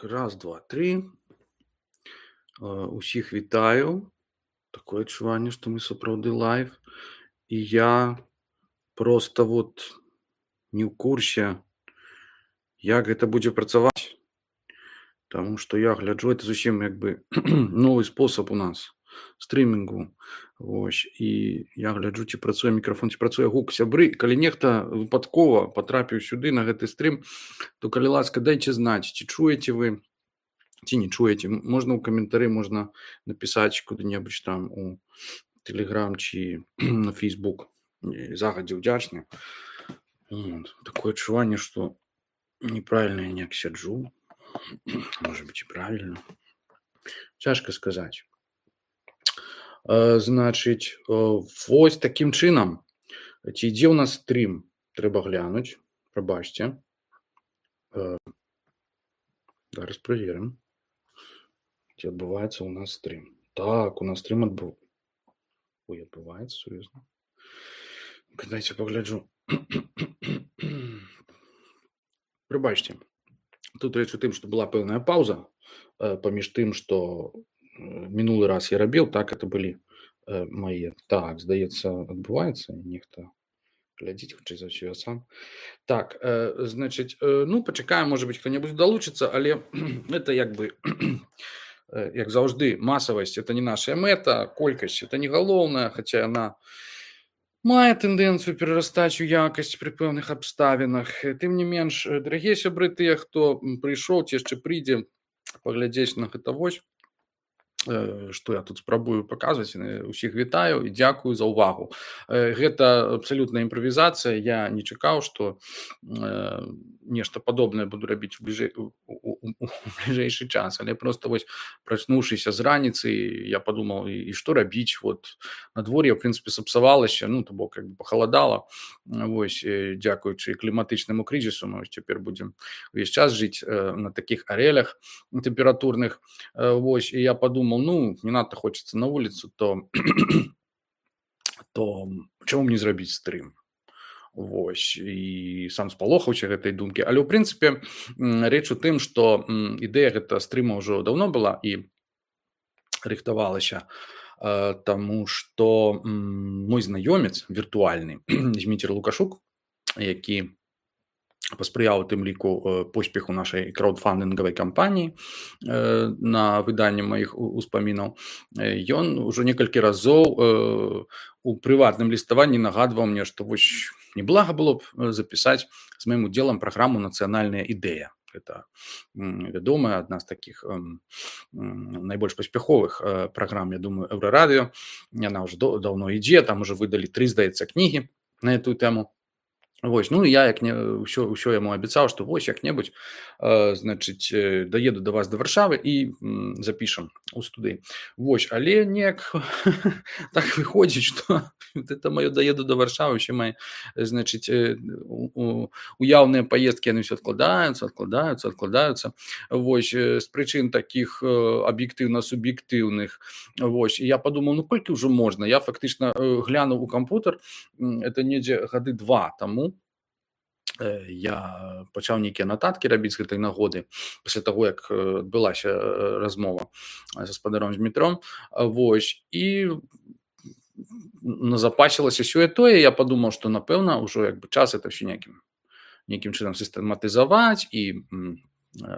Так, раз, два, три. Усіх вітаю. Такое адчуванне, што мы сапраўды лайв. І я просто не ў курсе, як гэта будзе працаваць. Таму што я гляджу, это зусім новы спосаб у нас стрымінгу. І я гляджу, ці працуе мікрафон, ці працуе гук. Сябры, калі нехта выпадкова патрапіў сюды на гэты стрым, то калі ласка, дайце знаць, ці чуеце вы, ці не чуеце. Можна ў каментары, можна напісаць куды-небудзь там у Телеграм ці на Фейсбук. Загадзя ўдзячны. Такое адчуванне, што неправільна я неяк сяджу. Можа быць і правільна. Цяжка сказаць. Значыць, вось такім чынам. Ці ідзе ў нас стрым? Трэба глянуць. Прабачце. Зараз праверым. Ці адбываецца ў нас стрым. Так, у нас стрым адбываецца, сур'ёзна. Дайце пагляджу. Прабачце. Тут рэч у тым, што была пэўная паўза паміж тым, што мінулы раз я рабіў, так, это былі мае. Так, здаецца, адбываецца. Нехта глядзіць, хутчэй за ўсё я сам. Так, значыць, пачакаем, можа быць, хто-небудзь далучыцца, але это як заўжды, масавасць – это не наша мэта, колькасць – это не галоўная, хаця яна мае тэндэнцыю перарастаць у якасць пры пэўных абставінах. Тым не менш, дарагія сябры, тыя, хто прыйшоў, ці яшчэ прыйдзе паглядзець на гэта вось, што я тут спрабую паказваць, усіх вітаю і дзякую за ўвагу. Гэта абсалютная імправізацыя, я не чакаў, што нешта падобнае буду рабіць у бліжэйшы час, але проста вось прачнуўшыся з раніцы, я падумаў, і што рабіць, надвор'е, ў прынцыпе, сапсавалася, то бок пахаладала, дзякуючы кліматычнаму крызісу, мы цяпер будзем увесь час жыць на такіх арэлях тэмпературных, і я падумаў, не надта хочется на улицу, то чаму мне зрабіць стрым? І сам спалохаўся гэтай думкі. Але, ў прынцыпе, рэч у тым, што ідэя гэта стрыма ўжо даўно была і рыхтавалася, таму што мой знаёмец віртуальны, Зміцер Лукашук, які паспрыяў у тым ліку поспеху нашай краудфандынгавай кампаніі на выданне маіх успамінаў. Ён ужо некалькі разоў у прыватным ліставанні нагадваў мне, што неблага было б запісаць з маім удзелам праграму «Нацыянальная ідэя». Гэта вядомая, адна з такіх найбольш паспяховых праграм, я думаю, Еўрарадыё. Яна ўжо даўно ідзе, там ужо выдалі 3, здаецца, кнігі на эту тэму. Я ўсё яму абяцаў, што як-небудзь, значыць, даеду да вас да Варшавы і запішам у студыі. Але неяк так выходзіць, што это маё даеду да Варшавы, ўсе мае, значыць, уяўныя паездкі, яны ўсё адкладаюцца. З прычын такіх аб'ектыўна-суб'ектыўных. Я падумаў, колькі ўжо можна? Я фактычна глянуў у кампутар, это недзе гады 2 таму. Я пачаў нейкія нататкі рабіць з гэтай нагоды, пасля таго, як адбылася размова з гаспадаром Змітром. І назапасілася сёе-тое, я падумаў, што, напэўна, ўжо час это ўсё нейкім чынам сістэматызаваць і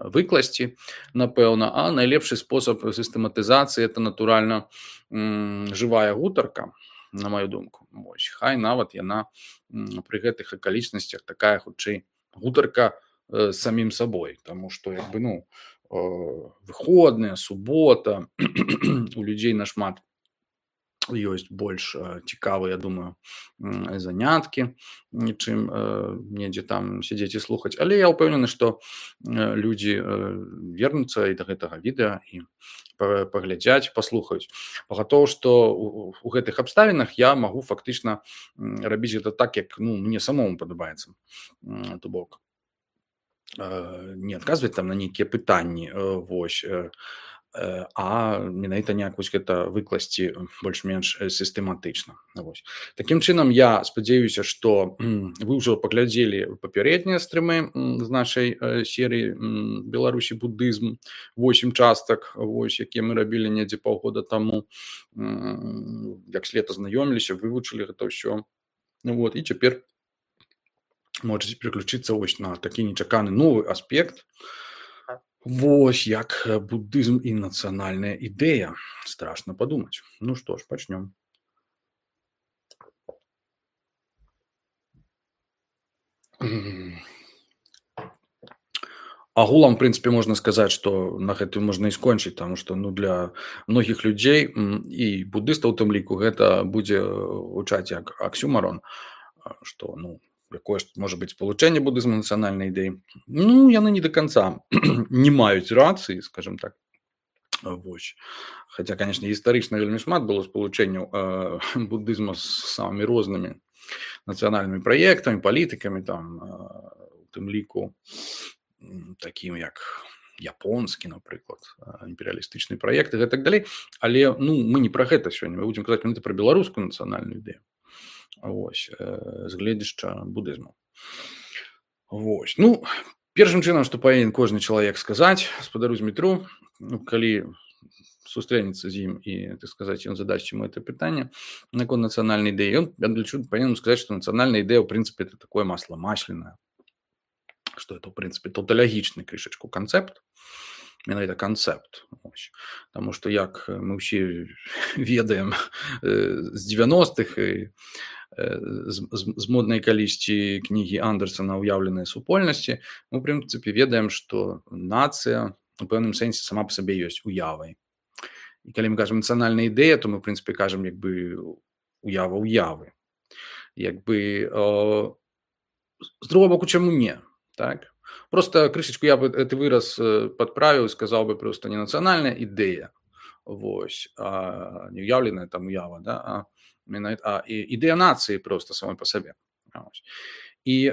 выкласці, напэўна. А найлепшы спосаб сістэматызацыі – это, натуральна, жывая гутарка, на маю думку. Хай нават яна пры гэтых акалічнасцях такая, хутчэй, гутарка з самім сабой, таму што, выходныя, субота, у людзей нашмат ёсць больш цікавыя, я думаю, заняткі, чым недзе там сядзець і слухаць. Але я ўпэўнены, што людзі вернуцца і да гэтага відэа і паглядзяць, паслухаюць. Пагатоў, што у гэтых абставінах я магу фактычна рабіць гэта так, як мне самому падабаецца. То бок не адказваць там на нейкія пытанні, а менавіта неяк вось гэта выкласці больш-менш сістэматычна. Вось. Такім чынам, я спадзяюся, што вы ўжо паглядзелі папярэднія стрымы з нашай серыі «Беларусі будызм», 8 частак, вось, якія мы рабілі недзе паўгода таму. Як след азнаёміліся, вывучылі гэта ўсё. Вот, і цяпер можаце пераключыцца вось на такі нечаканы новы аспект. Вось як будызм і нацыянальная ідэя. Страшна падумаць. Ну што ж, пачнём. Агулам, в прынцыпе, можна сказаць, што на гэтым можна і скончыць, таму што для многіх людзей і будыстаў у тым ліку гэта будзе гучаць як аксюмарон, што якое ж можа быць спалучэнне будызму нацыянальнай ідэі. Яны не да канца не маюць рацыі, скажем так. Вось. Хаця, канешне, гістарычна вельмі шмат было спалучэнняў будызма з самымі рознымі нацыянальнымі праектамі, палітыкамі, у тым ліку такім як японскі, напрыклад, імперыялістычны праект і гэтак далей. Але мы не пра гэта сёння, мы будзем казаць менавіта пра беларускую нацыянальную ідэю. Вось, з гледзяшча будызму. Вось. Першым чынам, што павінен кожны чалавек сказаць гаспадару Змітру, калі сустрэнецца з ім і, так сказаць, ён задасць яму гэта пытанне наконт нацыянальнай ідэі, ён павінен сказаць, што нацыянальная ідэя, ў прынцыпе, это такое масло масляное, што это, ў прынцыпе, таўталагічны крышачку канцэпт, менавіта канцэпт. Таму што, як мы ўсе ведаем з 90-х і з моднай калісьці кнігі Андерсана «Уяўленыя супольнасці», мы, у прынцыпе, ведаем, што нацыя у пэўным сэнсе сама па сабе ёсць уявай. І калі мы кажам нацыянальная ідэя, то мы, у прынцыпе, кажам уява ўявы. З другого боку, чаму не? Так? Просто крышечку я бы гэты выраз падправіў, сказаў бы проста не нацыянальная ідэя, вось, а не ўяўленая там уява, да? А ідэя нацыі проста самой па сабе. І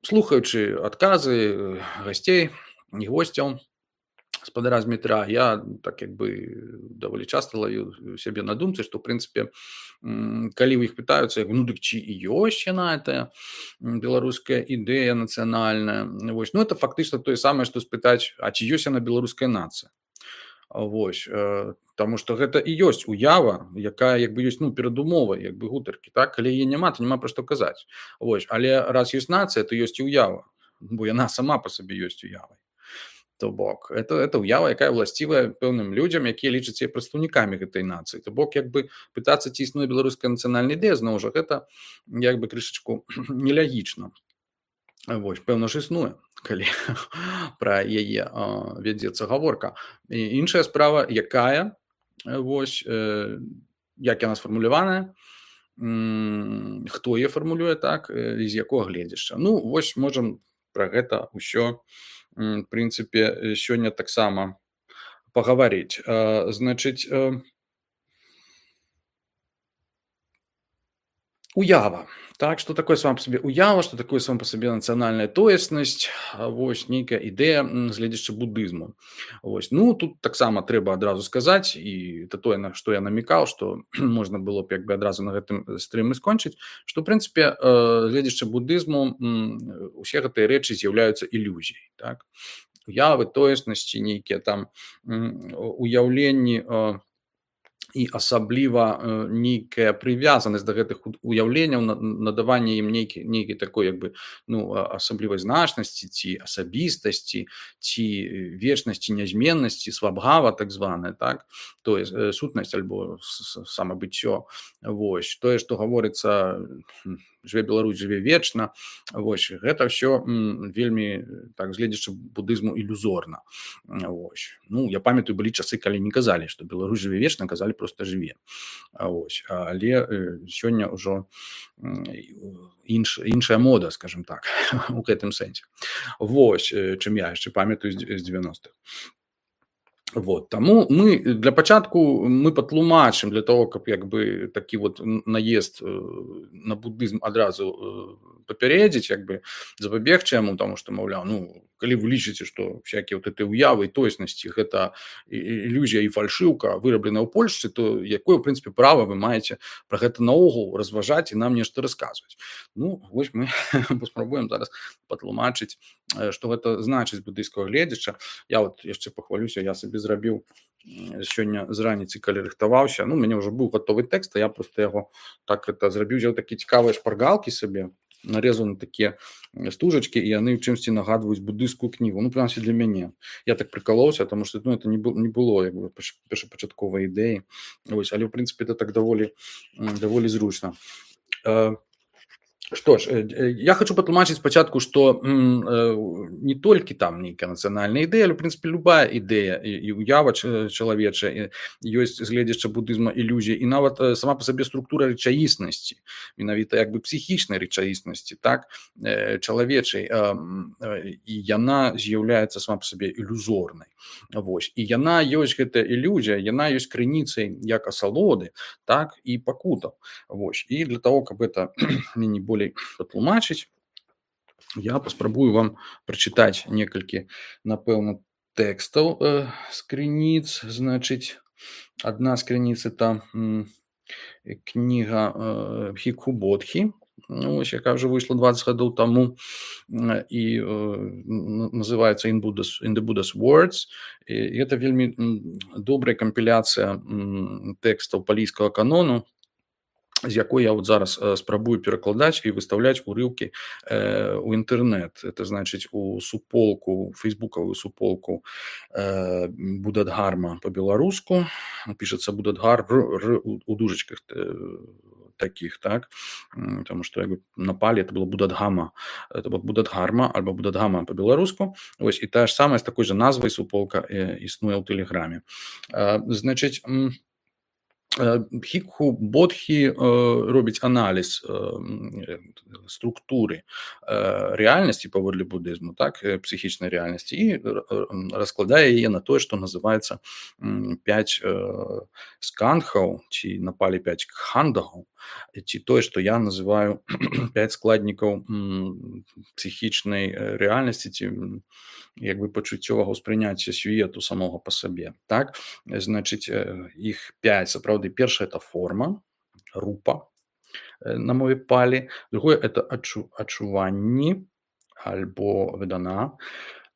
слухаючы адказы гасцей і госцяў гаспадара Змітра, я так даволі часта лавіў сябе на думцы, што, в прынцыпе, калі ў іх пытаюцца, дык ці ёсць яна, гэта беларуская ідэя нацыянальная, вось, это фактычна тое самае, што спытаць, а ці ёсць яна беларуская нацыя? Вось, таму што гэта і ёсць уява, якая ёсць перадумова гутаркі, так? Калі яе няма, то няма пра што казаць. Вось, але раз ёсць нацыя, то ёсць і ўява, бо яна сама па сабе ёсць уявай. То бок, это ўява, якая ўласцівая пэўным людзям, якія лічаць сябе прадстаўнікамі гэтай нацыі. То бок, пытацца, ці існуе беларуская нацыянальная ідэя, зноў жа, гэта крышачку нелягічна. Вось, пэўна ж існуе, калі пра яе вядзецца гаворка. І іншая справа, якая, вось, як яна сфармуляваная, хто яе фармулюе, так, з якога гледзяшча. Вось, можам пра гэта ўсё, в прынцыпе, сёння таксама пагаварыць. Значыць, уява. Так, што такое сама па сабе уява, што такое сама па сабе нацыянальная тоеснасць, вось, нейкая ідэя з гледзяча будызму. Вось, тут таксама трэба адразу сказаць, і это тое, на што я намікаў, што можна было б адразу на гэтым стрыме скончыць, што, в прынцыпе, гледзяча будызму, усе гэтыя рэчы з'яўляюцца ілюзіяй. Так? Уявы, тоеснасці, нейкія там уяўленні, і асабліва нейкая прывязанасць да гэтых уяўленняў, надаванне ім нейкай такой асаблівай значнасці ці асабістасці, ці вечнасці, нязменнасці, свабгава так званая, так, тое сутнасць альбо самабыццё. Вось, тое, што гаворыцца «Жыве Беларусь, жыве вечна», вось, гэта ўсё вельмі, так, гледзячы будызму, ілюзорна. Вось. Я памятаю, былі часы, калі не казалі, што Беларусь жыве вечна, казалі проста жыве. Вось. Але сёння ўжо іншая мода, скажем так, у гэтым сэнсе. Вось, чым я яшчэ памятаю з 90-х. Вот, таму мы для пачатку мы патлумачым для того, каб такі наезд на будызм адразу папярэдзіць, запабегчы яму, таму што, маўляў, калі вы лічыце, што всякія вот эти уявы і тоеснасці гэта ілюзія і фальшыўка вырабленая ў Польшчы, то якое, ў прынцыпе, права вы маеце пра гэта наогул разважаць і нам нешта расказваць? Ну, вось мы паспрабуем зараз патлумачыць, што гэта значыць з буддыйскага гледзяча. Я вот яшчэ пахвалюся, я сабе зрабіў сёння з раніцы, калі рыхтаваўся, ну, у мяне ўжо быў гатовы тэкст, а я проста яго так это зрабіў, взяў такія цікавыя шпаргалкі сабе, нарезаны такія стужачкі, і яны ў чымсьці нагадваюць буддыйскую кнігу, ну, прынамсі для мяне. Я так прыкалоўся, таму што, ну, это не было як бы першапачатковай ідэі, вось, але ў прынцыпе это так даволі зручна. Што ж, я хочу патлумачыць спачатку, што не толькі там нейкая нацыянальная ідэя, але, ў прынцыпе, любая ідэя і ўява чалавечая ёсць з гледзяча буддызма ілюзія, і нават сама па сабе структура рэчаіснасці, менавіта як бы псіхічнай рэчаіснасці, так, чалавечай, і яна з'яўляецца сама па сабе ілюзорнай. Вось. І яна ёсць, гэтая ілюзія, яна ёсць крыніцай як асалоды, так, і пакутаў. Вось. І для того, каб это меней болей патлумачыць, я паспрабую вам прачытаць некалькі, напэўна, тэкстаў з крыніц. Значыць, адна з крыніц это кніга Бхікху Бодхі, ось, яка ўжо выйшла 20 гадоў таму, і называецца In the Buddha's Words. І гэта вельмі добрая кампіляцыя тэкстаў палійскага канону, з якой я вот зараз спрабую перакладаць і выстаўляць урыўкі ў інтэрнэт. Это значыць у суполку, фейсбукавую суполку Будадхарма па-беларуску. Пішацца Будадхар у дужачках таких, так? Тому што як бы на палі это было Будадхама. Это было Будадхарма альбо Будадхама па-беларуску. Вось, і тая ж самая з такой жа назвай суполка існуе ў Тэлеграме. Значыць, Бхікху Бодхі робіць аналіз структуры рэальнасці паводле будызму, так, псіхічнай рэальнасці, і раскладае яе на тое, што называецца 5 сканхаў, ці на палі 5 кхандагаў, ці тое, што я называю 5 складнікаў псіхічнай рэальнасці, ці як бы пачуццёвага ўспрыняцця свету самога па сабе, так. Значыць, іх 5, сапраўды. Першая это форма, рупа на мове палі, другое это адчуванні альбо ведана.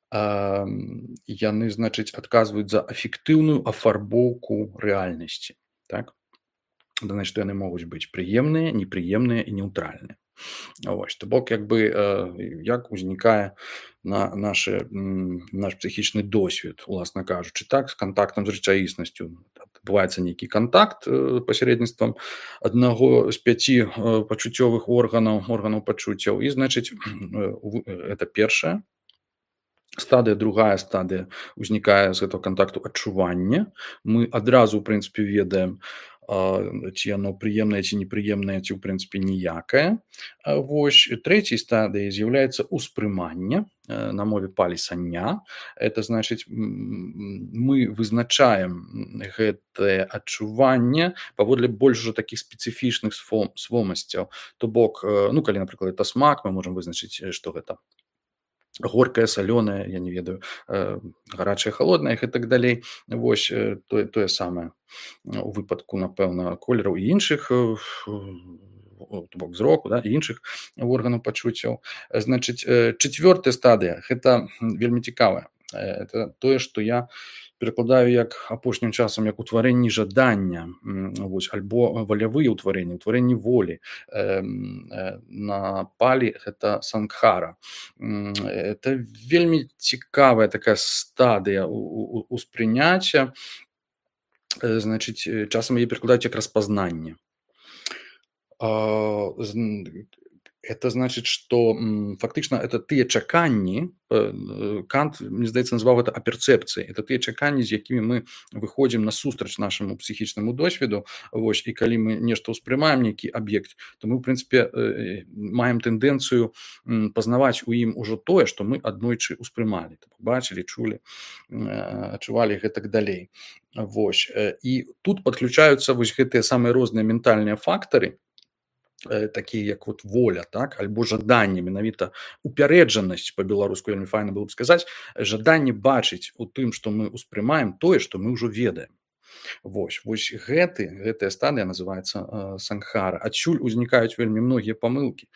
Яны, значыць, адказваюць за эфектыўную афарбоўку рэальнасці, так. Значыць, яны могуць быць прыемныя, непрыемныя і неўтральныя. Вось, то бок, як бы, як узнікае наш псіхічны досвед, уласна кажучы, так, з кантактам з рэчаіснасцю. Адбываецца нейкі кантакт пасярэдніцтвам аднаго з 5 пачуццёвых органаў пачуццяў, і, значыць, это першая стадыя. Другая стадыя узнікае з гэтага кантакту адчування. Мы адразу, у прынцыпе, ведаем, ці яно прыемнае, ці непрыемнае, ці, ў прынцыпе, ніякае. Вось, трэцяй стадыяй з'яўляецца ўспрыманне, на мове палі санья. Это значыць, мы вызначаем гэтае адчуванне паводле больш ужо такіх спецыфічных свомасцяў. То бок, ну, калі, напрыклад, это смак, мы можам вызначыць, што гэта горкае, салёнае, я не ведаю, гарачае, халоднае і так далей. Вось, тое самае у выпадку, напэўна, колераў і іншых, то бок зроку, да, і іншых органаў пачуццяў. Значыць, чацвёртая стадыя, гэта вельмі цікавая. Это тое, што я перакладаю як апошнім часам як утварэнні жадання, вось, альбо валявыя ўтварэнні волі. На палі гэта сангхара. Это вельмі цікавая такая стадыя успрыняцця. Значыць, часам яе перакладаюць як распазнанне. Это значыць, што фактычна это тыя чаканні, Кант, мне здаецца, назваў гэта аперцэпцыяй. Это тыя чаканні, з якімі мы выходзім насустрач нашаму псіхічнаму досведу. Вось, і калі мы нешта ўспрымаем, нейкі аб'ект, то мы, ў прынцыпе, маем тэндэнцыю пазнаваць у ім ужо тое, што мы аднойчы ўспрымалі, бачылі, чулі, адчувалі і гэтак далей. Вось, і тут падключаюцца вось гэтыя самыя розныя ментальныя фактары, такія як вот воля, так, альбо жаданне, менавіта упярэджанасць, па-беларуску вельмі файна было б сказаць, жаданне бачыць у тым, што мы ўспрымаем тое, што мы ўжо ведаем. Вось гэтая стадыя называецца сангхара. Адсюль узнікаюць вельмі многія памылкі.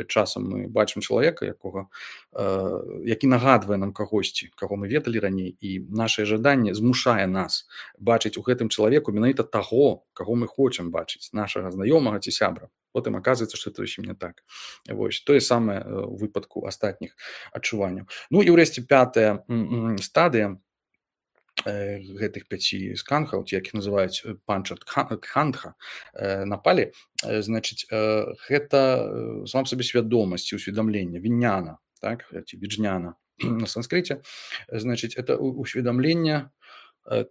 Часам мы бачым чалавека, які нагадвае нам кагосьці, каго мы ведалі раней, і нашае жаданне змушае нас бачыць у гэтым чалавеку менавіта таго, каго мы хочам бачыць, нашага знаёмага ці сябра. Потым аказваецца, што это зусім не так. Вось тое самае ў выпадку астатніх адчуванняў. Ну і ўрэшце пятая стадыя гэтых 5 сканхаў, ці як іх называюць панча-дхандха, на палі, значыць, гэта сам сабе свядомасць ці ўсведамленне, віньяна, так, ці віджняна на санскрыце, значыць, это усведамленне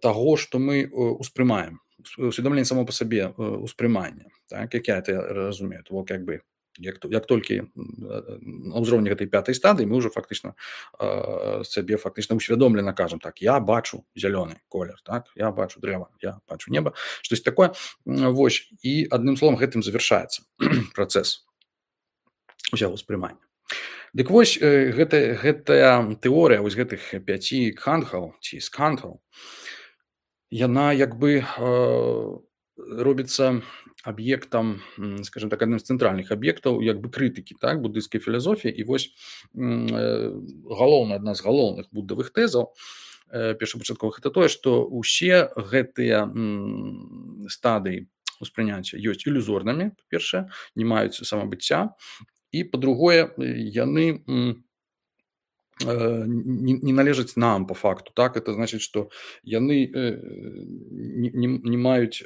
таго, што мы успрымаем, усведамленне само па сабе успрымання, так, як я это разумею, то як бы як толькі на ўзроўні гэтай 5-й стадыі мы ўжо фактычна сабе фактычна усвядомлена кажам так, я бачу зялёны колер, так, я бачу дрэва, я бачу неба, штось такое. Вось, і адным словам гэтым завяршаецца працэс усяго ўспрымання. Дык вось гэтая тэорыя вось гэтых 5 кхандхаў ці скандхаў, яна як бы робіцца аб'ектам, скажем так, адным з цэнтральных аб'ектаў як бы крытыкі, так, буддыйскай філасофіі. І вось адна з галоўных буддавых тэзаў першапачатковых это тое, што ўсе гэтыя стадыі ўспрыняцця ёсць ілюзорнымі, па-першае, не маюць самабыцця, і па-другое, яны не належаць нам по факту, так, это значыць, што яны не маюць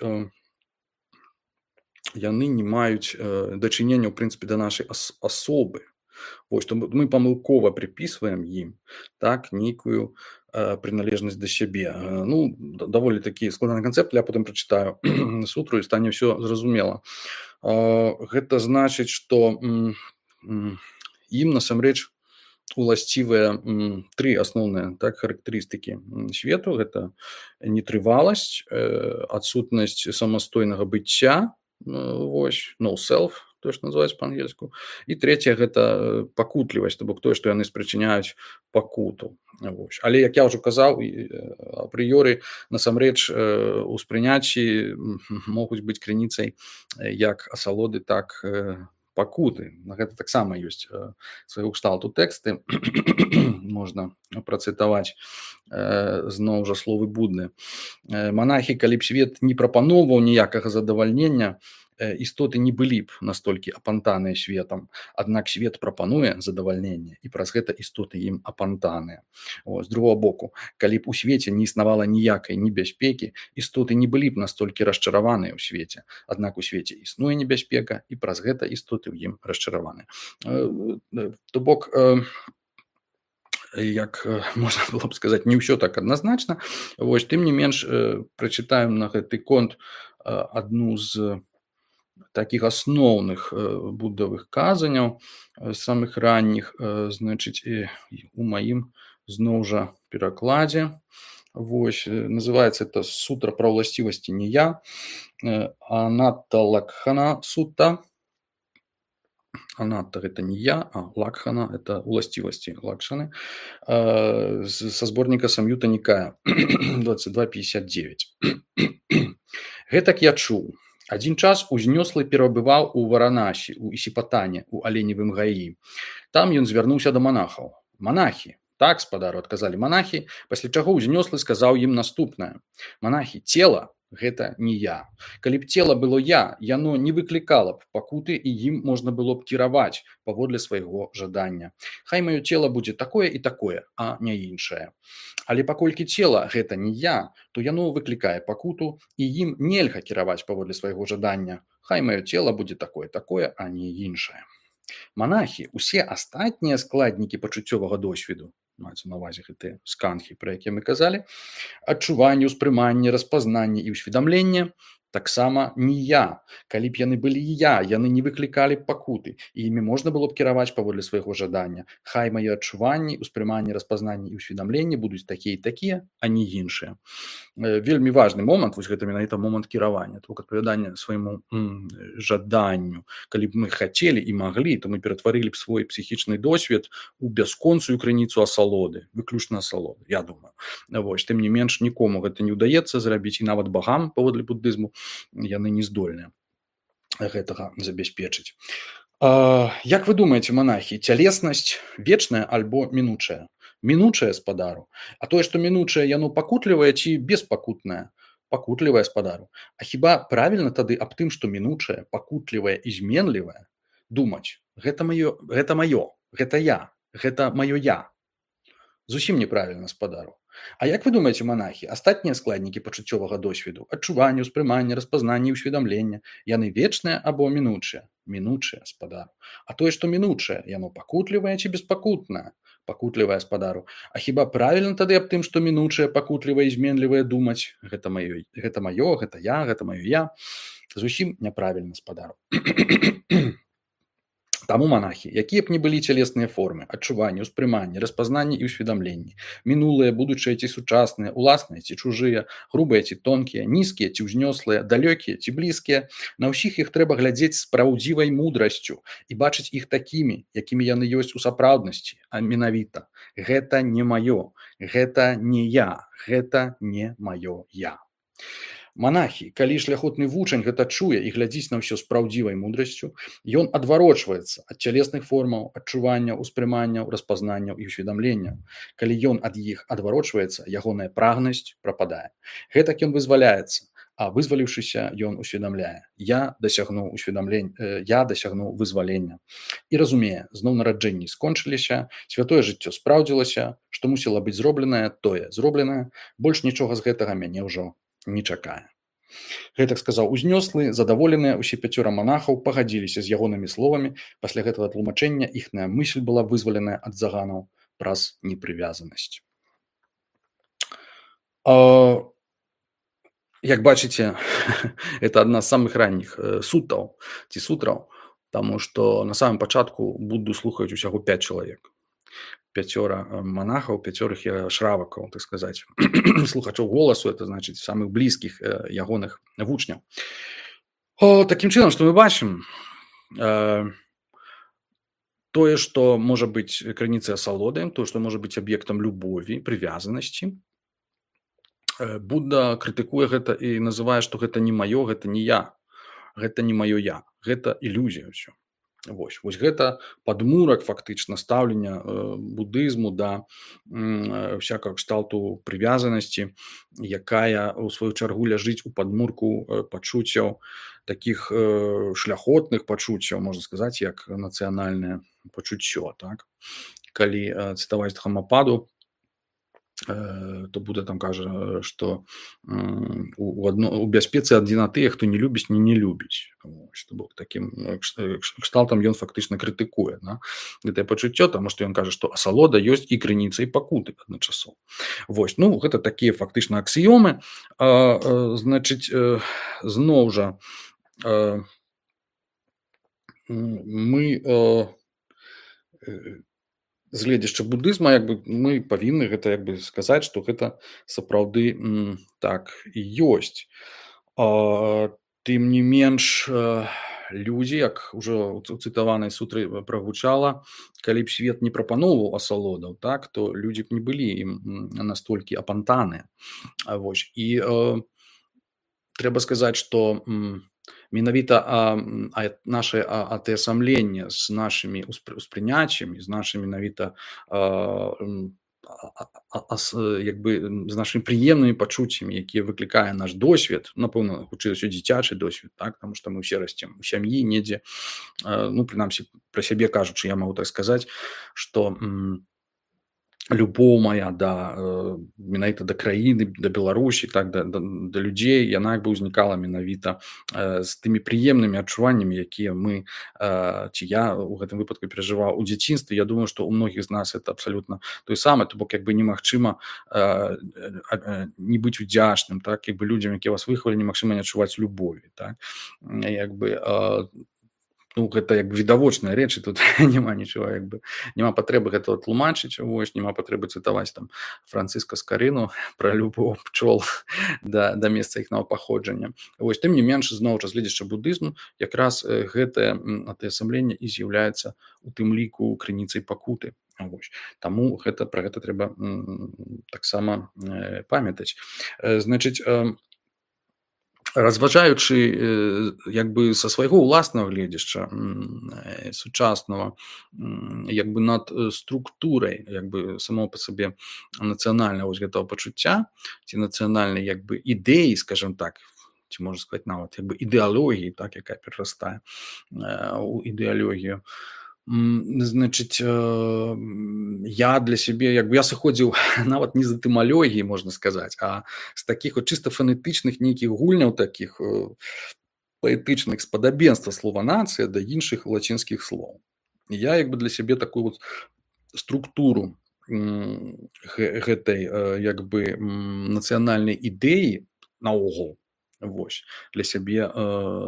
дачынення, ў прынцыпе, да нашай асобы. Вось, што мы памылкова прыпісваем ім, так, нейкую прыналежнасць да сябе. Ну, даволі такі складаны канцэпт, я потым прачытаю сутру і стане ўсё зразумела. Гэта значыць, што ім насамрэч уласцівыя 3 асноўныя, так, характарыстыкі свету. Гэта нетрываласць, адсутнасць самастойнага быцця, вось, no self, тое, што называюць па-ангельску. І трэцяе гэта пакутлівасць, то бок тое, што яны спрычыняюць пакуту. Вось. Але, як я ўжо казаў, апрыёры насамрэч успрыняцці могуць быць крыніцай як асалоды, так пакуты. На гэта таксама ёсць свайго кшталту тэксты. Можна працытаваць зноў жа словы Будды. Манахі, калі б свет не прапаноўваў ніякага задавальнення, істоты не былі б настолькі апантаныя светам. Аднак свет прапануе задавальненне, і праз гэта істоты ім апантаныя. З другого боку, калі б у свеце не існавала ніякай небяспекі, істоты не былі б настолькі расчараваныя ў свеце. Аднак у свеце існуе небяспека, і праз гэта істоты ў ім расчараваныя. То бок, як можна было б сказаць, не ўсё так адназначна. Вось, тым не менш, прачытаем на гэты конт адну з такіх асноўных буддавых казанняў, самых ранніх, значыць, у маім зноў жа перакладзе. Вось, называецца это сутра пра ўласцівасці не я, Анатта Лакхана сутта. Анатта – гэта не я, а Лакхана – это уласцівасці Лакшаны, са зборніка Сам'юта Нікая 2259. Гэтак я чуў. Адзін час узнёслы перабываў у Варанасі, у Ісіпатане, у аленевым гаі. Там ён звярнуўся да манахаў. Манахі, так, спадару, адказалі манахі, пасля чаго узнёслы сказаў ім наступнае. Манахі, цела – гэта не я. Калі б цела было я, яно не выклікала б пакуты, і ім можна было б кіраваць паводле свайго жадання. Хай маё цела будзе такое і такое, а не іншае. Але паколькі цела гэта не я, то яно выклікае пакуту, і ім нельга кіраваць паводле свайго жадання. Хай маё цела будзе такое, а не іншае. Манахі, усе астатнія складнікі пачуццёвага досведу, маецца на ўвазе гэтыя сканхі, пра якія мы казалі, адчуванне, успрыманне, распазнанне і ўсведамленне, Таксама не я. Калі б яны былі я, яны не выклікалі б пакуты, і імі можна было б кіраваць паводле свайго жадання. Хай мае адчуванні, успрыманні, распазнанні і ўсведамленні будуць такія і такія, а не іншыя. Вельмі важны момант, вось гэта менавіта момант кіравання, то адпавядання свайму жаданню. Калі б мы хацелі і маглі, то мы ператварылі б свой псіхічны досвед у бясконцую крыніцу асалоды, выключна асалоды, я думаю. Вось, тым не менш, нікому гэта не ўдаецца зрабіць, і нават багам паводле буддызму яны не здольныя гэтага забяспечыць. Як вы думаеце, манахі, цялеснасць вечная альбо мінучая? Мінучае, спадару. А тое, што мінучае, яно пакутлівае ці беспакутнае? Пакутлівае, спадару. А хіба правільна тады аб тым, што мінучае, пакутлівае і зменлівае, думаць? Гэта маё, гэта я, гэта маё я. Зусім неправільна, спадару. А як вы думаеце, манахі, астатнія складнікі пачуццёвага досведу, адчуванне, ўспрыманне, распазнанне і ўсведамлення, яны вечныя або мінучыя? Мінучыя, спадару. А тое, што мінучае, яно пакутлівае ці беспакутнае? Пакутлівае, спадару. А хіба правільна тады аб тым, што мінучае, пакутлівае і зменлівае думаць? Гэта маё, гэта я, гэта маё я. Зусім няправільна, спадару. Таму, манахі, якія б ні былі цялесныя формы, адчуванні, ўспрыманні, распазнанні і ўсведамленні, мінулыя, будучыя ці сучасныя, уласныя ці чужыя, грубыя ці тонкія, нізкія ці ўзнёслыя, далёкія ці блізкія, на ўсіх іх трэба глядзець з праўдзівай мудрасцю і бачыць іх такімі, якімі яны ёсць у сапраўднасці, а менавіта. Гэта не маё, гэта не я, гэта не маё я. Манахі, калі шляхотны вучань гэта чуе і глядзіць на ўсё з праўдзівай мудрасцю, ён адварочваецца ад цялесных формаў, адчуванняў, успрыманняў, распазнанняў і ўсведамленняў. Калі ён ад іх адварочваецца, ягоная прагнасць прападае. Гэтак ён вызваляецца, а вызваліўшыся, ён усведамляе: я дасягнуў вызвалення. І разумее, зноў нараджэнні скончыліся, святое жыццё спраўдзілася, што мусіла быць зробленае, тое зробленае, больш нічога з гэтага мяне ўжо не чакае. Гэтак сказаў узнёслы, задаволеныя ўсе 5 манахаў пагадзіліся з ягонымі словамі. Пасля гэтага тлумачэння іхная мысль была вызваленая ад заганаў праз непрывязанасць. Як бачыце, это адна з самых ранніх сутаў ці сутраў, таму што на самым пачатку Будду слухаюць усяго 5 чалавек. 5 манахаў, 5 шравакаў, так сказаць, слухачоў голасу, это значыць самых блізкіх ягоных вучняў. Такім чынам, што мы бачым, тое, што можа быць крыніцай асалоды, тое, што можа быць аб'ектам любові, прывязанасці, Будда крытыкуе гэта і называе, што гэта не маё, гэта не я, гэта не маё я, гэта ілюзія ўсё. Вось гэта падмурак фактычна стаўлення будызму да всякага кшталту прывязанасці, якая ў сваю чаргу ляжыць у падмурку пачуццяў, такіх шляхотных пачуццяў, можна сказаць, як нацыянальнае пачуццё. Так? Калі цытаваць Дхаммападу, то Будда там кажа, што у бяспецы адзіна тыя, хто не любіць, не любіць. Што бок такім кшталтам ён фактычна крытыкуе гэтае пачуццё, таму што ён кажа, што асалода ёсць і крыніца, і пакуты адначасова. Вось, гэта такія фактычна аксіёмы. Значыць, зноў жа, мы з гледзяча будызма мы павінны гэта сказаць, што гэта сапраўды так і ёсць. Тым не менш, людзі, як ужо у цытаванай сутры прагучала, калі б свет не прапаноўваў асалодаў, так, то людзі б не былі ім настолькі апантаныя. І трэба сказаць, што менавіта наше атаясамленне з нашымі успрыняццямі, з нашымі менавіта з нашымі прыемнымі пачуццямі, якія выклікае наш досвед, напэўна, хутчэй за ўсё дзіцячы досвед, так, таму што мы ўсе расцем у сям'і недзе, прынамсі, пра сябе кажучы, я магу так сказаць, што любоў моя менавіта да краіны, да Беларусі, так да людзей, яна як бы ўзнікала менавіта з тымі прыемнымі адчуваннямі, якія мы ці я у гэтым выпадку перажываў у дзяцінстве. Я думаю, што ў многіх з нас это абсалютна той самы, то бок як бы немагчыма не быць удзячным, так, як бы людзям, якія вас выхавалі, немагчыма не адчуваць любові, так, як бы ну, гэта як бы відавочныя рэчы, тут няма нічого, як бы няма патрэбы гэтага тлумачыць, вось, няма патрэбы цытаваць там Францыска Скарыну пра любоў пчол да месца іхнага паходжання. Вось, тым не менш, зноў жа, з гледзячы будызму, якраз гэтае атаясамленне і з'яўляецца у тым ліку крыніцай пакуты. Вось. Таму пра гэта трэба таксама памятаць. Значыць, разважаючы як бы са свайго ўласнага гледзяшча сучаснага, як бы над структурай як бы само па сабе нацыянальнага вось гэтага пачуцця ці нацыянальнай як бы ідэі, скажем так, ці можна сказаць нават як бы ідэалогіі, так, якая перарастае у ідэалогію. Значыць, я для сябе як бы я сыходзіў нават не з этымалогіі, можна сказаць, а з такіх вот чыста фанетычных нейкіх гульняў, такіх паэтычных спадабенства слова нацыя да іншых лацінскіх слоў. Я як бы для сябе такую вот структуру гэтай як бы нацыянальнай ідэі наогул вось для сябе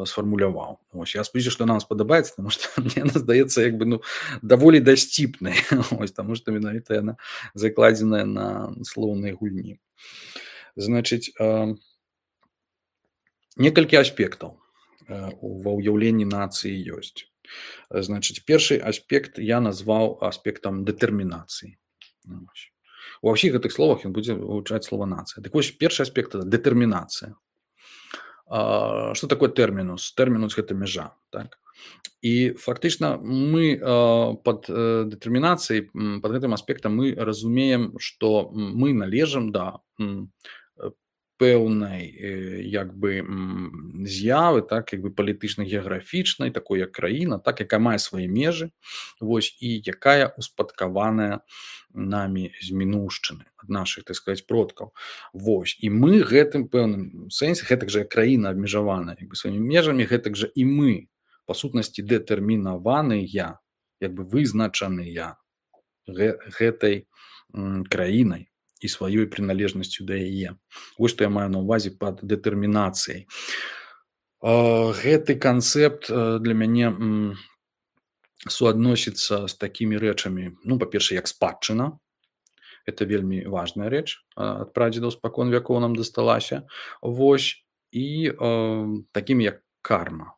сфармуляваў. Вось, я спадзяюся, што нам спадабаецца, таму што мне она здаецца як бы ну даволі дасціпнай, вось, таму што менавіта яна закладзеная на слоўнай гульні. Значыць, некалькі аспектаў ва ўяўленні нацыі ёсць. Значыць, першы аспект я назваў аспектам дэтэрмінацыі. Ва ўсіх гэтых словах ён будзе вывучаць слова нацыя. Так вось, першы аспект – дэтэрмінацыя. Што такое тэрмінус? Тэрмінус – гэта мяжа, так? І фактычна мы пад дэтэрмінацыяй, пад гэтым аспектам мы разумеем, што мы належым да пэўнай як бы з'явы, так, як бы палітычна-геаграфічнай, такой як краіна, так, якая мае свае межы, вось, і якая успадкаваная намі з мінуўшчыны, ад нашых, так сказаць, продкаў. Вось, і мы гэтым пэўным сэнсе, гэтак жа краіна абмежаваная як бы сваімі межамі, гэтак жа і мы, па сутнасці, дэтэрмінаваныя, як бы вызначаныя гэтай краінай і сваёй прыналежнасцю да яе. Вось што я маю на ўвазе пад дэтэрмінацыяй. Гэты канцэпт для мяне суадносіцца з такімі рэчамі, ну, па-першае, як спадчына. Это вельмі важная рэч, ад прадзедаў спакон вякоў нам дасталася. Вось, і такімі як карма.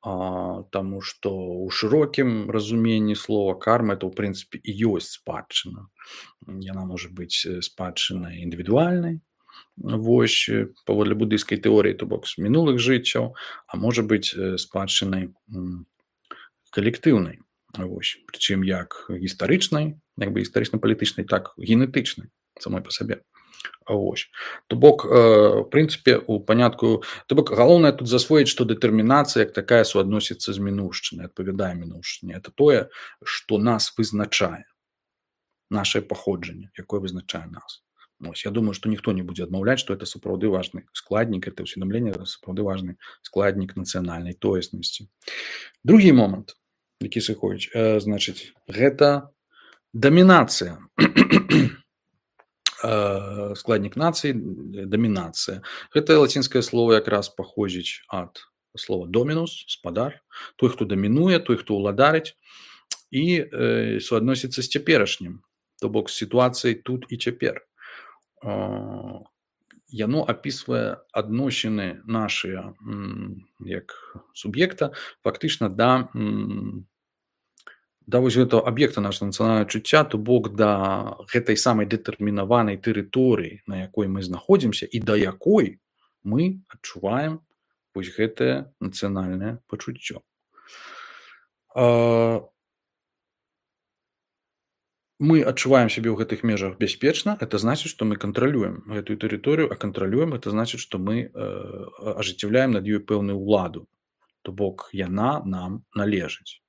Таму што ў шырокім разуменні слова карма это ў прынцыпе і ёсць спадчына. Яна можа быць спадчынай індывідуальнай, вось, паводле будыйскай тэорыі, то бок з мінулых жыццяў, а можа быць спадчынай калектыўнай, вось, прычым як гістарычнай, як бы гістарычна-палітычнай, так генетычнай самой па сабе. Вось. То бок, в прынцыпе, у панятку, то бок, галоўнае тут засвоіць, што дэтэрмінацыя як такая суадносіцца з мінуўшчынай, адпавядае мінуўшчыне. Это тое, што нас вызначае, нашае паходжанне, якое вызначае нас. Вось, я думаю, што ніхто не будзе адмаўляць, што это сапраўды важны складнік, это ўсведамленне, сапраўды важны складнік нацыянальнай тоеснасці. Другі момант, які сыходзіць, значыць, гэта дамінацыя. Складнік нацыі, дамінацыя. Гэтае лацінскае слово якраз паходзіць ад слова домінус, спадар, той, хто дамінуе, той, хто ўладарыць, і суадносіцца з цяперашнім, то бок з сітуацыяй тут і цяпер. Яно апісвае адносіны нашыя як суб'екта фактычна да вось гэтага аб'екта нашага нацыянальнага чуцця, то бок да гэтай самай дэтэрмінаванай тэрыторыі, на якой мы знаходзімся і да якой мы адчуваем вось гэтае нацыянальнае пачуццё. Мы адчуваем сябе ў гэтых межах бяспечна, это значыць, што мы кантралюем гэтую тэрыторыю, а кантралюем, это значыць, што мы ажыццяўляем над ёй пэўную ўладу, то бок яна нам належыць.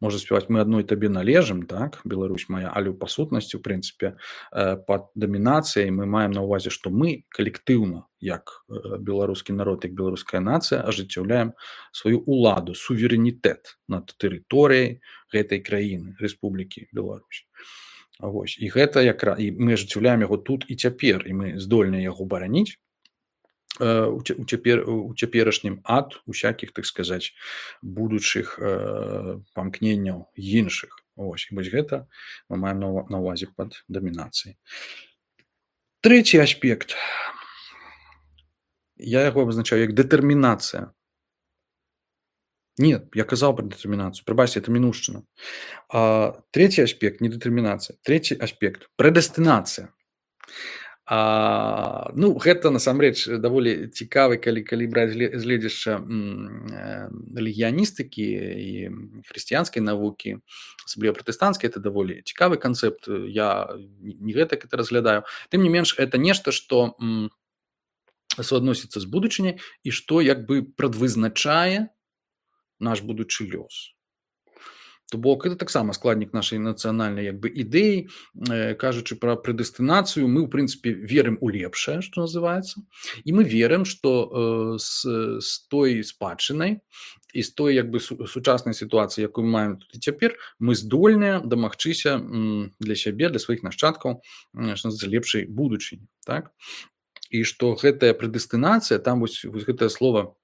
можа спяваць мы адной табе належым, так, Беларусь моя, але па сутнасці, у прынцыпе, пад дамінацыяй мы маем на ўвазе, што мы калектыўна, як беларускі народ, як беларуская нацыя ажыццяўляем сваю ўладу, суверэнітэт над тэрыторыяй гэтай краіны, Рэспублікі Беларусь. Вось. І гэта і мы ажыццяўляем яго тут і цяпер, і мы здольныя яго бараніць у цяперашнім ад усякіх, так сказаць, будучых памкненняў іншых. Вось гэта мы маем на ўвазе пад дамінацыяй. Трэці аспект. Я яго абазначаю як дэтэрмінацыя. Нет, я казаў пра дэтэрмінацыю. Прабачце, это мінушчына. Трэці аспект не дэтэрмінацыя. Трэці аспект прэдэстынацыя. Гэта насамрэч даволі цікавы, калі браць з гледзяшча рэлігіяністыкі і хрысціянскай навукі, асабліва пратэстанцкай, это даволі цікавы канцэпт. Я не гэтак это разглядаю. Тым не менш, это нешта, што суадносіцца з будучыняй і што як бы прадвызначае наш будучы лёс. То бок это таксама складнік нашай нацыянальнай як бы ідэі. Кажучы пра прэдэстынацыю, мы ў прынцыпе верым у лепшае, што называецца, і мы верым, што з той спадчынай і з той як бы сучаснай сітуацыі, якую мы маем тут і цяпер, мы здольныя дамагчыся для сябе, для сваіх нашчадкаў, што называецца, лепшай будучыні, так? І што гэтая прэдэстынацыя, там вось гэтае слова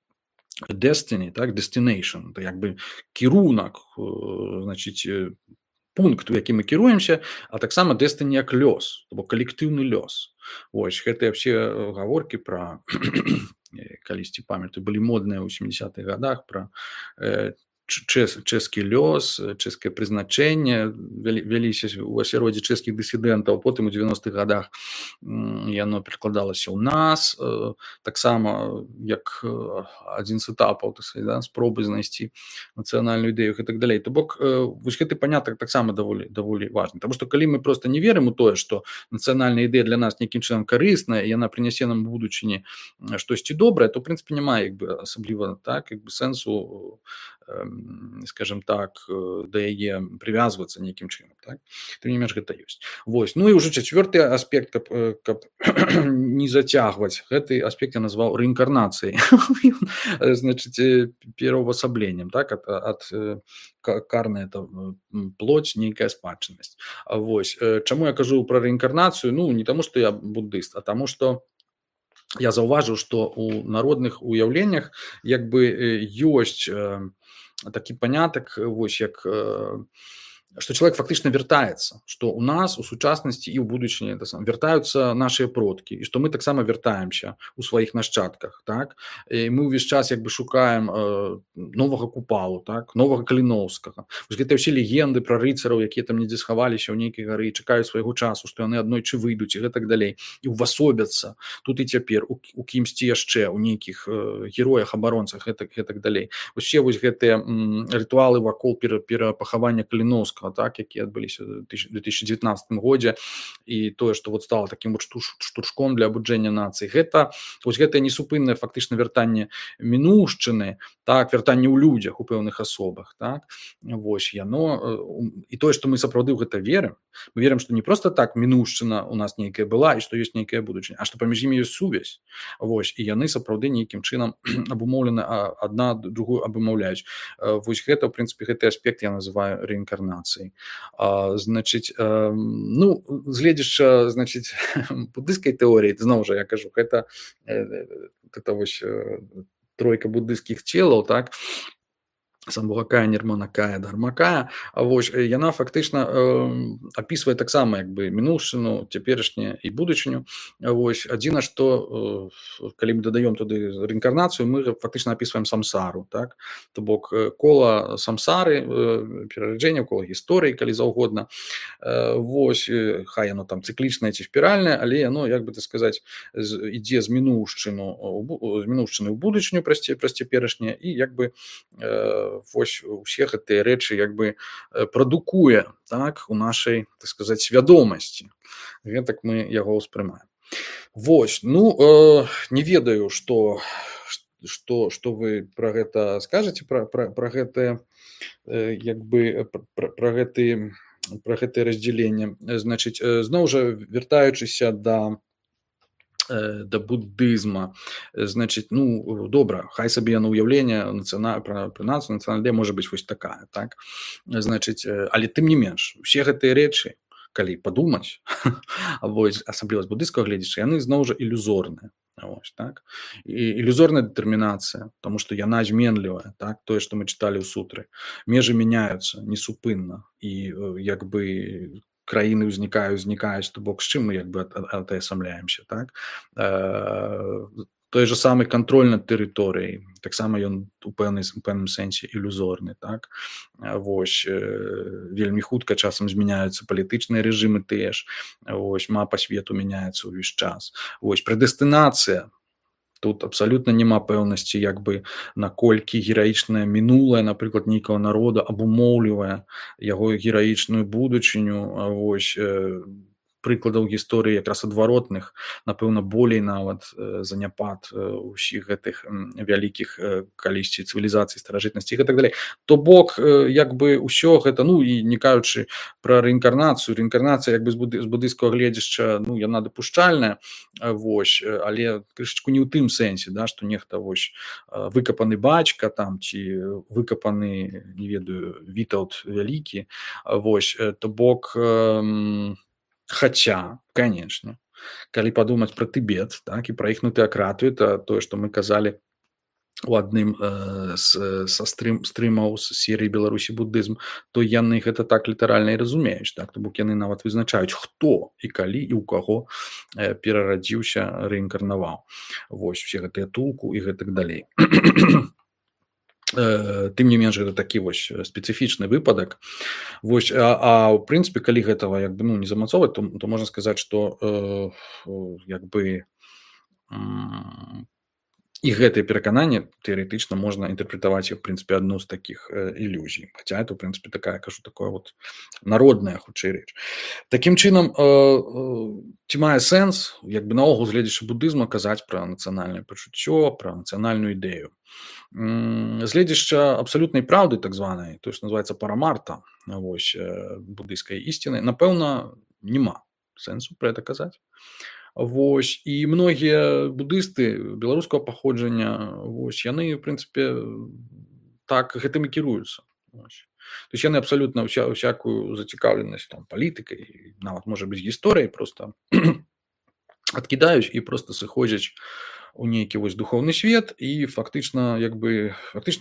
destiny, так, destination, это як бы кірунак, значыць, пункт, у які мы кіруемся, а таксама destiny як лёс, то бок калектыўны лёс. Вось, гэтыя ўсе гаворкі пра, калісьці памятаю, былі модныя ў 70-х гадах, пра чэшскі лёс, чэшскае прызначэнне, вяліся ў асяроддзі чэшскіх дысідэнтаў, потым у 90-х гадах яно перакладалася ў нас, таксама як адзін з этапаў, спробы знайсці нацыянальную ідэю і так далей. То бок, вось гэты панятак таксама даволі важны, таму што калі мы проста не верым у тое, што нацыянальная ідэя для нас нейкім чынам карысная, і яна прынясе нам у будучыні штосьці добрае, то, ў прынцыпе, няма як бы асабліва так, як бы сэнсу, скажем так, да яе прывязвацца нейкім чынам, так? Тым не менш, гэта ёсць. Вось. Ну і ўжо чацвёрты аспект, каб не зацягваць, гэты аспект я назваў рэінкарнацыяй. Значыць, пераўвасабленнем, так, ад карная это плоть, нейкая спадчыннасць. Вось. Чаму я кажу пра рэінкарнацыю? Ну, не таму, што я буддыст, а таму, што я заўважыў, што ў народных уяўленнях як бы ёсць такі панятак, вось як што чалавек фактычна вяртаецца, што ў нас у сучаснасці і ў будучыні вяртаюцца нашыя продкі, і што мы таксама вяртаемся ў сваіх нашчадках, так? І мы ўвесь час як бы шукаем новага Купалу, так? Новага Каліноўскага. Вось гэтыя ўсе легенды пра рыцараў, якія там недзе схаваліся ў нейкай гары, чакаюць свайго часу, што яны аднойчы выйдуць і гэтак далей, і ўвасобяцца тут і цяпер у кімсьці яшчэ, у нейкіх героях, абаронцах, гэтак далей. Усе вось гэтыя рытуалы вакол перапахавання Каліноўскага, так, якія адбыліся ў 2019 годзе, і тое, што вот стало такім вот штуршком для абуджэння нацыі, гэта вось гэтае несупыннае фактычна вяртанне мінушчыны, так, вяртанне ў людзях, у пэўных асобах, так, вось яно, і тое, што мы сапраўды ў гэта верым, мы верым, што не проста так мінушчына у нас нейкая была і што ёсць нейкая будучыня, а што паміж імі ёсць сувязь, вось, і яны сапраўды нейкім чынам абумоўлены, адна другую абумоўляюць. Вось гэта, ў прынцыпе, гэты аспект я называю рэінкарнацыяй. Значыць, ну, згледзячы, значыць, буддыйскай тэорыі, зноў жа я кажу, гэта вось тройка буддыйскіх целаў, так, Самбхакая, Нірманакая, Дхармакая, вось, яна фактычна апісвае таксама як бы мінушчыну, цяперашняе і будучыню. Вось, адзіна, што калі мы дадаём туды рэінкарнацыю, мы фактычна апісваем самсару, так? То бок кола самсары, перараджэння, кола гісторыі, калі заўгодна. Вось, хай яно там цыклічнае ці спіральнае, але яно, як бы так сказаць, ідзе з мінушчыны ў будучыню праз цяперашняе, і як бы вось усе гэтыя рэчы як бы прадукуе, так, у нашай, так сказаць, свядомасці. Гэтак мы яго ўспрымаем. Вось, ну, не ведаю, што што вы пра гэта скажаце, пра гэтае, як бы пра гэтае раздзяленне. Значыць, зноў жа вяртаючыся да буддызма, значыць, ну добра, хай сабе яно ўяўленне пра нацыю, нацыянальная ідэя можа быць вось такая, так, значыць, але тым не менш усе гэтыя рэчы, калі падумаць, вось асабліва з буддыйскага гледзяча, яны зноў жа ілюзорныя. Вось, так? І ілюзорная дэтэрмінацыя, таму што яна зменлівая, так? Тое, што мы чыталі ў сутры. Межы мяняюцца несупынна, і як бы краіны ўзнікаюць, то бок з чым мы як бы атаясамляемся, так? Той же самы кантроль над тэрыторыяй, таксама ён у пэўным сэнсе ілюзорны, так? Вось, вельмі хутка часам змяняюцца палітычныя рэжымы тыя ж, вось, мапа свету мяняецца ўвесь час. Вось, прэдэстынацыя. Тут абсалютна няма пэўнасці, як бы, наколькі гераічнае мінулае, напрыклад, нейкага народа абумоўлівае яго гераічную будучыню. Вось, прыкладаў гісторыі якраз адваротных, напэўна, болей нават заняпад усіх гэтых вялікіх калісьці цывілізацый, старажытнасці і так далей. То бок, як бы ўсё гэта, ну і не кажучы пра рэінкарнацыю, рэінкарнацыя як бы з буддыйскага гледзяча, ну яна дапушчальная, вось, але крышачку не ў тым сэнсе, да, што нехта вось выкапаны бацька там ці выкапаны, не ведаю, Вітаўт вялікі, вось, то бок, хаця, канечне, калі падумаць пра Тыбет, так, і пра іхнюю тэакратыю, это тое, што мы казалі у адным са стрымаў з серыі «Беларусі буддызм», то яны гэта так літаральна і разумеюць, так, то бок яны нават вызначаюць, хто і калі і ў каго перарадзіўся, рэінкарнаваў. Вось, усе гэтыя тулку і гэтак далей. Тым не менш, гэта такі вось спецыфічны выпадак. Вось, ў прынцыпе, калі гэтага як бы, ну, не замацоўваць, то можна сказаць, што як бы і гэтае перакананне тэарэтычна можна інтэрпрэтаваць як, в прынцыпе, адну з такіх ілюзій. Хаця это, в прынцыпе, такая вот народная, хутчэй рэч. Такім чынам, ці мае сэнс, як бы наогул, гледзячы буддызма, казаць пра нацыянальнае пачуццё, пра нацыянальную ідэю. Гледзяча абсалютнай праўды, так званай, то, што называецца парамарта, вось, буддыйскай ісціны, напэўна, няма сэнсу пра гэта казаць. Вось, і многія буддысты беларускага паходжання, вось, яны, в прынцыпе, так гэтым і кіруюцца. Вось. То есть яны абсалютна ўсякую зацікаўленасць там палітыкай, нават, можа быць, гісторыяй проста адкідаюць і проста сыходзяць у нейкі вось духоўны свет і фактычна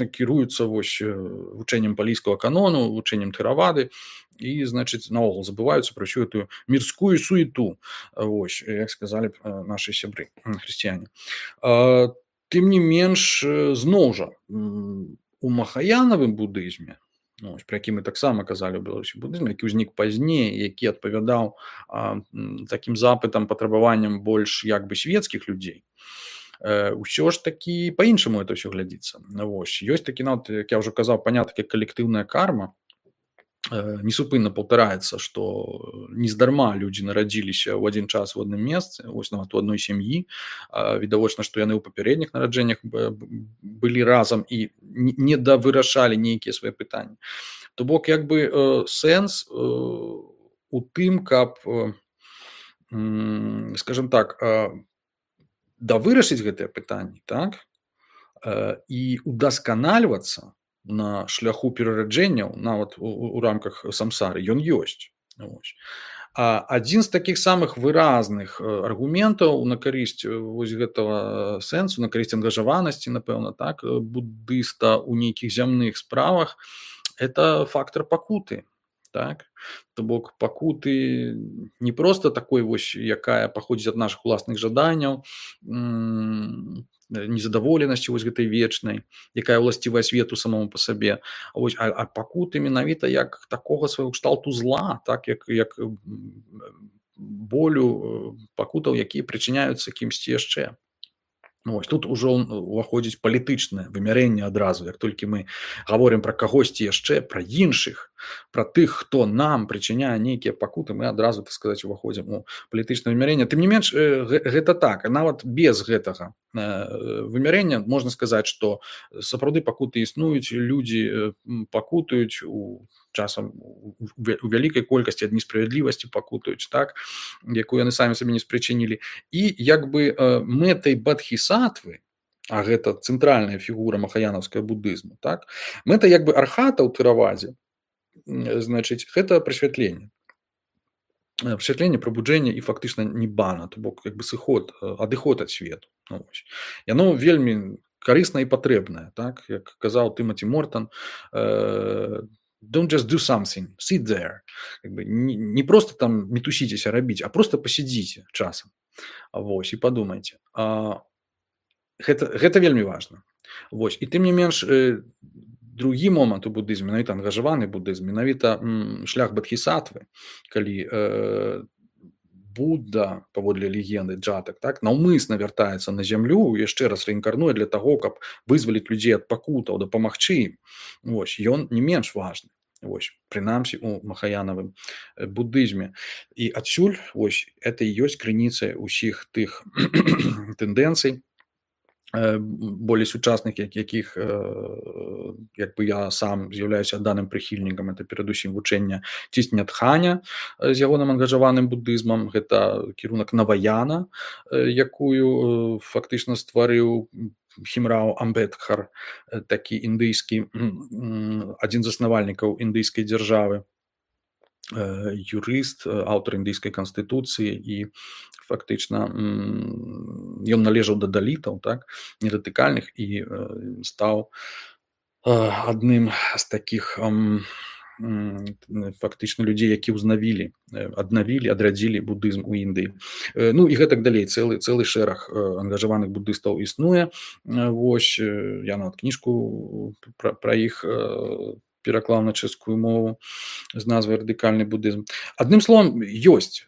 кіруюцца вось вучэннем палійскага канону, вучэннем тэравады і, значыць, наогул забываюцца пра ўсю гэтую мірскую суету, вось, як сказалі нашы сябры хрысціяне. Тым не менш, зноў жа, у махаянавым буддызме, пра які мы таксама казалі ў Беларусі буддызме, які ўзнік пазней, які адпавядаў такім запытам, патрабаванням больш як бы светскіх людзей, ўсё ж такі па-іншаму это ўсё глядзіцца. Вось, ёсць такі, нават, як я ўжо казаў, панятак як калектыўная карма, несупынна паўтараецца, што нездарма людзі нарадзіліся ў адзін час у адным месцы, вось нават у адной сям'і, відавочна, што яны ў папярэдніх нараджэннях былі разам і не давырашалі нейкія свае пытанні. То бок, як бы, сэнс у тым, каб, скажем так, давырашыць гэтыя пытанні, так, і удасканальвацца на шляху перараджэнняў, нават у рамках самсары, ён ёсць. Адзін з такіх самых выразных аргументаў на карысць вось гэтага сэнсу, на карысць ангажаванасці, напэўна, так, буддыста ў нейкіх зямных справах, это фактар пакуты. Так? То бок, пакуты не проста такой вось, якая паходзіць ад нашых уласных жаданняў, незадаволенасці вось гэтай вечнай, якая ўласцівая свету самому па сабе, а пакуты менавіта як такога свайго кшталту зла, так, як болю, пакутаў, якія прычыняюцца кімсьці яшчэ. Вось тут ужо уваходзіць палітычнае вымярэнне адразу. Як толькі мы гаворым пра кагосьці яшчэ, пра іншых, пра тых, хто нам прычыняе нейкія пакуты, мы адразу, так сказаць, уваходзім у палітычнае вымярэнне. Тым не менш, гэта так, нават без гэтага вымярэння можна сказаць, што сапраўды пакуты існуюць, людзі пакутаюць часам у вялікай колькасці ад несправядлівасці пакутаюць, так, якую яны самі сабе не спрычынілі. І як бы мэтай бадхісатвы, а гэта цэнтральная фігура махаянаўскага будызму, так, мэта як бы архата ў тэравадзе, значыць, гэта прасвятленне. Прасвятленне, прабуджэнне і фактычна ніббана, то бок як бы сыход, адыход ад свету. Яно вельмі карыснае і патрэбнае, так, як казаў Тымаці Мортан, don't just do something, sit there. Как бы не просто там мітусіцеся рабіць, а просто пасядзіце часам. Вось, і падумайце. Гэта вельмі важна. Вось, і тым не менш, другі момант у будызме, менавіта ангажаваны будызм, менавіта шлях бадхісатвы, калі Будда, паводле легенды Джатак, так, наўмысна вяртаецца на зямлю, яшчэ раз рэінкарнуе для таго, каб вызваліць людзей ад пакутаў, дапамагчы ім. Вось, ён не менш важны. Вось, прынамсі у махаянавым будызме. І адсюль, вось, это і ёсць крыніцай усіх тых тэндэнцый, болей сучасных, якіх як бы я сам з'яўляюся даным прыхільнікам, это перадусім вучэння Цісня Дханя з ягоным ангажаваным будызмам, гэта кірунак Наваяна, якую фактычна стварыў Хімрау Амбедкар, такі індыйскі, адзін з заснавальнікаў індыйскай дзяржавы, юрыст, аўтар індыйскай канстытуцыі, і фактычна ён належаў да далітаў, так, недатыкальных, і стаў адным з такіх фактычна людзей, які адрадзілі будызм у Індыі. Ну і гэтак далей, цэлы шэраг ангажаваных будыстаў існуе. Вось, я нават кніжку пра іх пераклаў на чэшскую мову з назвай «Радыкальны будызм». Адным словам,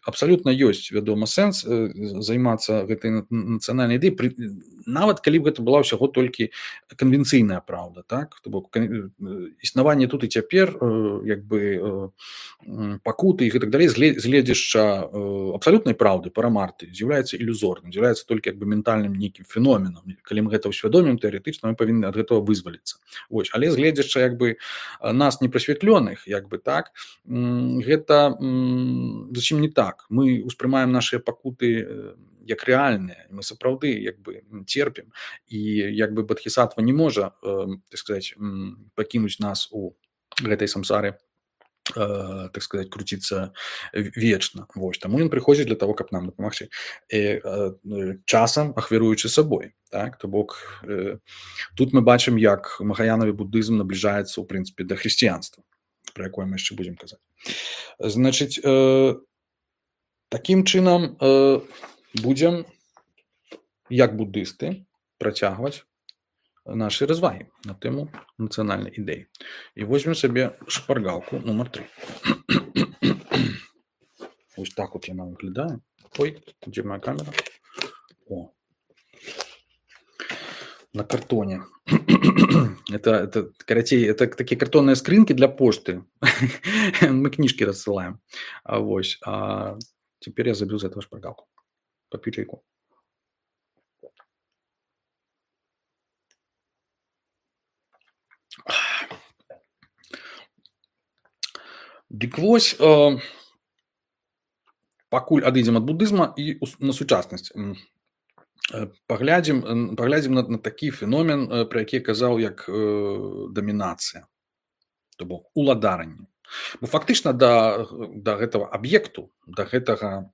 абсалютна ёсць, вядома, сэнс займацца гэтай нацыянальнай ідэяй, нават калі б гэта была ўсяго толькі канвенцыйная праўда, так? То бок існаванне тут і цяпер, як бы пакуты і гэтак далей, з гледзяшча абсалютнай праўды, парамарты, з'яўляецца ілюзорным, з'яўляецца толькі як бы ментальным нейкім феноменам. Калі мы гэта ўсвядомім, тэарэтычна мы павінны ад гэтага вызваліцца. Вось, але з гледзяшча як бы нас непрасвятленых, як бы так, гэта зусім не так. Мы успрымаем нашыя пакуты як рэальныя, мы сапраўды як бы церпім, і як бы бадхісатва не можа, так сказаць, пакінуць нас у гэтай самсары, так сказаць, круціцца вечна. Вось, таму ён прыходзіць для таго, каб нам дапамагчы, часам ахвяруючы сабой, так, то бок тут мы бачым, як махаянавы будызм набліжаецца, у прынцыпе, да хрысціянства, пра якое мы яшчэ будзем казаць. Значыць, такім чынам будзем, як будысты, працягваць нашы развагі на тэму нацыянальнай ідэі. І возьмем сабе шпаргалку нумар 3. Ось так от яна выглядае. Ой, дзе моя камера? О, на картоне. Это карацей, это такие картонные скринки для почты. Мы книжки рассылаем. Вось. А теперь я забил за этого шпаргалку. Попью чайку. Дык вось, пакуль адыдзем ад будызма і на сучаснасць. Паглядзім на такі феномен, пра які казаў, як дамінацыя, то бок уладаранне. Бо фактычна да гэтага аб'екту, да гэтай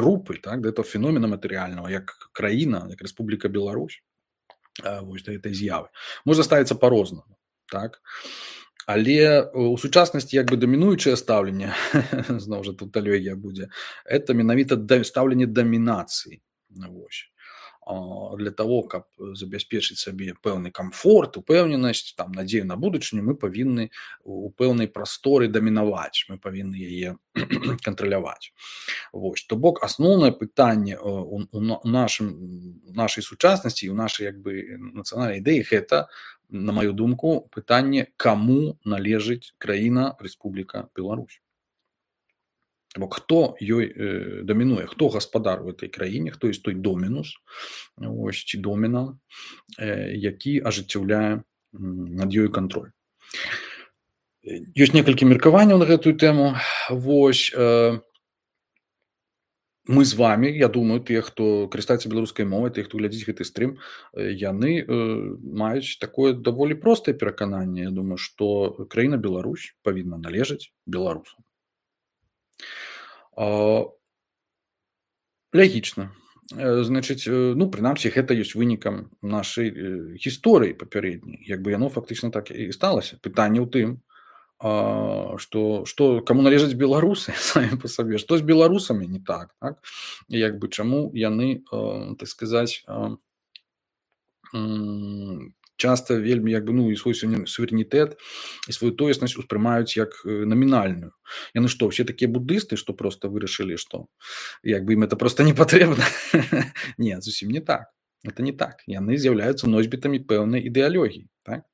рупы, так, да гэтага феномена матэрыяльнага, як краіна, як Рэспубліка Беларусь, вось да гэтай з'явы, можна ставіцца па-рознаму, так. Але у сучаснасці як бы дамінуючае стаўленне, зноў жа тут алегія будзе, это менавіта стаўленне дамінацыі. Вось. для того, каб забяспечыць сабе пэўны камфорт, упэўненасць, там надзею на будучыню, мы павінны у пэўнай прасторы дамінаваць, мы павінны яе кантраляваць. Вось, то бок асноўнае пытанне у нашай сучаснасці і ў нашай нацыянальнай ідэі гэта, на маю думку, пытанне, каму належыць краіна Рэспубліка Беларусь. Бок хто ёй дамінуе, хто гаспадар у этой краіне, хто ёсць той домінус, вось, ці доміна, які ажыццяўляе над ёй кантроль. Ёсць некалькі меркаванняў на гэтую тэму. Вось, мы з вами, я думаю, тыя, хто карыстаецца беларускай мовай, тыя, хто глядзіць гэты стрым, яны маюць такое даволі простае перакананне. Я думаю, што краіна Беларусь павінна належаць беларусам. Лягічна. Значыць, прынамсі, гэта ёсць вынікам нашай гісторыі папярэдняй. Яно фактычна так і сталася. Пытанне ў тым, што каму належаць беларусы самі па сабе, што з беларусамі не так, так? Чаму яны, так сказаць, часта вельмі і свой суверэнітэт і сваю тоеснасць успрымаюць як намінальную. Яны што, ўсе такія буддысты, што проста вырашылі, што ім это проста не патрэбна? Не, зусім не так. Это не так. Яны з'яўляюцца носьбітамі пэўнай ідэалогіі, так?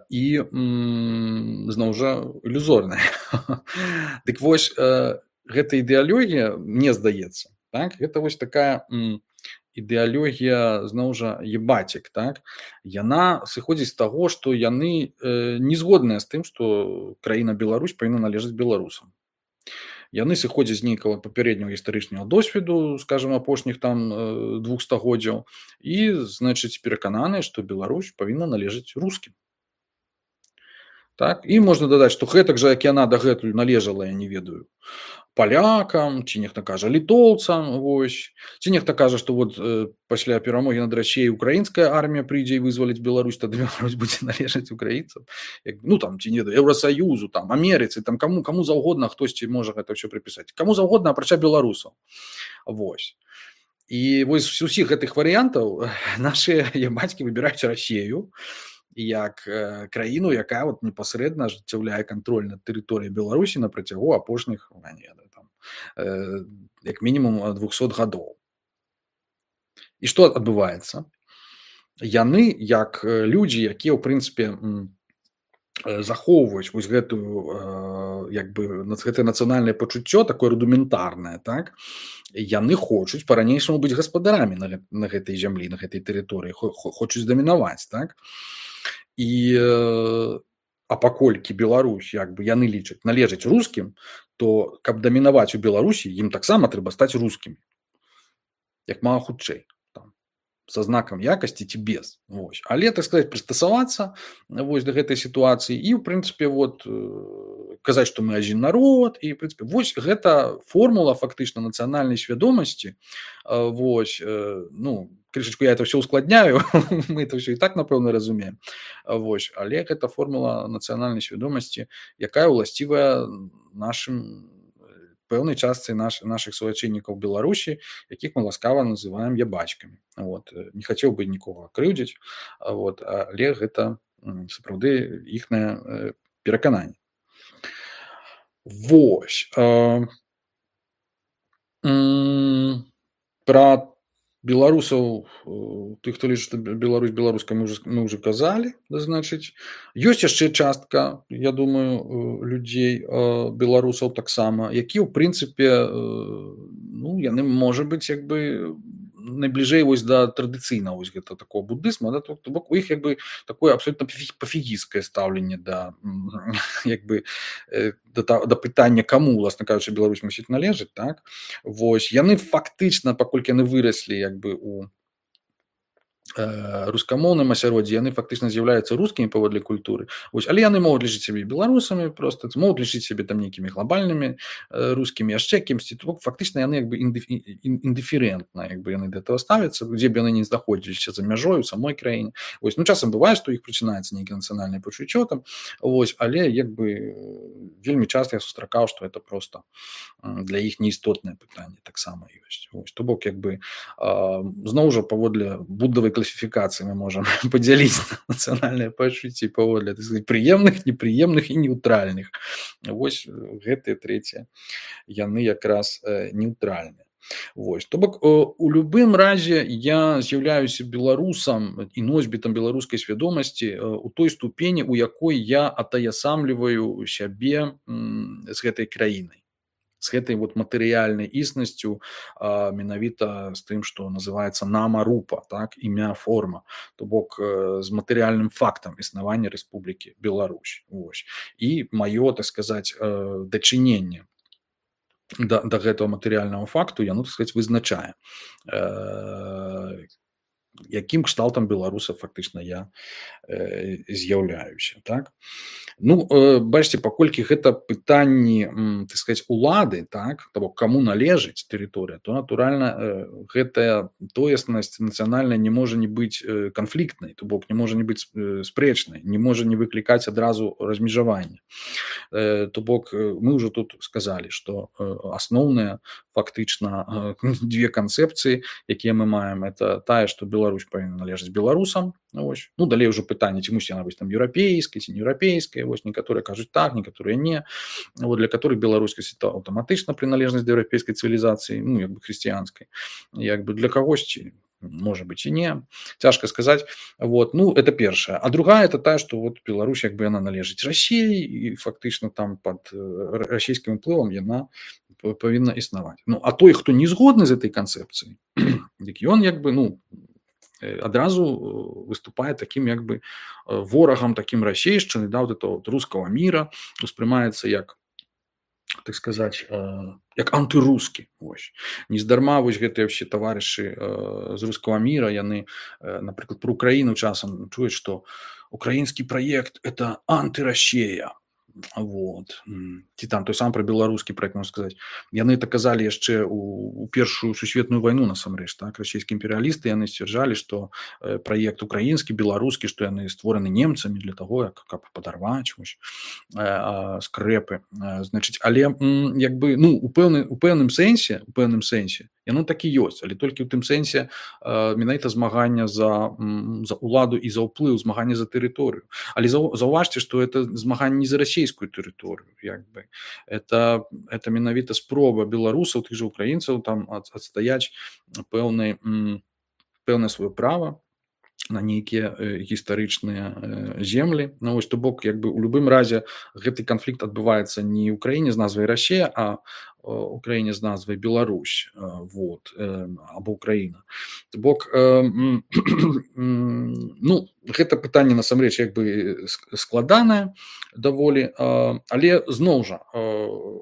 І зноў жа ілюзорная. Дык вось, гэта ідэалогія, мне здаецца, так? Гэта вось такая ідэалогія, зноў жа, ебацік, так? Яна сыходзіць з таго, што яны не згодныя з тым, што краіна Беларусь павінна належаць беларусам. Яны сыходзяць з нейкага папярэдняга гістарычнага досведу, скажам, апошніх там 2 стагоддзяў, і, значыць, перакананыя, што Беларусь павінна належаць рускім. Так? І можна дадаць, што гэтак жа, як яна дагэтуль належала, я не ведаю, палякам, ці нехта кажа літоўцам, вось. Ці нехта кажа, што пасля перамогі над Расіяй украінская армія прыйдзе і вызваліць Беларусь, тады Беларусь будзе належаць украінцам. Ці не Еўрасаюзу, Амерыцы, каму заўгодна хтосьці можа гэта ўсё прыпісаць. Каму заўгодна, апрача беларусаў. Вось. І вось з усіх гэтых варыянтаў нашыя бацькі выбіраюць Расію як краіну, якая непасрэдна ажыццяўляе кантроль над тэрыторыяй Беларусі на працягу апошніх, як мінімум 200 гадоў. І што адбываецца? Яны, як людзі, якія, ў прынцыпе, захоўваюць вось гэтае нацыянальнае пачуццё, такое рудыментарнае, так? Яны хочуць па-ранейшаму быць гаспадарамі на гэтай зямлі, на гэтай тэрыторыі, хочуць дамінаваць, так? А паколькі Беларусь, яны лічаць, належаць рускім, то, каб дамінаваць у Беларусі, ім таксама трэба стаць рускімі. Як мага хутчэй. Са знакам якасці ці без. Вось. Але, так сказаць, прыстасавацца да гэтай сітуацыі і, ў прынцыпе, казаць, што мы адзін народ, і, ў прынцыпе, вось гэта формула фактычна нацыянальнай свядомасці. Вось, крышачку я это ўсё ускладняю, мы это ўсё і так, напэўна, разумеем. Вось, але гэта формула нацыянальнай свядомасці, якая ўласцівая нашым пэўнай частцы нашых суайчыннікаў Беларусі, якіх мы ласкава называем ябачкамі. Не хацеў бы нікога крыўдзіць, але гэта сапраўды іхнае перакананне. Вось. Пра беларусаў, тых, хто лічыць, што Беларусь беларуская, мы ўжо казалі, значыць. Ёсць яшчэ частка, я думаю, людзей, беларусаў таксама, якія, ў прынцыпе, яны, можа быць, найбліжэй да традыцыйнага гэта такого буддызма, то бок у іх такое абсолютно пафігісцкае стаўленне да пытання, каму, уласна кажучы, Беларусь мусіць належаць, так? Вось, яны фактычна, паколькі яны выраслі у рускамоўным асяроддзі яны фактычна з'яўляюцца рускімі паводле культуры. Вось, але яны могуць лічыць сябе беларусамі, просто могуць лічыць сябе там нейкімі глобальнымі рускімі, яшчэ кімсьці. Фактычна яны як бы індыферэнтна, як бы яны да этого ставяцца, дзе б яны не знаходзіліся за мяжой у самой краіне. Вось, ну часам бывае, што іх прачынаецца нейкі нацыянальнае пачуццё там, вось, але як бы вельмі часта я сустракаў, што это просто для іх неістотнае пытанне таксама ёсць. Вось, то бок як бы зноў жа паводле будавай класіфікацыі мы можам падзяліць нацыянальныя пачуцці паводле, так сказаць, прыемных, непрыемных і неўтральных. Вось гэтыя трэція яны якраз неўтральныя. Вось, то бок у любым разе я з'яўляюся беларусам і носьбітам беларускай свядомасці у той ступені, у якой я атаясамліваю сябе з гэтай краінай, з гэтай вот матэрыяльнай існасцю, менавіта з тым, што называецца нама-рупа, так, імя, форма, то бок з матэрыяльным фактам існавання Рэспублікі Беларусь. Вось. І маё, так сказаць, дачыненне да гэтага матэрыяльнага факту яно, так сказаць, вызначае, якім кшталтам беларуса фактычна я з'яўляюся, так. Ну, бачыце, паколькі гэта пытанні, так сказаць, улады, так, того, каму належыць тэрыторыя, то, натуральна, гэтая тоеснасць нацыянальная не можа не быць канфліктнай, то бок не можа не быць спрэчнай, не можа не выклікаць адразу размежавання. То бок мы ўжо тут сказалі, што асноўныя фактычна дзве канцэпцыі, якія мы маем, это тая, што Беларусь павінна належаць беларусам, вось. Ну, далей ўжо пытанне, ці мусіць яна быць там еўрапейскай, ці не еўрапейскай, вось, некаторыя кажуць так, некаторыя не, вот, для которых беларускасць это аўтаматычна прыналежнасць да еўрапейскай цывілізацыі, ну, як бы хрысціянскай, як бы для кагосьці можа быць і не, цяжка сказаць, вот, ну, это першая. А другая, это тая, што вот Беларусь, як бы яна належыць Расіі, і фактычна там пад расійскім уплывам яна павінна існаваць. Ну, а той, хто не згодны з этой канцэпцыяй, дык ён, як бы, ну, адразу выступае таким як бы ворагам, таким расейшчыны, да, вот этого вот рускага міра, успрымаецца як, так сказаць, як антырускі. Вось. Нездарма вось гэтыя ўсе таварышы з рускага міра, яны, напрыклад, про Украіну часам чуюць, што украінскі праект это антырасея. Вот. Ці там той сам пра беларускі праект, можна сказаць. Яны так казалі яшчэ у першую сусветную вайну, насамрэч, так, расійскія імперыялісты, яны сцвярджалі, што праект украінскі, беларускі, што яны створаны немцамі для таго, каб падарваць вось, скрэпы. Значыць, але як бы, ну, у пэўным сэнсе яно так і ёсць, але толькі ў тым сэнсе менавіта змагання за уладу і за ўплыў, змагання за тэрыторыю. Але заўважце, што это змаганне не за расійскую тэрыторыю, як бы. Это менавіта спроба беларусаў, тых жа украінцаў там адстаяць пэўнае сваё права на нейкія гістарычныя землі. Ну, вось, то бок, як бы, у любым разе гэты канфлікт адбываецца не ў краіне з назвай Расія, а у краіне з назвай Беларусь, вот, або Украіна. То бок, ну, гэта пытанне насамрэч як бы складанае даволі, але зноў жа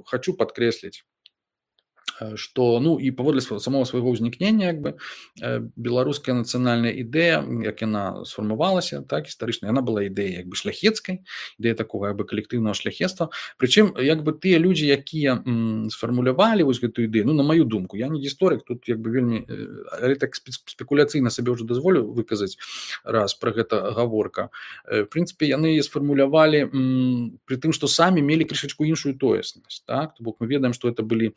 хочу падкрэсліць, што, ну, і паводле самого свайго ўзнікнення, як бы, беларуская нацыянальная ідэя, як яна сфармавалася, так, гістарычна, яна была ідэя як бы шляхецкай, ідэя такога як бы калектыўнага шляхецтва. Прычым, як бы, тыя людзі, якія сфармулявалі вось гэтую ідэю, ну, на маю думку, я не гісторык, тут як бы вельмі, але так спекуляцыйна сабе ўжо дазволю выказаць раз пра гэта гаворка. В прынцыпе, яны сфармулявалі пры тым, што самі мелі крышачку іншую тоеснасць, так, то бок мы ведаем, што это былі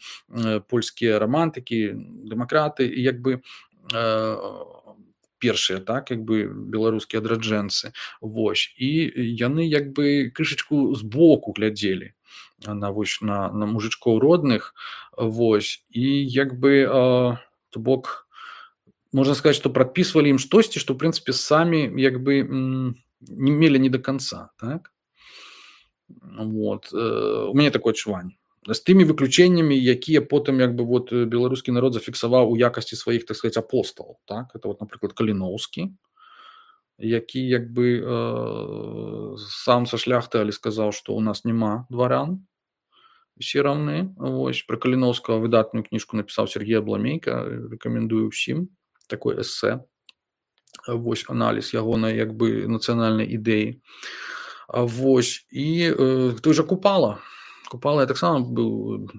польскія рамантыкі, дэмакраты, і як бы першыя, так, як бы беларускія адраджэнцы. Вось. І яны як бы крышачку збоку глядзелі на мужичкоў родных. Вось. І як бы, то бок, можна сказаць, што прадпісвалі ім штосьці, што, в прынцыпе, самі як бы не мелі не до конца, так. Вот. У мяне такое адчуванне. З тымі выключэннямі, якія потым як бы вот беларускі народ зафіксаваў у якасці сваіх, так сказаць, апосталаў, так, это вот, напрыклад, Каліноўскі, які як бы сам са шляхты, але сказаў, што у нас няма дваран, усе раўны. Вось, пра Каліноўскага выдатную кніжку напісаў Сергей Абламейка, рэкамендую ўсім, такое эсэ. вось аналіз ягонай як бы нацыянальнай ідэі. Вось і той жа Купала. Купала я таксама быў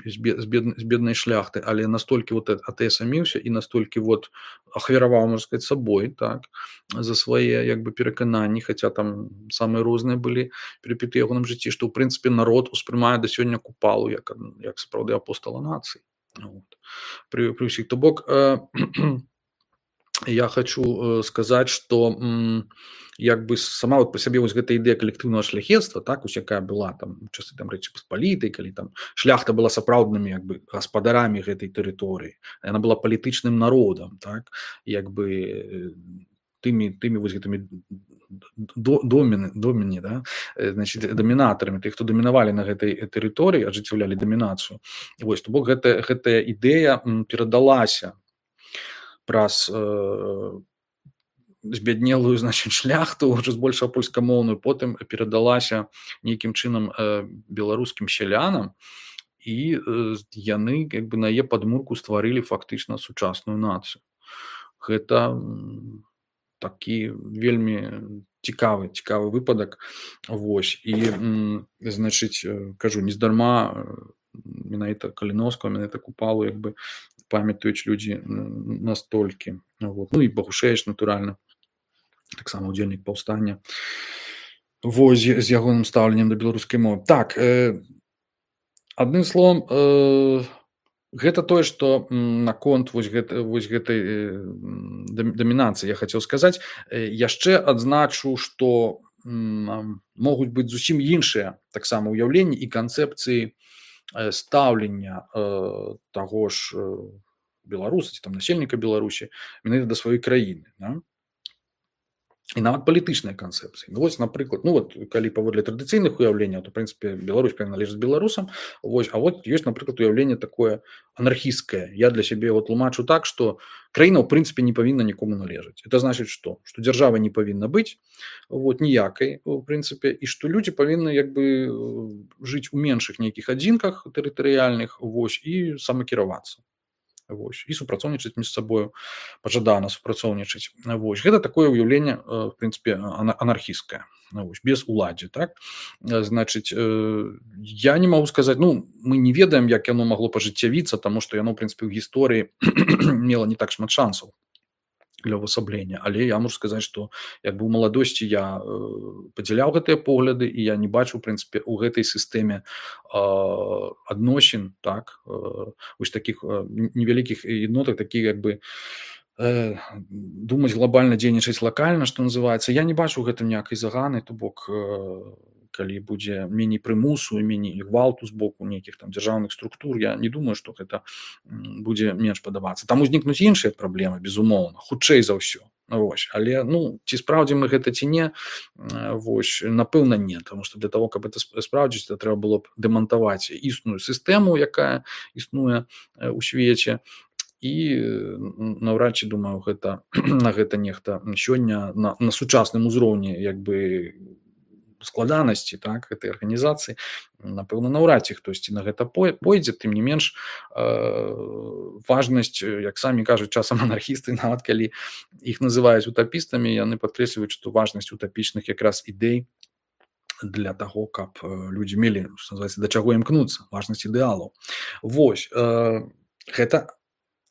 з беднай шляхты, але настолькі вот атэсаміўся і настолькі вот ахвяраваў, можна сказаць, сабой, так, за свае як бы перакананні, хаця там самыя розныя былі перыпеты ягоным жыцці, што ў прынцыпе народ успрымае да сёння Купалу як сапраўды апостала нацыі. Вот. Пры ўсіх, то бок я хочу сказаць, што як бы сама вот па сабе вось гэта ідэя калектыўнага шляхецтва, так, вось якая была там у часы там Рэчы Паспалітай, калі там шляхта была сапраўднымі як бы гаспадарамі гэтай тэрыторыі, яна была палітычным народам, так, як бы тымі вось гэтымі доміны, да, значит, дамінатарамі, тых, хто дамінавалі на гэтай тэрыторыі, ажыццяўлялі дамінацыю. Вось, то бок гэтая ідэя перадалася праз збяднелую, значит, шляхту, ўжо збольшага польскамоўную, потым перадалася нейкім чынам беларускім сялянам, і яны як бы на яе падмурку стварылі фактычна сучасную нацыю. Гэта такі вельмі цікавы выпадак. Вось, і значыць, кажу, нездарма менавіта Каліноўскага, менавіта Купалу як бы памятаюць людзі настолькі. Вот. Ну і Багушевіч, натуральна, таксама удзельнік паўстання. Вось, з ягоным стаўленнем да беларускай мовы. Так, адным словам, гэта тое, што наконт вось гэтай дамінацыі я хацеў сказаць. Яшчэ адзначу, што могуць быць зусім іншыя таксама ўяўленні і канцэпцыі стаўлення таго ж беларуса ці там насельніка Беларусі менавіта да сваёй краіны, да? І нават палітычныя канцэпцыі. Ну, вось, напрыклад, ну вот калі паводле традыцыйных уяўленняў, то, в прынцыпе, Беларусь павінна належаць беларусам. Вось, а вот ёсць, напрыклад, уяўленне такое анархісцкае. Я для сябе его тлумачу так, што краіна, ў прынцыпе, не павінна нікому належаць. Это значыць што? Што дзяржавы не павінна быць, вот, ніякай, у прынцыпе, і што людзі павінны як бы жыць у меншых нейкіх адзінках тэрытарыяльных, вось, і самакіравацца. Вось, і супрацоўнічаць між сабою, пажадана супрацоўнічаць. Вось, гэта такое ўяўленне, в прынцыпе, анархісцкае, вось, без уладдзі, так? Значыць, я не магу сказаць, ну, мы не ведаем, як яно магло пажыццявіцца, таму што яно, в прынцыпе, ў гісторыі мела не так шмат шансаў для ўвасаблення, але я можу сказаць, што як бы ў маладосці я падзяляў гэтыя погляды, і я не бачу, в прынцыпе, у гэтай сістэме адносін, так, вось такіх невялікіх еднотак, такі як бы думаць глобальна, дзейнічаць лакальна, што называецца. Я не бачу ў гэтым ніякай заганы, то бок калі будзе меней прымусу і меней гвалту з боку нейкіх там дзяржаўных структур, я не думаю, што гэта будзе менш падабацца. Там узнікнуць іншыя праблемы, безумоўна, хутчэй за ўсё. Вось, але, ну, ці спраўдзім мы гэта ці не, вось, напэўна, не, таму што для того, каб это спраўдзіць, то трэба было б дэмантаваць існую сістэму, якая існуе ў свеце, і наўрад ці, думаю, гэта на гэта нехта сёння на сучасным узроўні як бы складанасці, так, гэтай арганізацыі, напэўна, наўрад ці хтосьці на гэта пойдзе. Тым не менш, важнасць, як самі кажуць часам анархісты, нават калі іх называюць утапістамі, яны падкрэсліваюць, што важнасць утапічных якраз ідэй для таго, каб людзі мелі, што называецца, да чаго імкнуцца, важнасць ідэалаў. Вось, гэта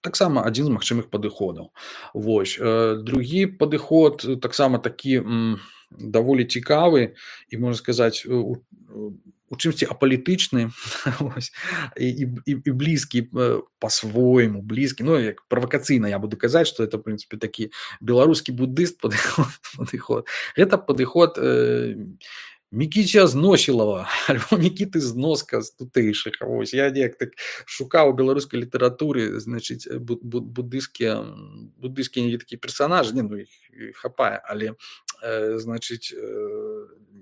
таксама адзін з магчымых падыходаў. Вось, другі падыход таксама такі даволі цікавы і, можна сказаць, у чымсьці апалітычны, і блізкі па-свойму, блізкі, ну, як правакацыйна я буду казаць, што это, в прынцыпе, такі беларускі буддыст падыход. Гэта падыход Мікіця Зносілава, альбо Мікіты Зноска з тутэйшых. Вось, я неяк так шукаў у беларускай літаратуры, значыць, буддыскія такія персанажы, не, ну, іх хапае, але, значыць,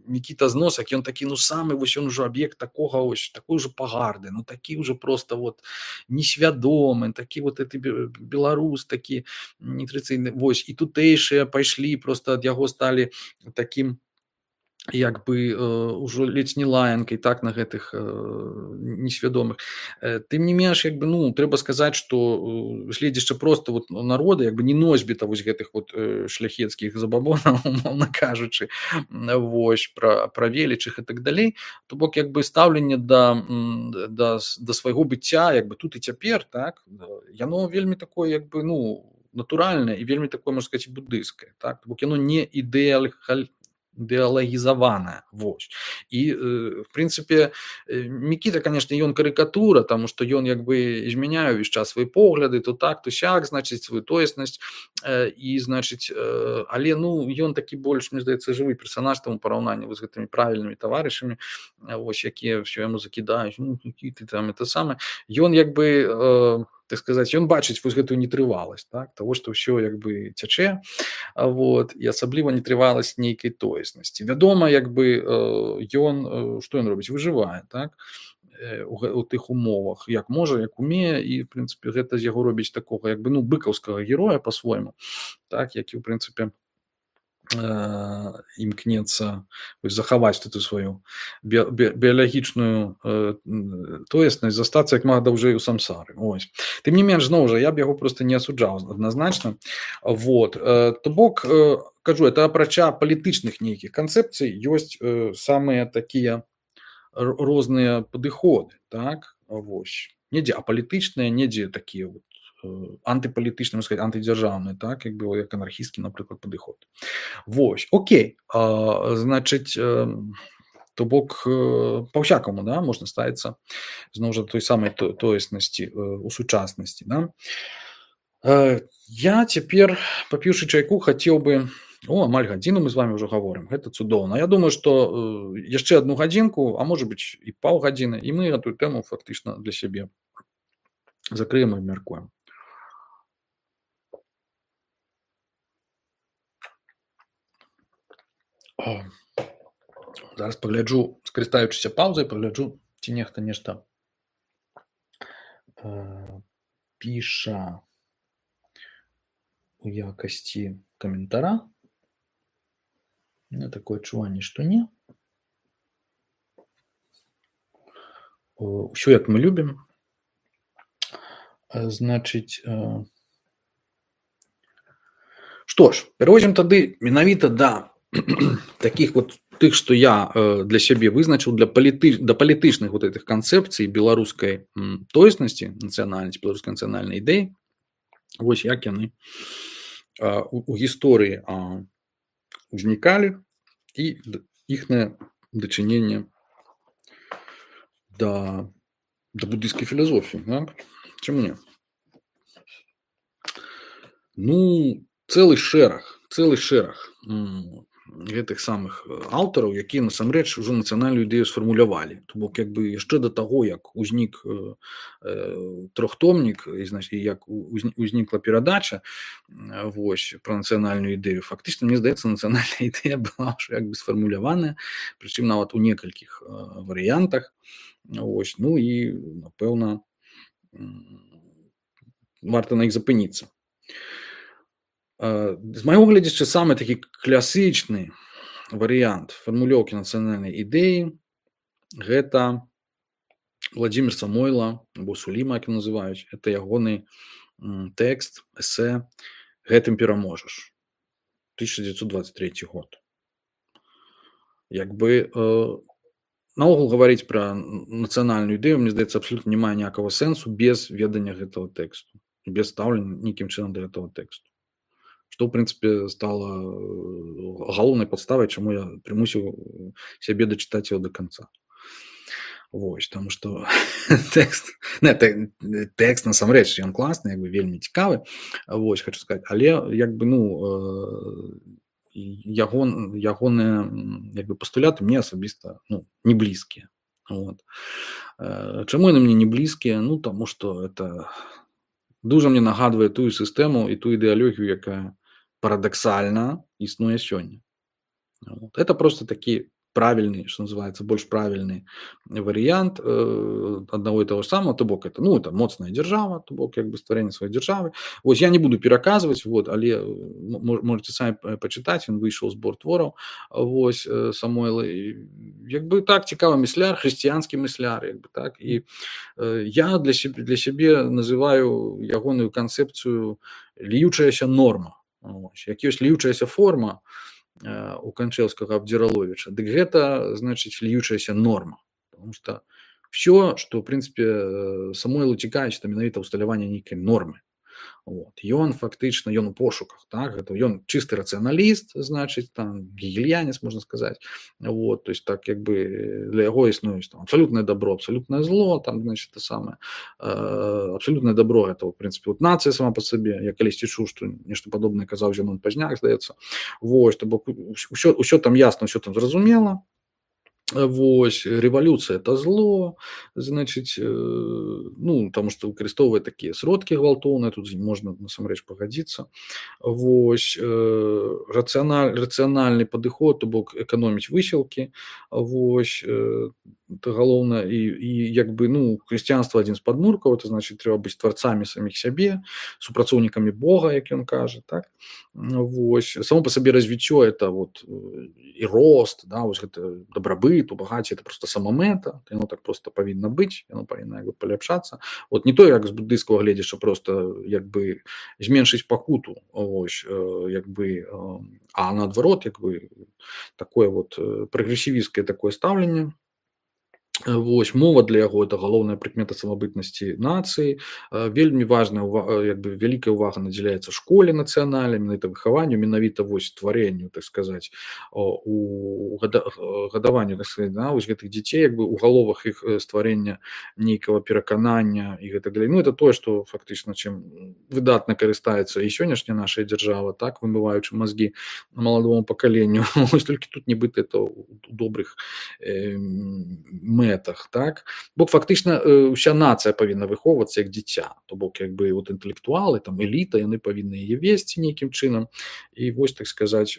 Мікіта Зносак, ён такі, ну, самы, вось, ён ужо аб'ект такога, вось, такой ужо пагарды, ну, такі ўжо проста, вот, несвядомы, такі, вот, это беларус, такі нетрадыцыйны, вось, і тутэйшыя пайшлі, проста ад яго сталі такім як бы ўжо ледзь не лаянкай так на гэтых несвядомых. Тым не менш як бы ну трэба сказаць што гледзячы просто вот народа як бы не носьбіта вось гэтых вот шляхецкіх забабонаў умоўна кажучы вось пра велічых і так далей, то бок як бы стаўленне да свайго быцця як бы тут і цяпер так яно вельмі такое як бы ну натуральнае і вельмі такое можна сказаць буддыйскае так бок яно не ідэалагізаваная вось і в прынцыпе Мікіта конечно ён карыкатура таму што ён як бы змяняе ўвесь час свае погляды то так то сяк значыць сваю тоеснасць і значыць але ну ён такі больш мне здаецца жывы персанаж таму параўнанні з гэтымі правільнымі таварышамі вось якія ўсё яму закідаюць ну які ты там это самае ён як бы так сказаць ён бачыць вось гэтую нетрываласць так того што ўсё як бы цячэ вот і асабліва нетрываласць нейкай тоеснасці вядома як бы ён што ён робіць выжывае так у тых умовах як можа як умее і в прынцыпе гэта з яго робіць такога як бы ну быкаўскага героя по-свойму так які ў прынцыпе імкнецца захаваць тут сваю біялагічную тоеснасць застацца як мага даўжэй у самсары ось тым не менш зноў жа я б яго просто не асуджаў адназначна вот то бок кажу это апрача палітычных нейкіх канцэпцый ёсць самыя такія розныя падыходы так вось недзе апалітычныя недзе такія вот антыпалітычным сказать антыдзяржаўны так як бы як анархісцкі напрыклад падыход вось окей значыць то бок па-ўсякаму да можна ставіцца зноў жа той самай тоеснасці у сучаснасці да я цяпер папіўшы чайку хацеў бы амаль гадзіну мы з вами ўжо гаворым гэта цудоўна я думаю што яшчэ одну гадзінку а можа быць і паўгадзіны і мы эту тэму фактычна для сябе закрыем і абмяркуем зараз пагляджу скарыстаючыся паўзай пагляджу ці нехта нешта піша у якасці каментара такое адчуванне што не ўсё як мы любім значыць што ж пераходзім тады менавіта да таких вот тых што я для сябе вызначыў да палітычных вот этих канцэпцый беларускай тоеснасці нацыянальнасці беларускай нацыянальнай ідэі вось як яны у гісторыі узнікалі і іхнае дачыненне да буддыйскай філасофіі так? Чаму не ну цэлы шэраг гэтых самых аўтараў якія насамрэч ужо нацыянальную ідэю сфармулявалі то бок як бы яшчэ да таго як узнік трохтомнік і як узнікла перадача вось пра нацыянальную ідэю фактычна мне здаецца нацыянальная ідэя была ўжо як бы сфармуляваная прычым нават у некалькіх варыянтах вось ну і напэўна варта на іх запыніцца з майго гледзячы самы такі класычны варыянт фармулёўкі нацыянальнай ідэі гэта Владзімір Самойла або Суліма як называюць это ягоны тэкст эсэ гэтым пераможаш 1923 год як бы наогул гаварыць пра нацыянальную ідэю мне здаецца абсалютна не мае ніякага сэнсу без ведання гэтага тэксту без стаўлення нейкім чынам да гэтага тэксту што ў прынцыпе стала галоўнай падставай чаму я прымусіў сябе дачытаць яго да канца вось таму што тэкст насамрэч ён класны як бы вельмі цікавы вось хочу сказаць але як бы ну ягоныя як бы пастуляты мне асабіста ну не блізкія вот чаму яны мне не блізкія ну таму што это дужа мне нагадвае тую сістэму і ту ідэалогію якая парадаксальна існуе сёння. Вот. Это просто такі правильный, что называется, больш правильны варыянт аднаго і таго ж самага, то бок это, ну, это моцная дзяржава, то бок як бы стварэнне сваёй дзяржавы. Вось я не буду пераказваць, вот, але можаце самі пачытаць, ён выйшаў збор твораў, вось, Самойла. Як бы так, цікавы мысляр, хрысціянскі мысляр, як бы так. І я для сябе называю ягоную канцэпцыю ліючаяся норма. Ось, як ёсць ліючаяся форма у Канчэўскага Абдзіраловіча, дык гэта, значыць, ліючаяся норма. Потому што ўсё, што, ў прынцыпе, Самойлу цікавіць, то менавіта ўсталяванне нейкай нормы. Вот. Ён фактычна, ён у пошуках, так? Гэта ён чысты рацыяналіст, значыць, там, гегельянец, можна сказаць. Вот. То есть, так, як бы, для яго існуюць там абсалютнае добро, абсалютнае зло, там, значит, то самае. Абсалютнае добро, это, в прынцыпе, вот нацыя сама па сабе. Я калісьці чуў, што нешта падобнае казаў Зенон Пазняк, здаецца. Вот, то бок усё там ясна, усё там зразумела. Вось, рэвалюцыя это зло, значыць, ну, таму што выкарыстоўвае такія сродкі гвалтоўныя, тут можна насамрэч пагадзіцца. Вось, рацыянальны падыход, то бок эканоміць высілкі, вось, это галоўнае. І як бы, ну, хрысціянства адзін з падмуркаў, это значыць, трэба быць тварцамі саміх сябе, супрацоўнікамі Бога, як ён кажа, так? Вось, само па сабе развіццё это вот і рост, да, вось гэта дабрабыт, у багаце это просто самамэта, яно так просто павінна быць, яно павінна як бы паляпшацца. Вот не то, як з буддыйскага гледзяшча просто як бы зменшыць пакуту, вось, як бы, а наадварот, як бы такое вот прагрэсівісцкае такое стаўленне. Вось, мова для яго это галоўная прыкмета самабытнасці нацыі. Вельмі важная як бы вялікая ўвага надзяляецца школе нацыянальнай, менавіта выхаванню, менавіта вось стварэнню, так сказаць, у гадаванню, так сказаць, да, вось гэтых дзяцей, як бы у галовах іх стварэння нейкага пераканання і гэтак далей. Ну, это тое, што фактычна чым выдатна карыстаецца і сённяшняя наша дзяржава, так, вымываючы мазгі маладому пакаленню. Вось толькі тут нібыта это у добрых мэтах, так? Бок фактычна ўся нацыя павінна выхоўвацца як дзіця, то бок як бы вот інтэлектуалы, там эліта, яны павінны яе весці нейкім чынам. І вось, так сказаць,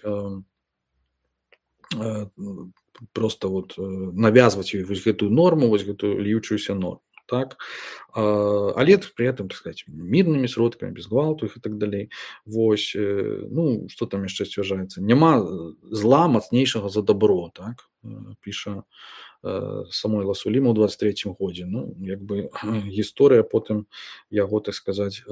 просто вот навязваць ёй вось гэтую норму, вось гэтую ліючуюся норму, так? Але при этом, так сказать, мірнымі сродкамі, без гвалту і так далей. Вось, ну, што там яшчэ сцвярджаецца? Няма зла мацнейшага за добро, так? Піша Самойла Суліма ў 23-м годзе. Ну, як бы гісторыя потым яго, так сказаць,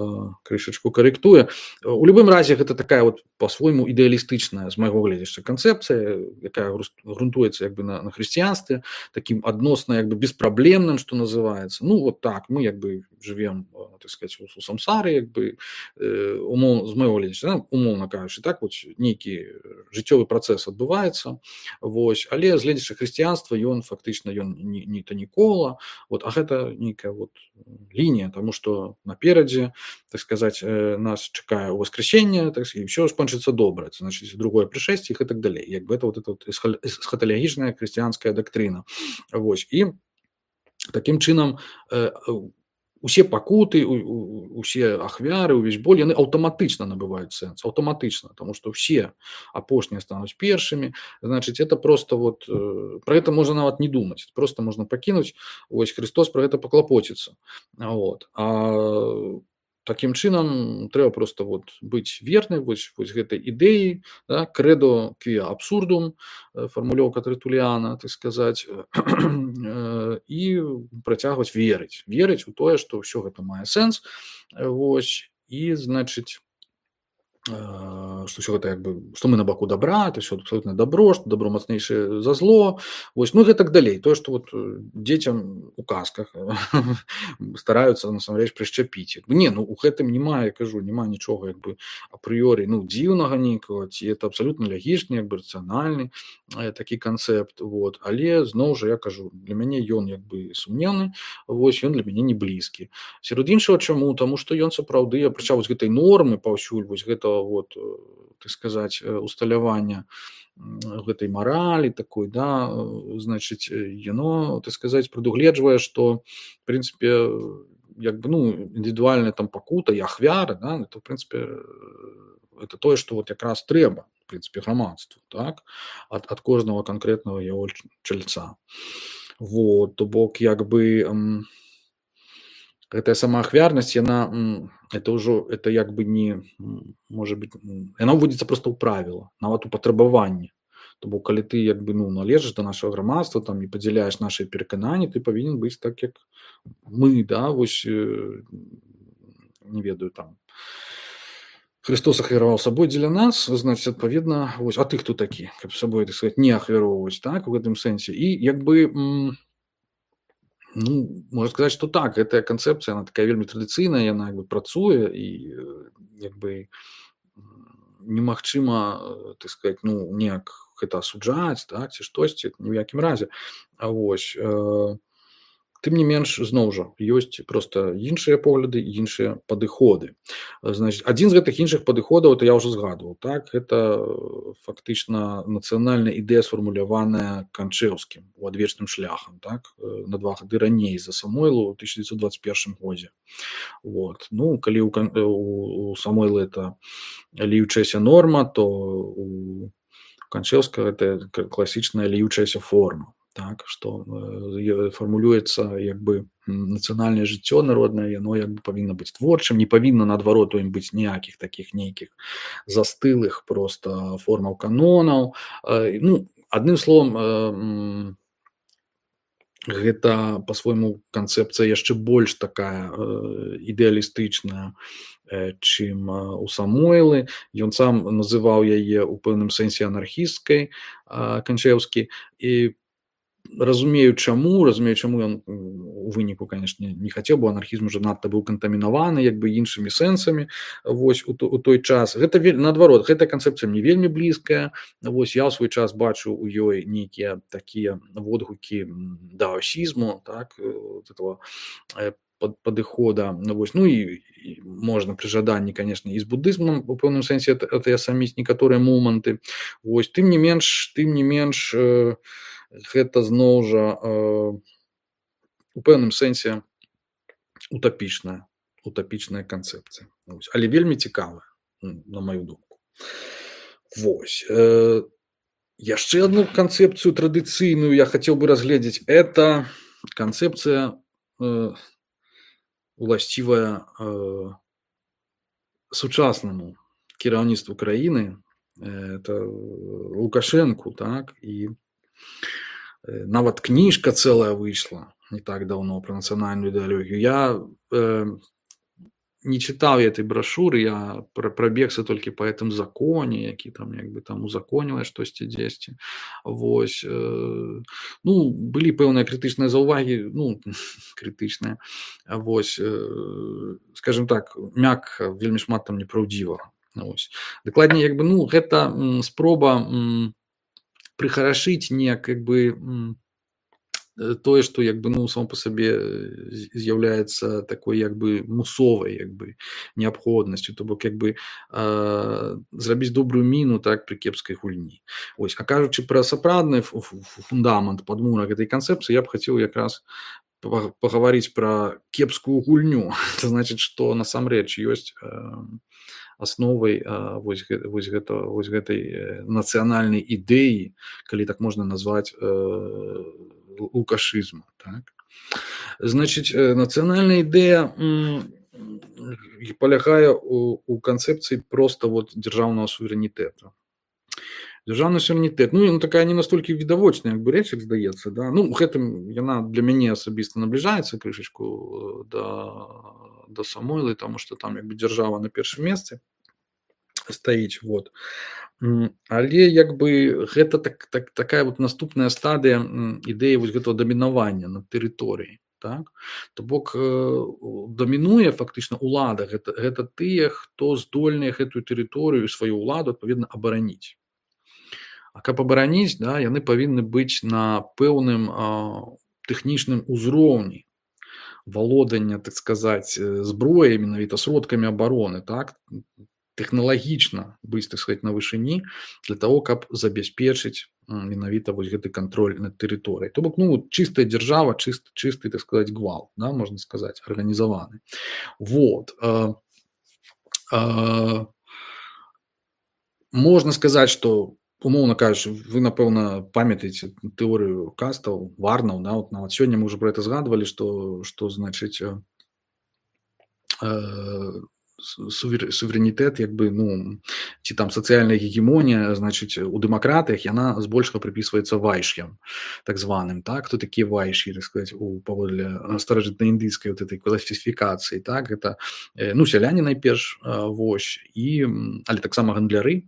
крышачку карэктуе. У любым разе гэта такая вот по-свойму ідэалістычная, з майго гледзяшча, канцэпцыя, якая грунтуецца як бы на хрысціянстве, такім адносна як бы беспраблемным, што называецца. Ну, вот так, мы як бы жывем, так сказаць, у самсары, як бы, з майго гледзяшча, умоўна кажучы, так, вот нейкі жыццёвы працэс адбываецца, вось, але з гледзяча хрысціянства ён фактычна ён не то нікола, вот, а гэта нейкая вот лінія, таму што наперадзе, так сказаць, нас чакае ўваскрасенне, так сказаць, ўсё скончыцца добра, значыць, другое прышэсце і так далей. Як бы это вот эта вот эсхаталагічная хрысціянская дактрына. Вось, і такім чынам усе пакуты, усе ахвяры, увесь боль, яны аўтаматычна набываюць сэнс, аўтаматычна, таму што ўсе апошнія стануць першымі, значыць, это просто вот, пра гэта можна нават не думаць, просто можна пакінуць, вось, Христос пра гэта паклапоціцца, вот, а такім чынам трэба просто вот быць верным вось гэтай ідэі, да, крэдо квіа абсурдум, фармулёўка Тэртуліяна, так сказаць, і працягваць верыць у тое, што ўсё гэта мае сэнс, вось, і, значыць, што ўсё гэта як бы, што мы на баку добра, это ўсё абсолютно добро, што добро мацнейшае за зло, вось, ну і гэтак далей. Тое, што вот дзецям у казках стараюцца насамрэч прышчапіць. Не, ну у гэтым няма, я кажу, няма нічога як бы апрыёрі, ну, дзіўнага нейкага, ці это абсолютно лягічны, як бы рацыянальны такі канцэпт, вот, але зноў жа я кажу, для мяне ён як бы сумнеўны, вось, ён для мяне не блізкі. Сярод іншага чаму? Таму што ён сапраўды, апрача вось гэтай нормы паўсюль, вось гэта вот, так сказаць, усталявання гэтай маралі такой, да, значыць, яно, так сказаць, прадугледжвае, што, в прынцыпе, як бы, ну, індывідуальная там пакута і ахвяра, да, это, в прынцыпе, это тое, што вот якраз трэба, в прынцыпе, грамадству, так, ад кожнага канкрэтнага яго чальца. Вот, то бок як бы гэтая самаахвярнасць, яна это ўжо это як бы не можа быць, яна ўводзіцца проста ў правіла, нават у патрабаванні. То бок калі ты як бы належыш да нашага грамадства там і падзяляеш нашыя перакананні, ты павінен быць так, як мы, да, вось не ведаю там. Христос ахвяраваў сабой дзеля нас, значыць, адпаведна, вось, а ты хто такі, каб сабой, так сказать, не ахвяроўваць, так, у гэтым сэнсе. І як бы можна сказаць, што так, гэтая канцэпцыя, она такая вельмі традыцыйная, яна як бы працуе і як бы немагчыма, так сказать, неяк гэта асуджаць, так, ці штосьці, ні ў якім разе. А вось, тым не менш, зноў жа, ёсць проста іншыя погляды і іншыя падыходы. Значыць, адзін з гэтых іншых падыходаў, это я ўжо згадваў, так, гэта фактычна нацыянальная ідэя, сфармуляваная Канчэўскім у адвечным шляхам, так, на 2 гады раней за Самойлу ў 1921 годзе. Вот. Калі у Самойла это ліючаяся норма, то у Канчэўскага это класічная ліючаяся форма. Так, што фармулюецца як бы нацыянальнае жыццё народнае, яно як бы павінна быць творчым, не павінна наадварот у ім быць ніякіх такіх нейкіх застылых проста формаў канонаў. Адным словам, гэта па-свойму канцэпцыя яшчэ больш такая ідэалістычная, чым у Самойлы. Ён сам называў яе ў пэўным сэнсе анархісцкай, Канчэўскі, і разумею чаму ён у выніку, канешне, не хацеў, бо анархізм уже надта быў кантамінаваны як бы іншымі сэнсамі, вось, у той час. Гэта наадварот, гэтая канцэпцыя мне вельмі блізкая. Вось, я ў свой час бачу у ёй нейкія такія водгукі даосізму, так, этого падыхода. Вось, і можна пры жаданні, канешне, і з будызмам у пэўным сэнсе атаясаміць некаторыя моманты. Вось, тым не менш, гэта зноў жа у пэўным сэнсе утапічная канцэпцыя. Але вельмі цікавая, на маю думку. Вось. Яшчэ одну канцэпцыю традыцыйную я хацеў бы разгледзець. Это канцэпцыя уласцівая сучаснаму кіраўніцтву краіны, это Лукашэнку, так, і нават кніжка цэлая выйшла не так даўно пра нацыянальную ідэалогію. Я не чытаў этой брашуры, я прабегся толькі па гэтым законе, які там як бы там узаконілае штосьці дзесьці. Вось. Былі пэўныя крытычныя заўвагі, крытычныя. Вось, скажем так, мякка, вельмі шмат там непраўдзівага. Вось. Дакладней, як бы, гэта спроба прыхарашыць неяк як бы тое, што як бы само па сабе з'яўляецца такой як бы мусовай як бы неабходнасцю, то бок як бы зрабіць добрую міну, так, пры кепскай гульні. Вось, а кажучы пра сапраўдны фундамент, падмурак гэтай канцэпцыі, я б хацеў якраз пагаварыць пра кепскую гульню. Это значыць, што насамрэч ёсць асновай вось гэтай нацыянальнай ідэі, калі так можна назваць, лукашызму. Так? Значыць, нацыянальная ідэя палягае у канцэпцыі проста дзяржаўнага суверэнітэта. Дзяржаўны суверэнітэт, такая не настолькі відавочная як бы рэч, як здаецца, да? Гэтым яна для мяне асабіста набліжаецца крышачку да Самойлы, таму што там як бы дзяржава на першым месцы стаіць. Вот. Але як бы гэта такая наступная стадыя ідэі вось гэтага дамінавання над тэрыторыяй. Так? То бок дамінуе фактычна ўлада, гэта тыя, хто здольныя гэтую тэрыторыю, сваю ўладу адпаведна абараніць. А каб абараніць, да, яны павінны быць на пэўным тэхнічным узроўні валодання, так сказаць, зброяй, менавіта сродкамі абароны, так, тэхналагічна быць, так сказаць, на вышыні для того, каб забяспечыць менавіта вось гэты кантроль над тэрыторыяй. То бок, чыстая дзяржава, чысты, так сказаць, гвалт, да, можна сказаць, арганізаваны. Вот. Можна сказаць, што, умоўна кажучы, вы, напэўна, памятаеце тэорыю кастаў, варнаў, да, вот нават сёння мы ўжо пра гэта згадвалі, што значыць, суверэнітэт, як бы, ну, ці там сацыяльная гегемонія, значыць, у дэмакратыях яна збольшага прыпісваецца вайш'ям, так званым, так? Хто такія вайш'і, так сказаць, паводле старажытнаіндыйскай вот этой класіфікацыі, так? Гэта, ну, сяляне найперш, вось, але таксама гандляры,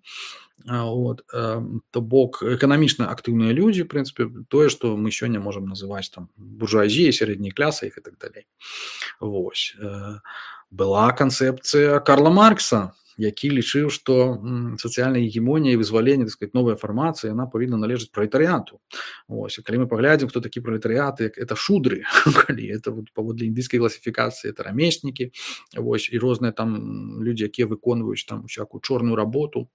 вот, то бок эканамічна актыўныя людзі, в прынцыпе, тое, што мы сёння можам называць там буржуазіяй, сярэдняй клясай і так далей. Вось. Была канцэпцыя Карла Маркса, які лічыў, што сацыяльная гегемонія і вызваленне, так сказаць, новая фармацыя, яна павінна належаць пралетарыяту. Вось. І калі мы паглядзім, хто такі пралетарыят, это шудры, калі это вот, паводле індыйскай класіфікацыі, это рамеснікі, вось, і розныя там людзі, якія выконваюць там усякую чорную работу.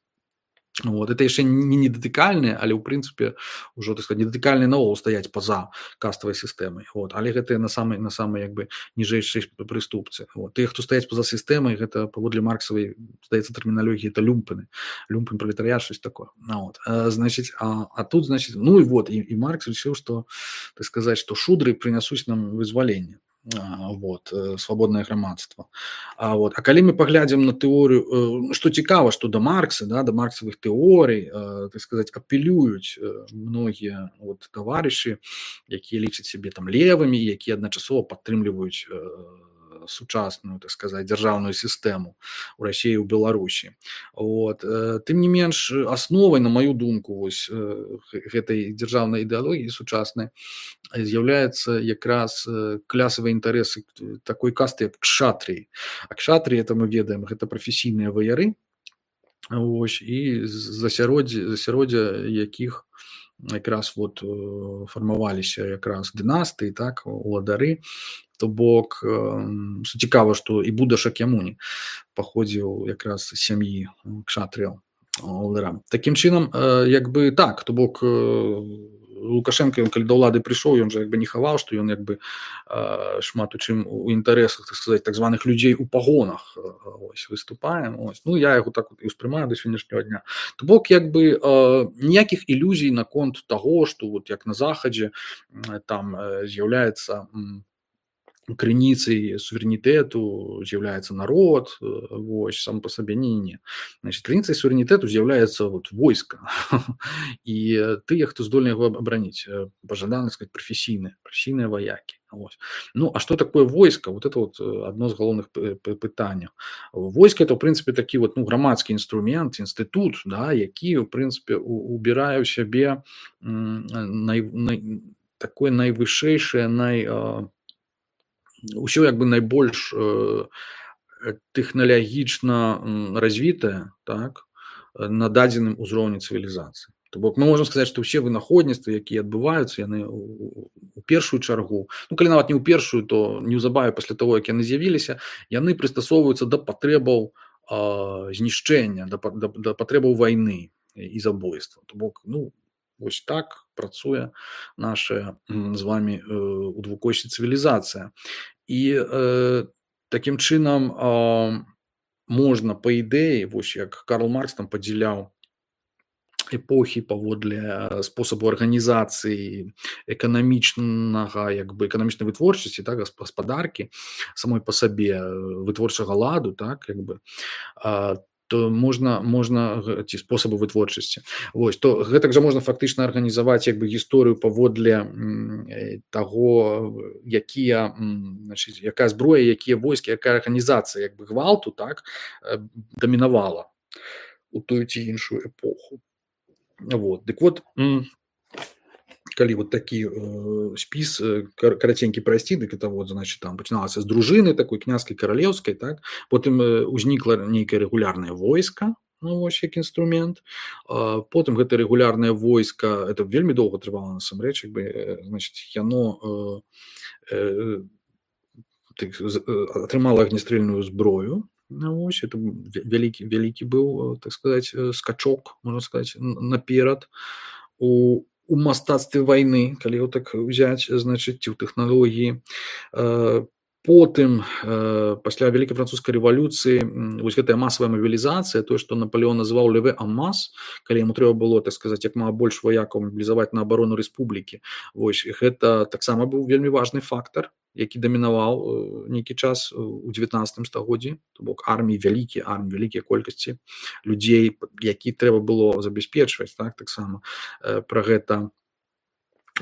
Вот. Это яшчэ не недатыкальныя, але ў прынцыпе ўжо, так сказаць, недатыкальныя наогул стаяць па-за каставай сістэмай. Вот. Але гэта на самай як бы ніжэйшай прыступцы. Вот. Тыя, хто стаяць па-за сістэмай, гэта паводле марксавай, здаецца, тэрміналогіі, это люмпены. Люмпен, пралетарыят, щось такое. Вот. Значыць, а тут, значыць, ну і вот, і Маркс лічыў, што, так сказаць, што шудры прынясуць нам вызваленне. Вот, свабоднае грамадства. Вот. А калі мы паглядзім на тэорыю, што цікава, што да Маркса, да, да марксавых тэорый, так сказаць, апелююць многія вот, таварышы, якія лічаць сябе там левымі, якія адначасова падтрымліваюць сучасную, так сказаць, дзяржаўную сістэму ў Расіі і ў Беларусі. Вот. Тым не менш, асновай, на маю думку, вось, гэтай дзяржаўнай ідэалогіі сучаснай з'яўляецца якраз клясавыя інтарэсы такой касты, як кшатрыі. А кшатрыі, это мы ведаем, гэта прафесійныя ваяры, вось, і засяроддзя якіх якраз вот фармаваліся якраз дынастыі, так, уладары. То бок, што цікава, што і Буда Шакьямуні паходзіў якраз з сям'і кшатрыяў уладара. Такім чынам, як бы так, то бок Лукашенко, ён калі да ўлады прыйшоў, ён жа як бы не хаваў, што ён як бы шмат у чым у інтарэсах, так сказаць, так званых людзей у пагонах ось, выступае. Ось. Ну, я яго так і ўспрымаю да сённяшняга дня. То бок, як бы ніякіх ілюзій наконт таго, што вот як на Захадзе там з'яўляецца крыніцай суверэнітэту з'яўляецца народ, вось, сам па сабе, не. Значит, крыніцай суверэнітэту з'яўляецца вот войска. І тыя, хто здольны яго абараніць, пажадана сказаць, прафесійныя ваякі. Вось. Ну, а што такое войска? Вот это вот адно з галоўных пытанняў. Войска это, в прынцыпе, такі вот, ну, грамадскі інструмент, інстытут, да, які, в прынцыпе, убірае ў сябе такое найвышэйшае, ўсё як бы найбольш тэхналагічна развітае, так, на дадзеным узроўні цывілізацыі. То бок мы можам сказаць, што ўсе вынаходніцтвы, якія адбываюцца, яны у першую чаргу, ну калі нават не ў першую, то неўзабаве пасля таго, як яны з'явіліся, яны прыстасоўваюцца да патрэбаў знішчэння, да патрэбаў вайны і забойства. То бок, ну, вось так працуе наша з вамі у двукосці цывілізацыя. І такім чынам можна, па ідэі, вось як Карл Маркс там падзяляў эпохі паводле спосабу арганізацыі эканамічнага, як бы эканамічнай вытворчасці, так, гаспадаркі самой па сабе, вытворчага ладу, так, як бы, то можна ці спосабы вытворчасці. Вось, то гэтак жа можна фактычна арганізаваць як бы гісторыю паводле таго, якія, значыць, якая зброя, якія войскі, якая арганізацыя як бы гвалту, так, дамінавала у тую ці іншую эпоху. Вот. Дык вот, калі вот такі спіс караценькі прайсці, дык это вот, значит, там пачыналася з дружыны такой княжскай каралеўскай, так, потым узнікла нейкае рэгулярнае войска, ну, вось як інструмент, потым гэта рэгулярнае войска, это вельмі доўга трывала насамрэч, як бы, значит, яно атрымала агнестрэльную зброю, ну, вось, это вялікі быў, так сказаць, скачок, можна сказаць, наперад у мастацтве вайны, калі его так взять, значит, ці ў тэхналогіі. Потым пасля вялікай французскай рэвалюцыі вось гэтая масавая мабілізацыя, тое, што Напалеон называў леве en masse, калі яму трэба было, так сказаць, як мага больш ваякаў мабілізаваць на абарону рэспублікі. Вось гэта таксама быў вельмі важны фактар, які дамінаваў нейкі час у 19 стагоддзі, то бок арміі вялікія колькасці людзей, які трэба было забяспечваць, так таксама пра гэта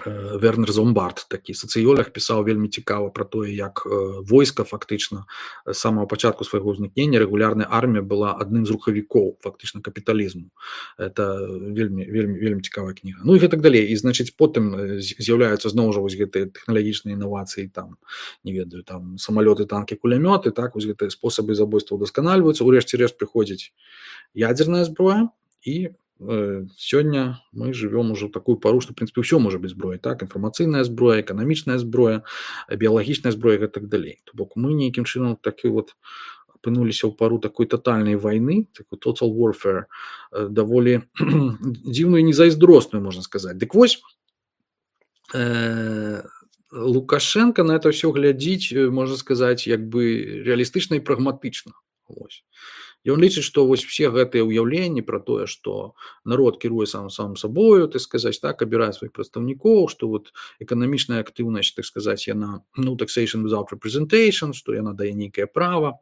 Вернер Зомбард, такі сацыёлог, пісаў вельмі цікава пра тое, як войска фактычна з самага пачатку свайго ўзнікнення рэгулярная армія была адным з рухавікоў фактычна капіталізму. Это вельмі цікавая кніга. Ну і гэтак далей. І значыць потым з'яўляюцца зноў жа вось гэтыя тэхналагічныя інавацыі, там не ведаю, там самалёты, танкі, кулямёты, так вось гэтыя спосабы забойства ўдасканальваюцца. Урэшце рэшт прыходзіць ядзерная зброя, і сёння мы живем уже в такую пару, что в принципе все может быть зброей, так, інфармацыйная зброя, эканамічная зброя, біялагічная зброя і так далей. То бок мы нейкім чынам такі вот апынуліся ў пару такой тотальнай вайны, такой total warfare, даволі дзіўную і незайздросную, можна сказаць. Дык вось Лукашенко на это все глядзіць, можна сказаць, як бы реалістычна і прагматычна. Вось. Ён лічыць, што вось все гэтыя ўяўленні пра тое, што народ кіруе сам сабою, так сказаць, так, абірае сваіх прадстаўнікоў, што вот эканамічная актыўнасць, так сказаць, яна, ну, taxation without representation, што яна дае нейкае права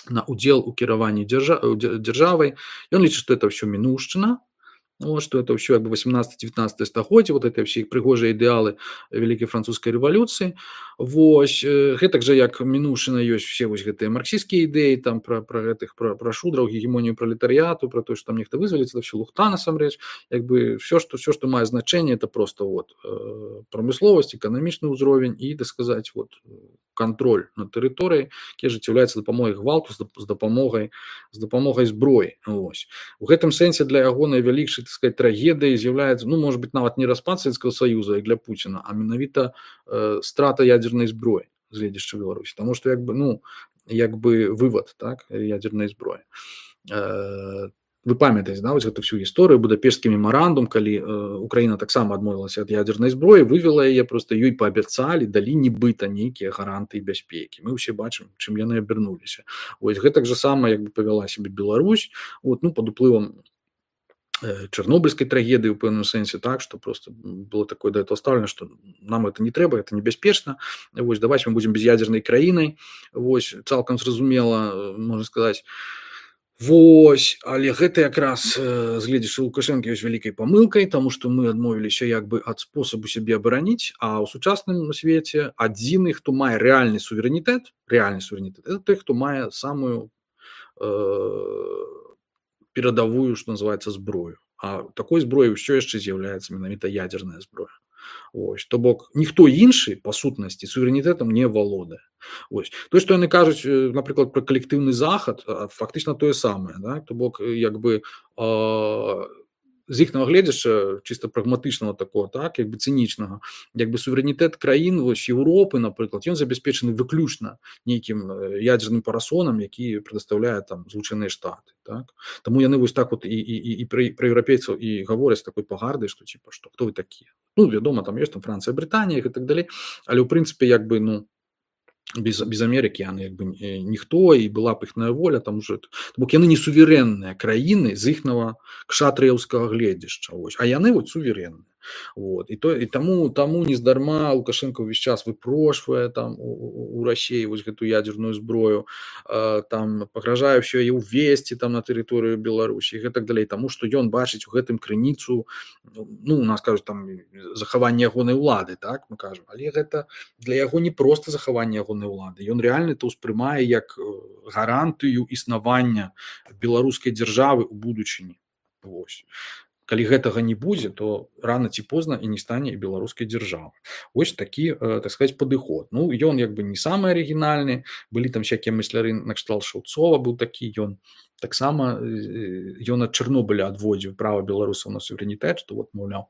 на удзел у кіраванні дзяржавай. Ён лічыць, што это ўсё мінушчына, вот, что это все как бы 18-19 стагоддзе, вот это все прыгожыя ідэалы вялікай французскай рэвалюцыі. Вось гэтак жа як мінушчына ёсць все вось гэтыя марксісцкія ідэі там пра шудраў, гегемонію пролетарыяту, пра тое, што там нехта вызваліць, это все лухта насамрэч. Як бы все, што мае значэнне, это просто вот прамысловасць, эканамічны ўзровень і, так сказаць, вот кантроль над тэрыторыяй, які ажыццяўляецца дапамогай гвалту, з дапамогай зброі. Вось. У гэтым сэнсе для яго найвялікшай, так сказать, трагедыяй з'яўляецца, ну, может быть, нават не распад Савецкага Саюза, як для Пуціна, а менавіта страта ядзернай зброі з гледзяшча Беларусі. Таму што як бы вывад, так, ядзернай зброі. Вы памятаеце, да, вось гэту всю гісторыю, Будапешцкі мемарандум, калі Украіна таксама адмовілася ад ядзернай зброі, вывела яе, просто ёй паабяцалі, далі нібыта нейкія гаранты бяспекі. Мы ўсе бачым, чым яны абярнуліся. Вось гэтак жа сама як бы павяла сябе Беларусь, вот, ну, пад уплывам чарнобыльскай трагедыі ў пэўным сэнсе, так, што просто было такое да этого ставлена, што нам это не трэба, это небяспечна, вось, давайте мы будзем без'ядзернай краінай, вось, цалкам зразумела, можна сказаць. Вось, але гэта якраз з гледзячы Лукашэнка ёсць вялікай памылкай, таму што мы адмовіліся як бы ад спосабу сябе абараніць, а ў сучасным свеце адзіны, хто мае рэальны суверэнітэт, это той, хто мае самую перадавую, што называецца, зброю. А такой зброяй ўсё яшчэ з'яўляецца менавіта ядзерная зброя. Ось, то бок ніхто іншы па сутнасці суверэнітэтам не валодае. Ось. Тое, што яны кажуць, напрыклад, пра калектыўны захад, фактычна тое самае, да? То бок як бы з іхнага гледзяча чыста прагматычнага такого, так, як бы цынічнага, як бы суверэнітэт краін вось Еўропы, напрыклад, ён забяспечаны выключна нейкім ядзерным парасонам, які прадастаўляе там Злучаныя Штаты, так. Таму яны вось так вот і пра еўрапейцаў і гавораць такой пагардай, што типа што хто вы такія. Ну, вядома, там ёсць там Францыя, Брытанія і так далей, але ў прынцыпе як бы, ну, без Амерыкі яны як бы ніхто, і была б іхная воля, там уже, бок яны не суверэнныя краіны з іхнага кшатрыяўскага гледзяшча, ось, а яны вот суверэнныя. Вот. І таму нездарма Лукашенко ўвесь час выпрошвае там у Расіі вось гэту ядзерную зброю, там пагражае ўсё яе ўвесці там на тэрыторыю Беларусі і гэтак далей, таму што ён бачыць у гэтым крыніцу, ну, у нас кажуць там захаванне ягонай улады, так, мы кажам, але гэта для яго не проста захаванне ягонай улады, ён рэальна то ўспрымае як гарантыю існавання беларускай дзяржавы ў будучыні. Вось. Калі гэтага не будзе, то рана ці позна і не стане і беларускай дзяржавы. Вось такі, так сказаць, падыход. Ну, ён як бы не самы арыгінальны, былі там всякія мысляры накшталт Шаўцова, быў такі, ён таксама ад Чарнобыля адводзіў права беларусаў на суверэнітэт, што вот, маўляў,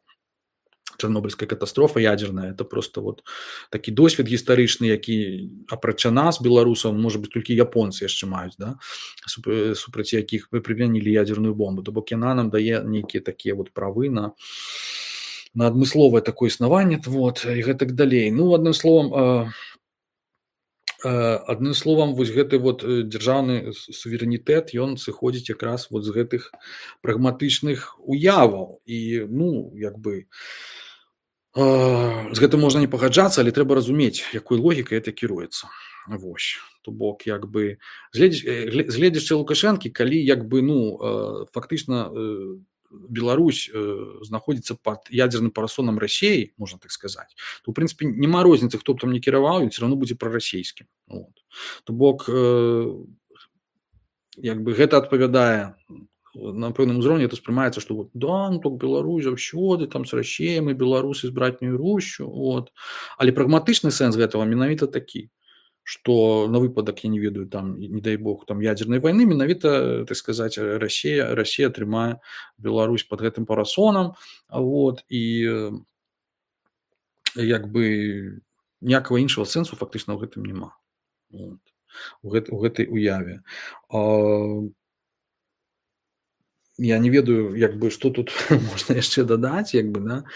чарнобыльская катастрофа ядзерная, это просто вот такі досвед гістарычны, які апрача нас, беларусаў, можа быць, толькі японцы яшчэ маюць, да, супраць якіх мы прымянілі ядзерную бомбу. То бок яна нам дае нейкія такія вот правы на адмысловае такое існаванне, вот, і гэтак далей. Ну, адным словам, Адным словам, вось гэты вот дзяржаўны суверэнітэт, ён сыходзіць якраз вот з гэтых прагматычных уяваў. І ну як бы з гэтым можна не пагаджацца, але трэба разумець, якой логікай гэта кіруецца. Вось. То бок як бы з гледзячы Лукашэнкі, калі як бы ну фактычна Беларусь знаходзіцца пад ядзерным парасонам Расіі, можна так сказаць, то ў прынцыпе няма розніцы, хто б там не кіраваў, ён все равно будзе прарасійскім. Вот. То бок як бы гэта адпавядае на пэўным узроўні, это ўспрымаецца, што вот, да, ну так Беларусь заўсёды там з Расіяй, мы беларусы з братняю Русю, вот. Але прагматычны сэнс гэтага менавіта такі, што на выпадак, я не ведаю, там, не дай бог, там ядзернай вайны, менавіта, так сказаць, Расія трымае Беларусь пад гэтым парасонам, вот, і як бы ніякага іншага сэнсу фактычна ў гэтым няма. Вот. У гэтай уяве. Я не ведаю, як бы, што тут можна яшчэ дадаць, як бы, да.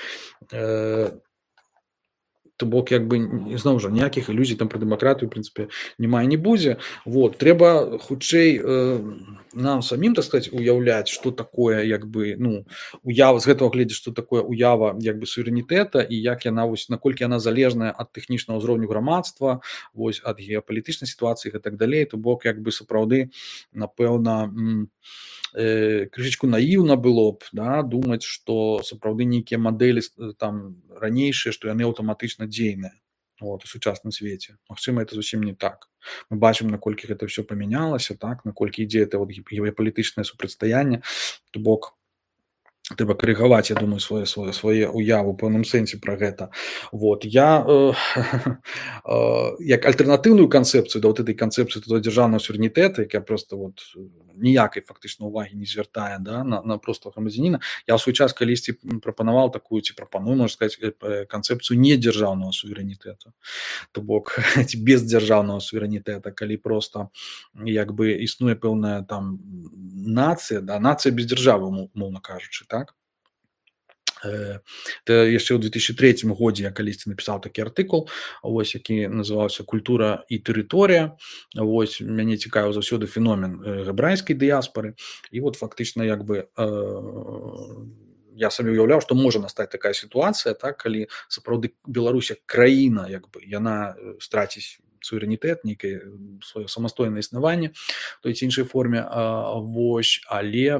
То бок як бы зноў жа ніякіх ілюзій там пра дэмакратыю ў прынцыпе няма і не будзе. Вот. Трэба хутчэй нам самім, так сказаць, уяўляць, што такое як бы ну уява з гэтага гледзяць, што такое уява як бы суверэнітэта і як яна вось наколькі яна залежная ад тэхнічнага ўзроўню грамадства, вось ад геапалітычнай сітуацыі і так далей. То бок як бы сапраўды напэўна крышачку наіўна было б, да, думаць, што сапраўды нейкія мадэлі там ранейшыя, што яны аўтаматычна дзейныя вот, у сучасным свеце. Магчыма, это зусім не так. Мы бачым, наколькі гэта ўсё памянялася, так, наколькі ідзе это вот геапалітычнае супрацьстаянне, то бок трэба карэгаваць, я думаю, свае уявы ў пэўным сэнсе пра гэта. Вот. Я як альтэрнатыўную канцэпцыю да вот этой канцэпцыі дзяржаўнага суверэнітэта, якая проста вот ніякай фактычна ўвагі не звяртае, да, на простага грамадзяніна, я ў свой час калісьці прапанаваў такую ці прапаную, можна сказаць, канцэпцыю недзяржаўнага суверэнітэта. То бок ці без дзяржаўнага суверэнітэта, калі проста як бы існуе пэўная там нацыя, да, нацыя без дзяржавы, умоўна кажучы, так. Это яшчэ ў 2003 годзе я калісьці напісаў такі артыкул, вось, які называўся «Культура і тэрыторыя». Вось, мяне цікавіў заўсёды феномен габрэйскай дыяспары. І вот фактычна як бы я сабе ўяўляў, што можа настаць такая сітуацыя, так, калі сапраўды Беларусь як краіна як бы яна страціць суверэнітэт, нейкае сваё самастойнае існаванне той ці іншай форме, вось, але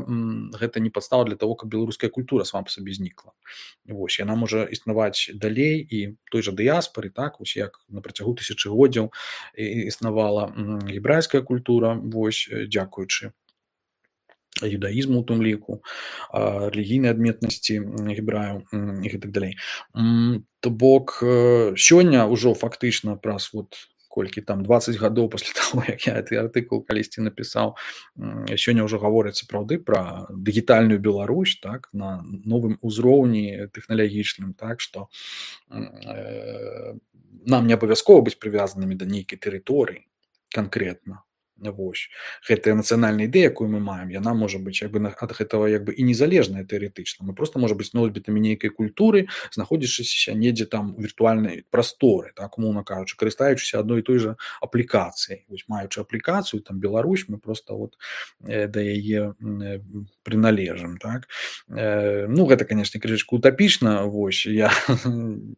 гэта не падстава для того, каб беларуская культура сама па сабе знікла. Вось, яна можа існаваць далей і той жа дыяспары, так, вось як на працягу тысячагоддзяў існавала гебрайская культура, вось, дзякуючы юдаізму у тым ліку, рэлігійнай адметнасці гебраяў і гэтак далей. То бок сёння ўжо фактычна праз вот колькі там 20 гадоў пасля таго, як я гэты артыкул калісьці напісаў, сёння ўжо гавораць сапраўды пра дыгітальную Беларусь, так, на новым узроўні тэхналагічным, так, што нам не абавязкова быць прывязанымі да нейкай тэрыторыі канкрэтна. Вось. Гэтая нацыянальная ідэя, якую мы маем, яна можа быць як бы ад гэтага як бы і незалежная тэарэтычна. Мы проста можа быць носьбітамі нейкай культуры, знаходзячыся недзе там у віртуальнай прасторы, так, умоўна кажучы, карыстаючыся адной і той жа аплікацыяй. Вось, маючы аплікацыю, там Беларусь, мы проста вот да яе прыналежым, так. Ну, гэта, канешне, крышачку утапічна, вось, я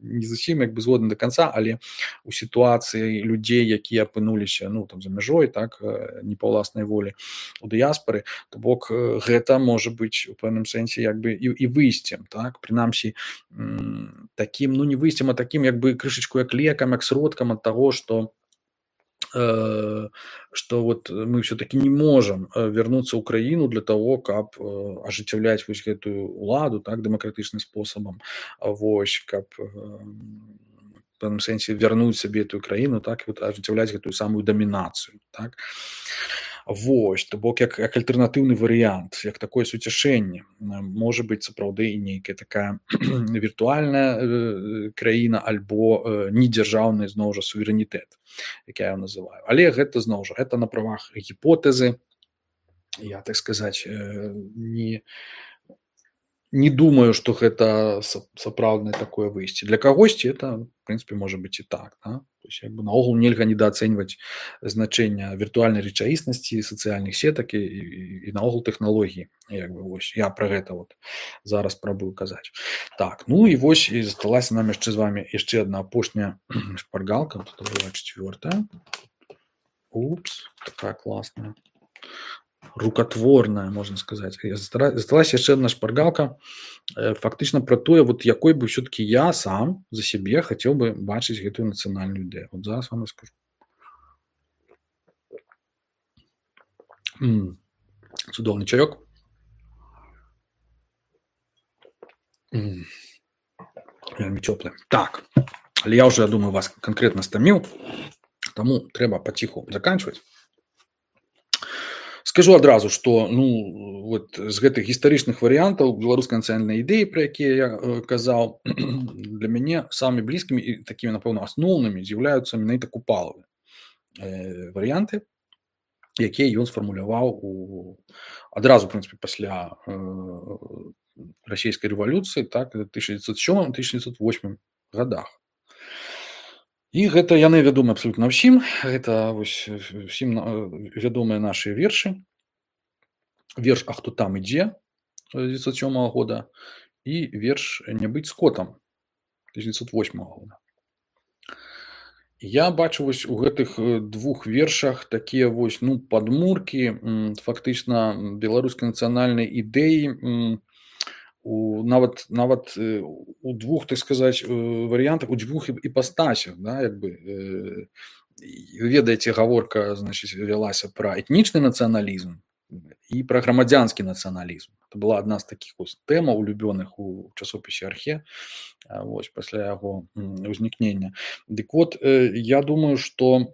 не зусім як бы згодны да канца, але у сітуацыі людзей, якія апынуліся, ну, там, за мяжой, так, не па ўласнай волі у дыяспары, то бок гэта можа быць у пэўным сэнсе як бы і выйсцем, так, прынамсі такім, ну не выйсцем, а такім як бы крышачку як лекам, як сродкам ад таго, што вот мы все-таки не можем вернуться ў краіну для того, каб ажыццяўляць вось гэтую уладу, так, дэмакратычным спосабам, вось, каб в пэўным сэнсе вярнуць сабе эту краіну, так, і вот ажыццяўляць гэтую самую дамінацыю, так. Вось, то бок як альтэрнатыўны варыянт, як такое суцяшэнне, можа быць сапраўды і нейкая такая віртуальная краіна альбо недзяржаўны зноў жа суверэнітэт, як я его называю. Але гэта зноў жа, гэта на правах гіпотэзы, я, так сказаць, не не думаю, што гэта сапраўднае такое выйсце. Для кагосьці это, в прынцыпе, можа быць і так, да? То есть, як бы наогул нельга недаацэньваць значэння віртуальнай рэчаіснасці, сацыяльных сетак і наогул тэхналогій. Як бы вось я пра гэта вот зараз спрабую казаць. Так, ну і вось і засталася нам яшчэ з вамі яшчэ адна апошняя шпаргалка. Тут была 4-я. Упс, такая класная. Рукотворная, можно сказать. Засталась яшчэ одна шпаргалка фактычна пра тое, вот якой бы все-таки я сам за сябе хацеў бы бачыць гэтую нацыянальную ідэю. Вот зараз вам раскажу. Цудоўны чаёк. Вельмі цёплы. Так, але я уже, я думаю, вас конкретно стаміў, таму трэба паціху заканчваць. Скажу адразу, што ну вот з гэтых гістарычных варыянтаў беларускай нацыянальнай ідэі, пра якія я казаў, для мяне самымі блізкімі і такімі, напэўна, асноўнымі з'яўляюцца менавіта купалавыя варыянты, якія ён сфармуляваў адразу, в прынцыпе, пасля расійскай рэвалюцыі, так, 1907-1908 годах. І гэта яны вядомы абсалютна ўсім. Гэта вось усім вядомыя нашы вершы. Верш «А хто там ідзе» 1907 года і верш «Не быць скотам» 1908 года. Я бачу вось у гэтых двух вершах такія вось ну падмуркі фактычна беларускай нацыянальнай ідэі, нават у двух, так сказаць, варыянтах, у двух іпастасях, да, як бы ведаеце, гаворка, значыць, вялася пра этнічны нацыяналізм і пра грамадзянскі нацыяналізм. Это была адна з такіх вось тэмаў улюбёных у часопісе «Архе» вось пасля яго ўзнікнення. Дык вот я думаю, што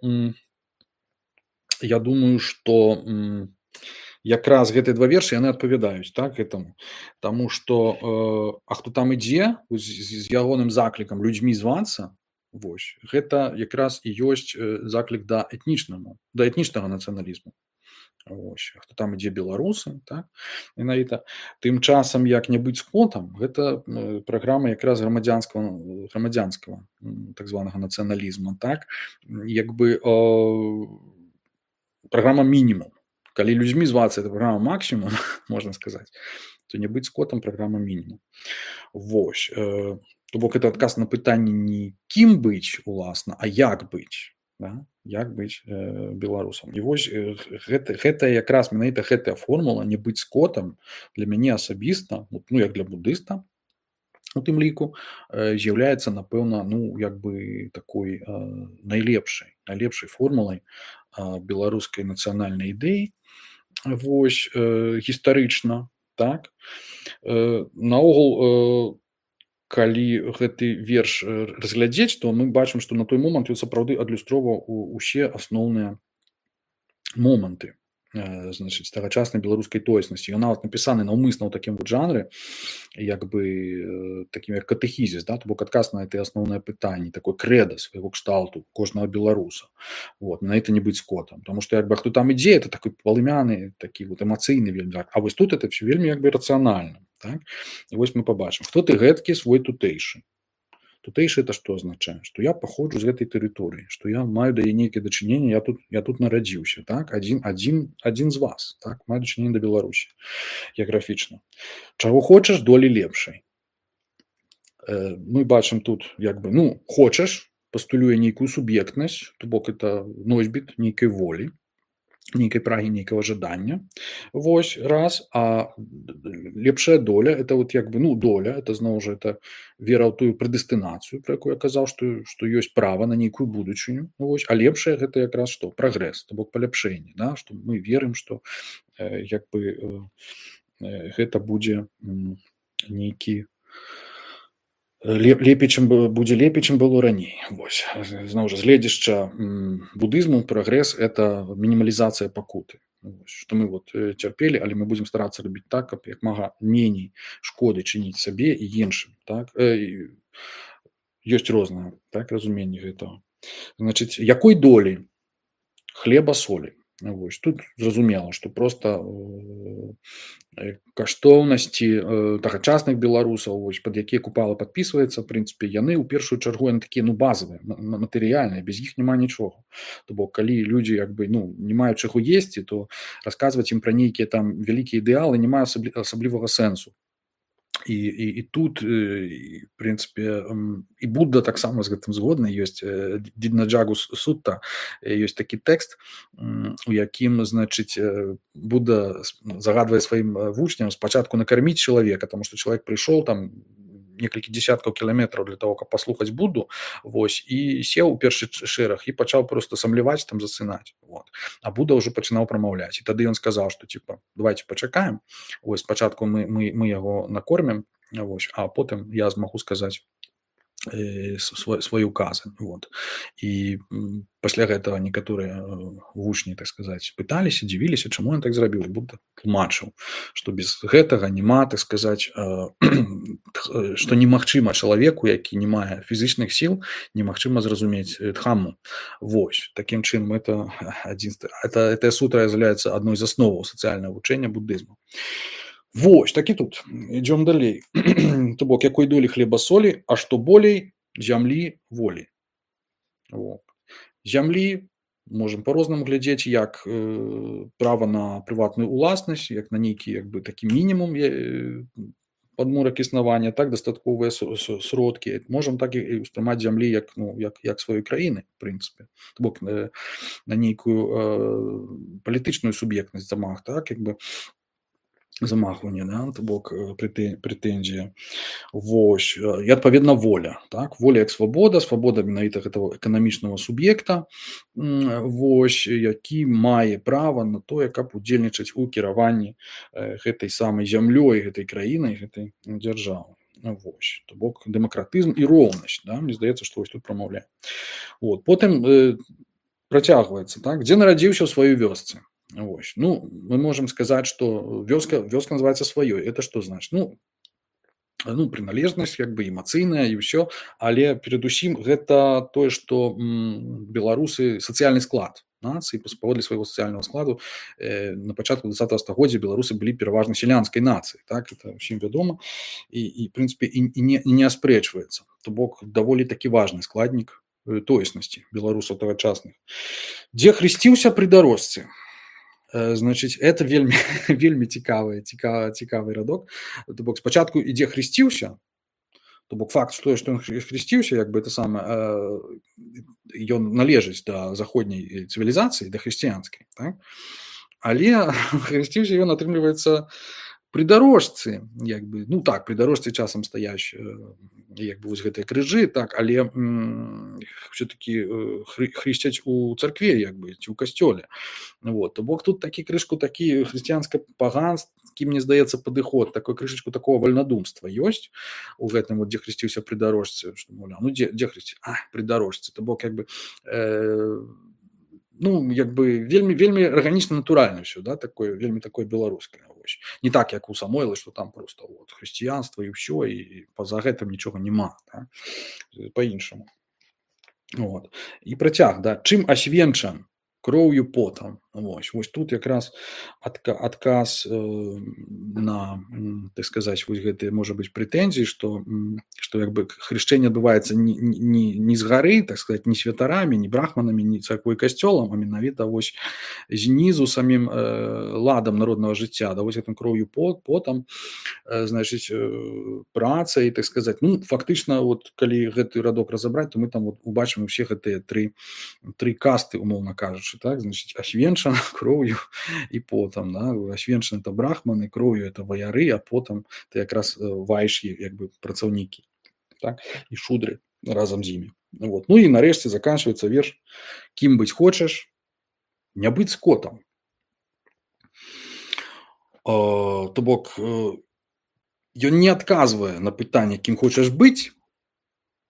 якраз гэтыя два вершы яны адпавядаюць так гэтаму, таму што а хто там ідзе з ягоным заклікам людзьмі звацца, вось гэта якраз і ёсць заклік да этнічнага нацыяналізму. Вось, а хто там ідзе беларусы, так, менавіта. Тым часам як не быць скотам, гэта праграма якраз грамадзянскага так званага нацыяналізма, так, як бы праграма мінімум. Калі людзьмі звацца, это праграма максімум, можна сказаць, то не быць скотам праграма мінімум. Вось, то бок это адказ на пытанне не кім быць уласна, а як быць, да? Як быць беларусам. І вось гэта якраз менавіта гэтая формула не быць скотам для мяне асабіста, ну як для буддыста у тым ліку, з'яўляецца, напэўна, ну як бы такой найлепшай формулай беларускай нацыянальнай ідэі, вось гістарычна, так. Наогул, калі гэты верш разглядзець, то мы бачым, што на той момант ён сапраўды адлюстроўваў усе асноўныя моманты, значыць, тагачаснай беларускай тоеснасці. Ён нават напісаны наўмысна ў такім вот жанры, як бы такім як катэхізіс, да, то бок адказ на гэтыя асноўныя пытанні, такой крэда свайго кшталту кожнага беларуса. Вот, на это не быць скотам. Таму што як бы хто там ідзе, это такой палымяны, такі вот эмацыйны вельмі. А вось тут это все вельмі як бы рацыянальна. Так? І вось мы пабачым, хто ты гэткі свой тутэйшы. Тутэйшы это што азначае? Што я паходжу з гэтай тэрыторыі, што я маю да яе нейкае дачыненне, я тут нарадзіўся, так? Адзін з вас, так? Маю дачыненне да Беларусі геаграфічна. Чаго хочаш, долі лепшай. Мы бачым тут як бы, ну, хочаш, пастулюе нейкую суб'ектнасць, то бок это носьбіт нейкай волі, нейкай прагі, нейкага жадання. Вось, раз. А лепшая доля, это вот як бы, ну, доля, это зноў жа, это вера ў тую прэдэстынацыю, пра якую я казаў, што ёсць права на нейкую будучыню. Вось. А лепшая гэта якраз што? Прагрэс, то бок паляпшэнне, да? Што мы верым, што як бы гэта будзе нейкі лепей, чым было раней. Вось. Зноў жа, з гледзяшча будызму прагрэс – это мінімалізацыя пакуты. Што мы вот цярпелі, але мы будзем старацца рабіць так, каб як мага меней шкоды чыніць сабе і іншым. Так? Ёсць рознае так, разуменне гэтага. Значыць, якой долі? Хлеба, солі. Вось тут зразумела, што проста каштоўнасці тагачасных беларусаў, вось пад якія Купала падпісваецца, в прынцыпе, яны ў першую чаргу яны такія, ну, базавыя, матэрыяльныя, без іх няма нічога. То бок калі людзі як бы, ну, не маюць чаго есці, то расказваць ім пра нейкія там вялікія ідэалы не мае асаблівага сэнсу. І тут, в прынцыпе, і Будда таксама з гэтым згодны. Ёсць Диднаджагу Сутта, ёсць такі тэкст, у якім, значыць, Будда загадвае сваім вучням спачатку накарміць чалавека, таму што чалавек прыйшоў там некалькі дзесяткаў кіламетраў для того, каб паслухаць Будду, вось, і сеў у першы шэраг і пачаў проста самляваць, там засынаць. Вот. А Будда ўжо пачынаў прамаўляць. І тады ён сказаў, што типа, давайте пачакаем. Вось спачатку мы яго накормім, вось, а потым я змагу сказаць свой указы. Вот. І пасля гэтага некаторыя вучні, так сказаць, пыталіся, дзівіліся, чаму ён так зрабіў. Будда тлумачыў, што без гэтага няма, так сказаць, што немагчыма чалавеку, які не мае фізічных сіл, немагчыма зразумець дхамму. Вось, такім чынам эта сутра з'яўляецца адной з асноваў сацыяльнага вучэння буддызму. Вось, так і тут. Ідём далей. То бок, якой долі хлеба солі, а што болей зямлі волі. Вот. Зямлі можам по-рознаму глядзець, як права на прыватную уласнасць, як на нейкі як бы такі мінімум падмурак існавання, так дастатковыя сродкі. Можам так і ўспрымаць зямлі як, ну, як сваёй краіны, в прынцыпе. То бок, на нейкую палітычную суб'ектнасць замах, так, як бы замахванне, да, то бок прэтэнзія. Вось, і адпаведна воля, так, воля як свабода менавіта гэтага эканамічнага суб'екта, вось, які мае права на тое, каб удзельнічаць у кіраванні гэтай самай зямлёй, гэтай краінай, гэтай дзяржавы. Вось, то бок дэмакратызм і роўнасць, да, мне здаецца, што вось тут прамаўляе. Вот, потым працягваецца, так, дзе нарадзіўся ў сваёй вёсцы. Вось. Ну, мы можем сказаць, што вёска называецца сваёй. Это што значыць? Ну, прыналежнасць, як бы эмацыйная і ўсё, але перадусім гэта тое, што беларусы сацыяльны склад нацыі, паводле свайго сацыяльнага складу на пачатку 20 стагоддзя беларусы былі пераважна сялянскай нацыяй, так, это ўсім вядома, і в прынцыпе і не аспрэчваецца. То бок даволі такі важны складнік тоеснасці беларусаў тагачасных. Дзе хрысціўся пры дарожцы? Значыць, это вельмі цікавы радок. То бок спачатку ідзе хрысціўся, то бок факт, што ён хрысціўся, як бы это самае, ён належыць да заходняй цывілізацыі, да хрысціянскай, так? Але хрысціўся ён, атрымліваецца, пры дарожцы, як бы, ну так, пры дарожцы часам стаяць як бы вось гэтыя крыжы, так, але все-таки хрысцяць у царкве, як бы, ці ў касцёле. Вот, то бок тут такі крышку, такі хрысціянска-паганскі, мне здаецца, падыход, такой крышачку такого вальнадумства ёсць у гэтым, вот, дзе хрысціўся пры дарожцы, што, мовляў, ну, дзе хрысці? Пры дарожцы, то бок, як бы, ну, як бы, вельмі арганічна, натуральна ўсё, да, такое, вельмі такое беларускае. Не так, як у Самойла, што там просто вот, хрысціянства і ўсё, і па-за гэтым нічога няма, да? Па-іншаму. Вот. І працяг, да, чым асвенчан? Кроўю, потам. Вось тут якраз адказ на, так сказаць, вось гэтыя, можа быць, прэтэнзіі, што як бы хрышчэнне адбываецца не з гары, так сказаць, не святарамі, не брахманамі, не царквой касцёлам, а менавіта вось знізу самім ладам народнага жыцця, да, вось гэтым кроўю, потам, значыць, працай, так сказаць. Ну, фактычна, вот, калі гэты радок разабраць, то мы там вот убачым усе гэтыя тры касты, умоўна кажучы, так, значыць, асвенчан кроўю і потам, да, асвенчан это брахманы, кроўю это ваяры, а потам это якраз вайшы, як бы, працаўнікі, так, і шудры разам з імі. Вот. Ну і нарэшце заканчваецца верш: кім быць хочаш, не быць скотам. То бок ён не адказвае на пытанне, кім хочаш быць,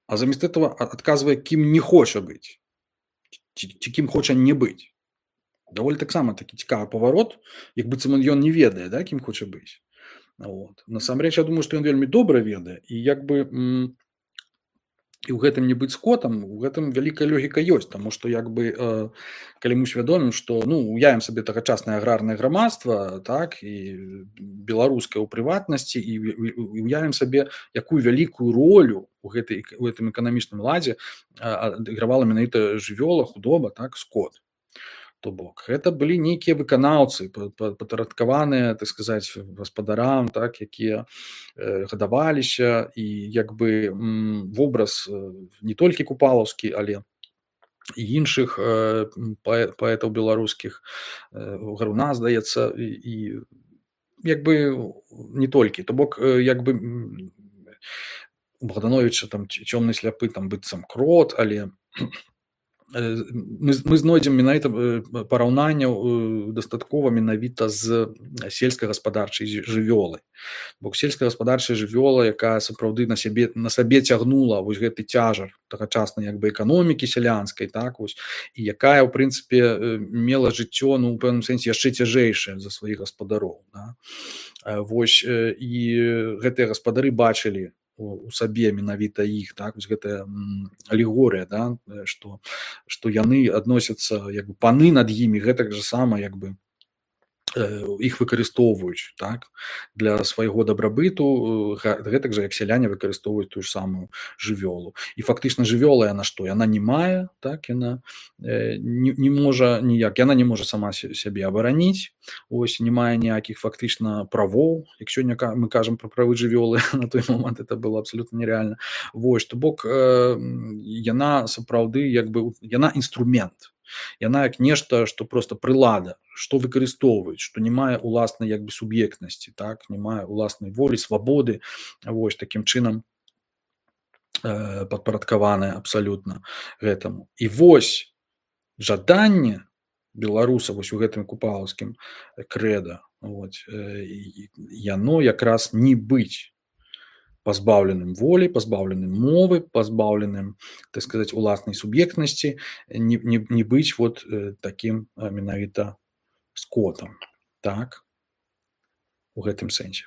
а замест этого адказвае, кім не хоча быць, ці кім хоча не быць. Даволі таксама такі цікавы паварот, як быццам ён не ведае, да, кім хоча быць. Вот. Насамрэч, я думаю, што ён вельмі добра ведае, і як бы І ў гэтым не быць скотам, у гэтым вялікая логіка ёсць, таму што як бы калі мы усвядомім, што ну уявім сабе тагачаснае аграрнае грамадства, так і беларускае ў прыватнасці і уявім сабе, якую вялікую ролю у гэтым эканамічным ладзе адыгравала менавіта жывёла, худоба, так, скот. То бок гэта былі нейкія выканаўцы, падпарадкаваныя, так сказаць, гаспадарам, так, якія гадаваліся, і як бы вобраз не толькі купалаўскі, але і іншых паэтаў беларускіх, Гаруна, здаецца, і як бы не толькі. То бок як бы у Богдановича там цёмны сляпы там быццам крот, але мы знойдзем менавіта параўнанняў дастаткова менавіта з сельскагаспадарчай жывёлай. Бо сельскагаспадарчая жывёла, якая сапраўды на сабе цягнула вось гэты цяжар тагачаснай як бы эканомікі сялянскай, так вось, і якая ў прынцыпе мела жыццё, ну у пэўным сэнсе яшчэ цяжэйшае за сваіх гаспадароў, да? Вось і гэтыя гаспадары бачылі у сабе менавіта іх, так, вось гэтая алегорыя, да, што яны адносяцца як бы паны над імі, гэтак жа сама як бы іх выкарыстоўваюць, так, для свайго дабрабыту, гэтак жа як сяляне выкарыстоўваюць тую ж самую жывёлу. І фактычна жывёла яна што? Яна не мае, так, яна не можа ніяк, яна не можа сама сябе абараніць, ось, не мае ніякіх фактычна правоў. Як сёння мы кажам пра правы жывёлы, на той момант это было абсалютна нерэальна. Вось, то бок яна сапраўды як бы яна інструмент. Яна як нешта, што проста прылада, што выкарыстоўваюць, што не мае уласнай як бы суб'ектнасці, так, не мае уласнай волі, свабоды, вось, такім чынам падпарадкаваная абсалютна гэтаму. І вось жаданне беларуса вось у гэтым купалаўскім крэда, яно якраз не быць пазбаўленым волі, пазбаўленым мовы, пазбаўленым, так сказаць, уласнай суб'ектнасці, не быць вот такім менавіта скотам, так, у гэтым сэнсе.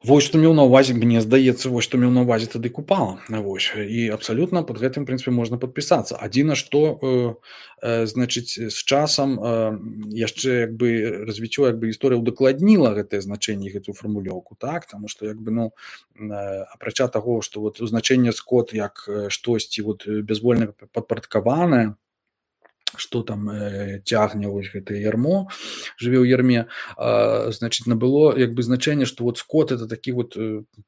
Вось што меў на ўвазе, мне здаецца, вось што меў на ўвазе тады Купала, вось, і абсалютна пад гэтым, в прынцыпе, можна падпісацца. Адзіна, што, значыць, з часам яшчэ як бы развіццё як бы гісторыя ўдакладніла гэтае значэнне, гэтую фармулёўку, так, таму што як бы, ну, апрача таго, што вот значэнне скот як штосьці вот бязвольна падпарадкаванае, што там цягне вось гэтае ярмо, жыве ў ярме, значыць, набыло як бы значэнне, што вот скот это такі вот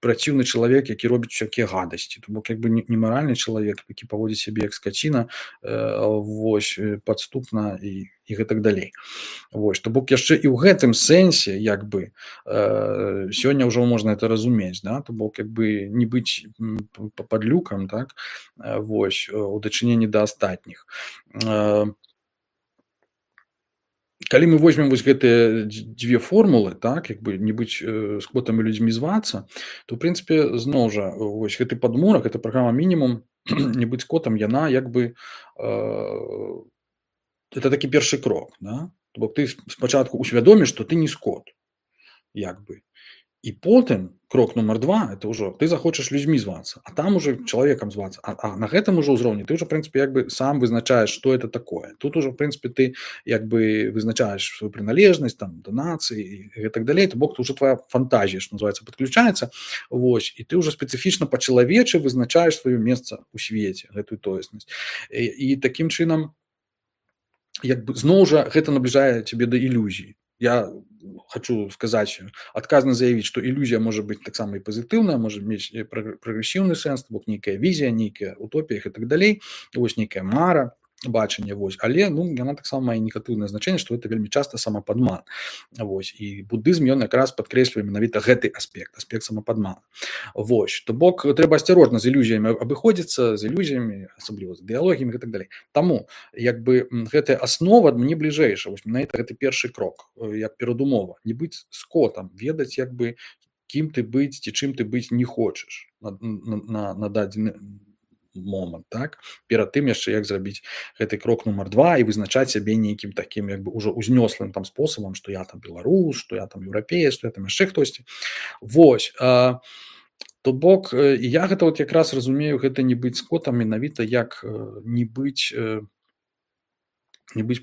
праціўны чалавек, які робіць усякія гадасці. То бок як бы не маральны чалавек, які паводзіць сябе як скаціна, вось, падступна і гэтак далей. Вось, то бок яшчэ і ў гэтым сэнсе як бы сёння ўжо можна это разумець, да, то бок як бы не быць падлюкам, так, вось, у дачыненні да астатніх. Калі мы возьмем вось гэтыя дзве формулы, так, як бы не быць скотам і людзьмі звацца, то ў прынцыпе зноў жа вось гэты падмурак, гэта праграма мінімум, не быць скотам, яна як бы это такі першы крок, да? То бок ты спачатку усвядоміш, што ты не скот, як бы. І потым крок нумар 2 это ўжо ты захочаш людзьмі звацца, а там уже чалавекам звацца. А на гэтым ужо ўзроўні ты ўжо, в прынцыпе, як бы сам вызначаеш, што это такое. Тут ужо, в прынцыпе, ты як бы вызначаеш сваю прыналежнасць там да нацыі і гэтак далей. То бок ўжо твая фантазія, што называецца, падключаецца. Вось, і ты ўжо спецыфічна па-чалавечы вызначаеш сваё месца ў свеце, гэтую тоеснасць. І такім чынам як бы зноў жа гэта набліжае цябе да ілюзій. Я хочу сказаць, адказна заявіць, што ілюзія можа быць таксама і пазітыўная, можа мець прагрэсіўны сэнс, то бок нейкая візія, нейкая утопія і так далей, вось нейкая мара, бачанне, вось, але ну яна таксама мае негатыўнае значэнне, што гэта вельмі часта самападман. Вось, і буддызм ён якраз падкрэслівае менавіта гэты аспект самападмана. Вось, то бок трэба асцярожна з ілюзіямі абыходзіцца, з ілюзіямі, асабліва з ідэалогіямі і так далей. Таму як бы гэтая аснова мне бліжэйшая, вось менавіта гэты першы крок, як перадумова, не быць скотам, ведаць як бы кім ты быць ці чым ты быць не хочаш на дадзены момант, так, перад тым яшчэ як зрабіць гэты крок нумар 2 і вызначаць сябе нейкім такім як бы ўжо узнёслым там спосабам, што я там беларус, што я там еўрапеец, што я там яшчэ хтосьці. Вось, То бок я гэта вот якраз разумею, гэта не быць скотам менавіта як не быць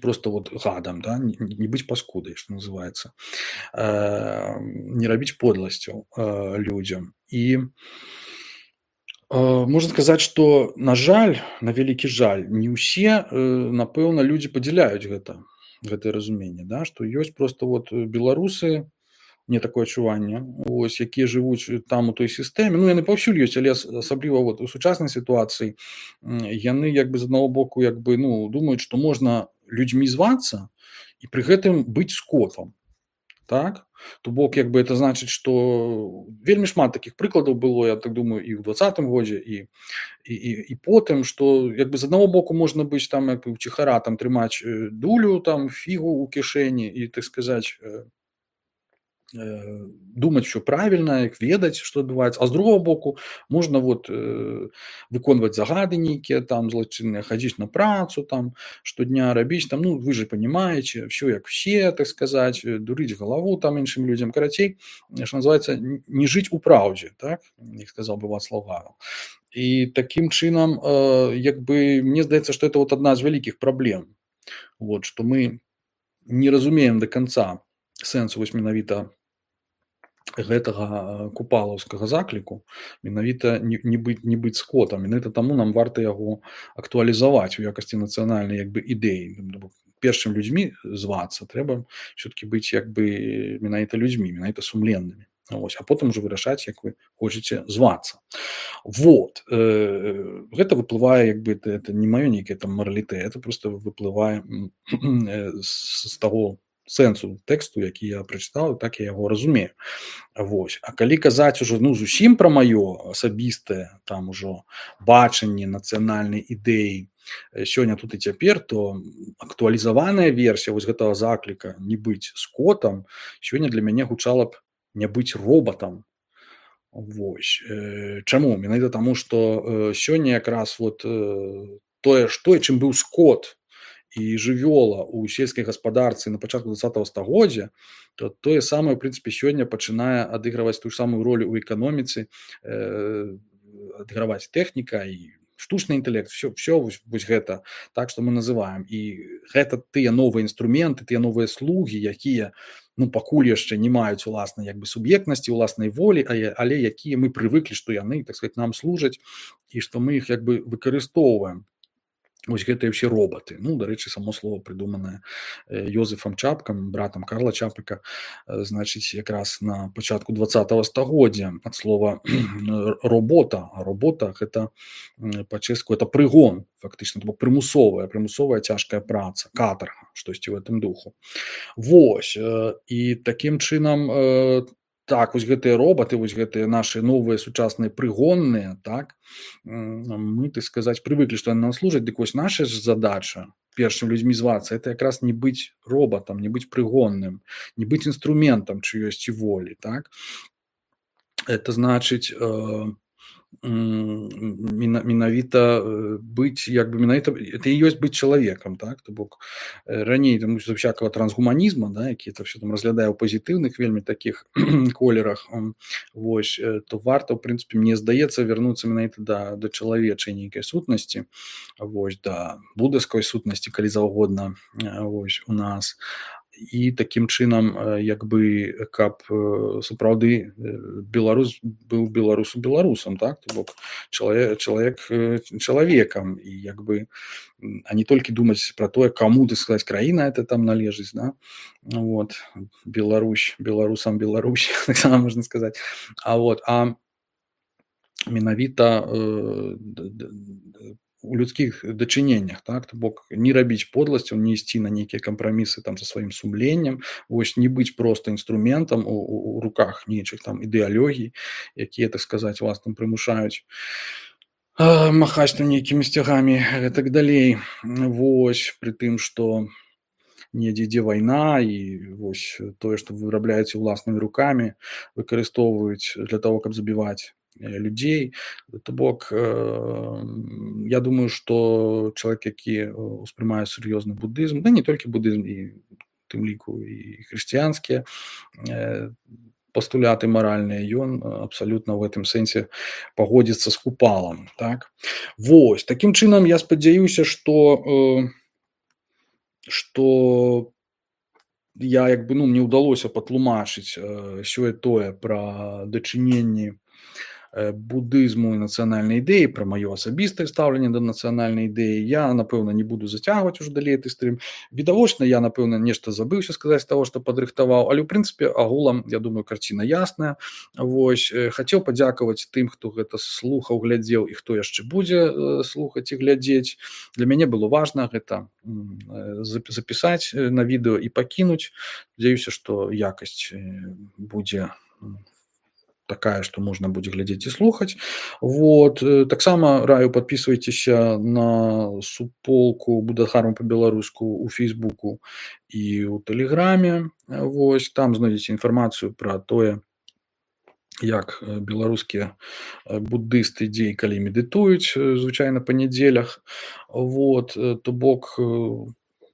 просто вот гадам, да? Не быць паскудай, што называецца, не рабіць подласцяў людзям. І можна сказаць, што на жаль, на вялікі жаль, не ўсе напэўна людзі падзяляюць гэтае разуменне, да? Што ёсць просто вот беларусы, мне такое адчуванне, вось, якія жывуць там у той сістэме, ну яны паўсюль ёсць, але асабліва вот у сучаснай сітуацыі яны як бы з аднаго боку як бы ну думаюць, што можна людзьмі звацца і пры гэтым быць скотам. Так? То бок як бы это значыць, што вельмі шмат такіх прыкладаў было, я так думаю, і ў 20-м годзе і потым, што як бы з аднаго боку можна быць там як бы уціхара там трымаць дулю там фігу ў кішэні і так сказаць думаць усё правільна, як ведаць, што адбываецца, а з другого боку можна вот выконваць загады нейкія там злачынныя, хадзіць на працу там штодня рабіць там, ну вы же понимаете, все як все, так сказаць, дурыць галаву там іншым людзям, карацей, што называецца, не жыць у праўдзе, так, як сказаў бы Вацлаў Гавел. І такім чынам як бы мне здаецца, што это вот адна з вялікіх праблем, вот, што мы не разумеем до конца сэнсу вось менавіта гэтага купалаўскага закліку, менавіта не быць скотам, менавіта таму нам варта яго актуалізаваць у якасці нацыянальнай як бы ідэі. Першым людзьмі звацца трэба все-таки быць як бы менавіта людзьмі, менавіта сумленнымі. Ось, а потым уже вырашаць, як вы хочаце звацца. Вот гэта выплывае як бы это не маё нейкае там маралітэ, это просто выплывае з таго сэнсу тэксту, які я прачытаў, так я яго разумею. Вось. А калі казаць ужо ну зусім пра маё асабістае там ужо бачанне нацыянальнай ідэі сёння тут і цяпер, то актуалізаваная версія вось гэтага закліка не быць скотам сёння для мяне гучала б не быць робатам. Вось. Чаму? Менавіта таму, што сёння якраз вот тое, чым быў скот і жывёла ў сельскай гаспадарцы на пачатку 20-го стагоддзя, то тое самае, ў прынцыпе, сёння пачынае адыгрываць тую самую ролю ў эканоміцы, адыграваць тэхніка і штучны інтэлект, все вось гэта, так, што мы называем. І гэта тыя новыя інструменты, тыя новыя слугі, якія ну, пакуль яшчэ не маюць уласнай як бы суб'ектнасці, уласнай волі, але якія мы прывыклі, што яны, так сказать, нам служаць і што мы іх як бы выкарыстоўваем. Вось гэтыя ўсе робаты. Ну, дарэчы, само слово прыдуманае Йозефам Чапкам, братам Карла Чапыка, значыць, якраз на пачатку 20-го стагоддзя ад слова робота. А робота гэта па-чэшску это прыгон, фактычна, прымусовая цяжкая праца, катарга, штосьці ў гэтым духу. Вось. І такім чынам так, вось гэтыя робаты, вось гэтыя нашы новыя сучасныя прыгонныя, так, мы, так сказаць, прывыклі, што яны нам служаць, дык вось наша ж задача першым людзьмі звацца, это якраз не быць робатам, не быць прыгонным, не быць інструментам чыёсьці волі, так. Это значыць менавіта быць як бы менавіта это і ёсць быць чалавекам, так, то бок раней там з всякого трансгуманізма, да, які это все там разглядае ў пазітыўных вельмі такіх колерах, вось, то варта ў прынцыпе, мне здаецца, вярнуцца менавіта да чалавечай нейкай сутнасці, вось, да будаўскай сутнасці, калі заўгодна, вось, у нас. І такім чынам як бы каб сапраўды беларус быў беларусам, так, то бок чалавек чалавекам і як бы а не толькі думаць пра тое, каму, так сказаць, краіна это там належыць, да? Вот. Беларусам таксама можна сказаць, а менавіта у людскіх дачыненнях, так, то бок не рабіць подласцяў, не ісці на нейкія кампрамісы там за сваім сумленнем, вось не быць проста інструментам у руках нейчых там ідэалогій, якія, так сказаць, вас там прымушаюць махаць там нейкімі сцягамі і так далей. Вось, пры тым, што недзе ідзе вайна і вось тое, што вырабляеце ўласнымі рукамі, выкарыстоўваюць для таго, каб забіваць людзей. То бок я думаю, што чалавек, які успрымае сур'ёзны будызм, да не толькі будызм, і тым ліку і хрысціянскія пастуляты маральныя, ён абсалютна ў гэтым сэнсе пагодзіцца з Купалам, так. Вось, такім чынам я спадзяюся, што я як бы, ну, мне ўдалося патлумачыць сёе-тое пра дачыненні будызму і нацыянальнай ідэі, пра маё асабістае стаўленне да нацыянальнай ідэі. Я, напэўна, не буду зацягваць ужо далей гэты стрым. Відавочна, я, напэўна, нешта забыўся сказаць з таго, што падрыхтаваў, але ў прынцыпе агулам, я думаю, карціна ясная. Вось, хацеў падзякаваць тым, хто гэта слухаў, глядзеў і хто яшчэ будзе слухаць і глядзець. Для мяне было важна гэта запісаць на відэо і пакінуць. Спадзяюся, што якасць будзе такая, што можна будзе глядзець і слухаць. Вот. Таксама раю падпісвайцеся на суполку Будагарма па-беларуску ў Фейсбуку і ў Тэлеграме. Вось. Там знойдзеце інфармацыю пра тое, як беларускія буддысты дзе і калі медытуюць, звычайна па нядзелях. Вот. То бок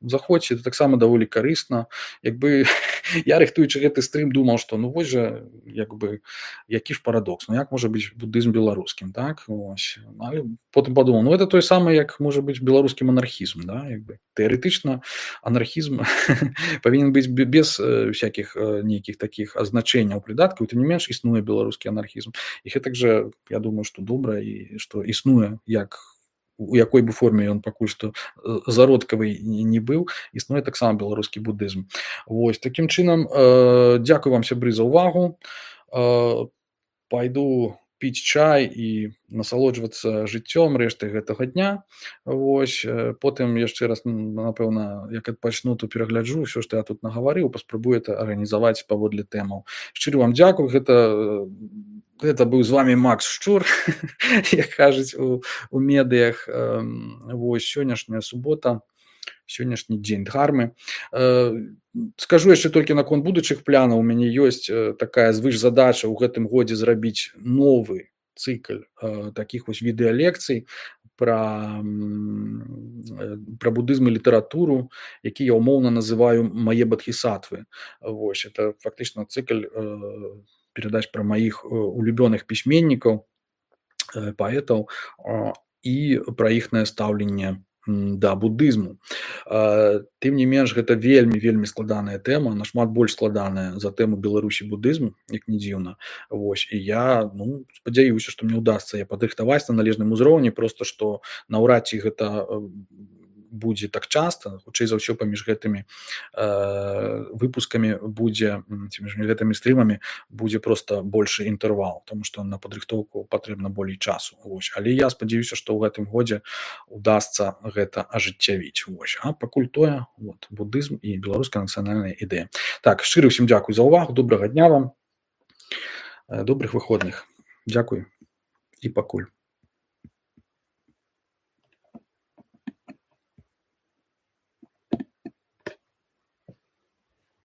заходзьце, это таксама даволі карысна. Як бы я, рыхтуючы гэты стрым, думаў, што ну вось жа, як бы, які ж парадокс, ну як можа быць будызм беларускім, так? Ось. Але потым падумаў, ну это тое самае, як можа быць беларускі манархізм, да? Як бы. Тэарэтычна анархізм павінен быць без всякіх нейкіх такіх азначэнняў, прыдаткаў, тым не менш існуе беларускі анархізм. І гэтак жа, я думаю, што добра і што існуе, як у якой бы форме ён пакуль што зародкавы не быў, існуе таксама беларускі будызм. Вось, такім чынам, дзякую вам, сябры, за ўвагу. Пайду піць чай і насалоджвацца жыццём рэшты гэтага дня. Вось, потым яшчэ раз, напэўна, як пачну, то перагляджу ўсё, што я тут нагаварыў, паспрабую это арганізаваць паводле тэмаў. Шчыра вам дзякую, гэта быў з вами Макс Шчур, як кажуць у медыях. Вось, сённяшняя субота, сённяшні дзень Дхармы. Скажу яшчэ толькі наконт будучых планаў. У мяне ёсць такая звышзадача ў гэтым годзе зрабіць новы цыкл такіх вось відэалекцый пра будызм і літаратуру, які я ўмоўна называю «Мае бадхісатвы». Вось, это фактычна цыкл перадач пра маіх улюбёных пісьменнікаў, паэтаў і пра іхнае стаўленне да будызму. Тым не менш, гэта вельмі складаная тэма, нашмат больш складаная за тэму Беларусі будызму, як не дзіўна. Вось, і я, ну, спадзяюся, што мне ўдасца я падрыхтаваць на належным узроўні, проста што наўрад ці гэта будзе так часта, хутчэй за ўсё паміж гэтымі выпускамі будзе, ці між гэтымі стрымамі будзе проста большы інтэрвал, таму што на падрыхтоўку патрэбна болей часу. Вось. Але я спадзяюся, што ў гэтым годзе удасца гэта ажыццявіць. Вось. А пакуль тое, вот, будызм і беларуская нацыянальная ідэя. Так, шчыра ўсім дзякуй за ўвагу, добрага дня вам, добрых выходных. Дзякуй і пакуль.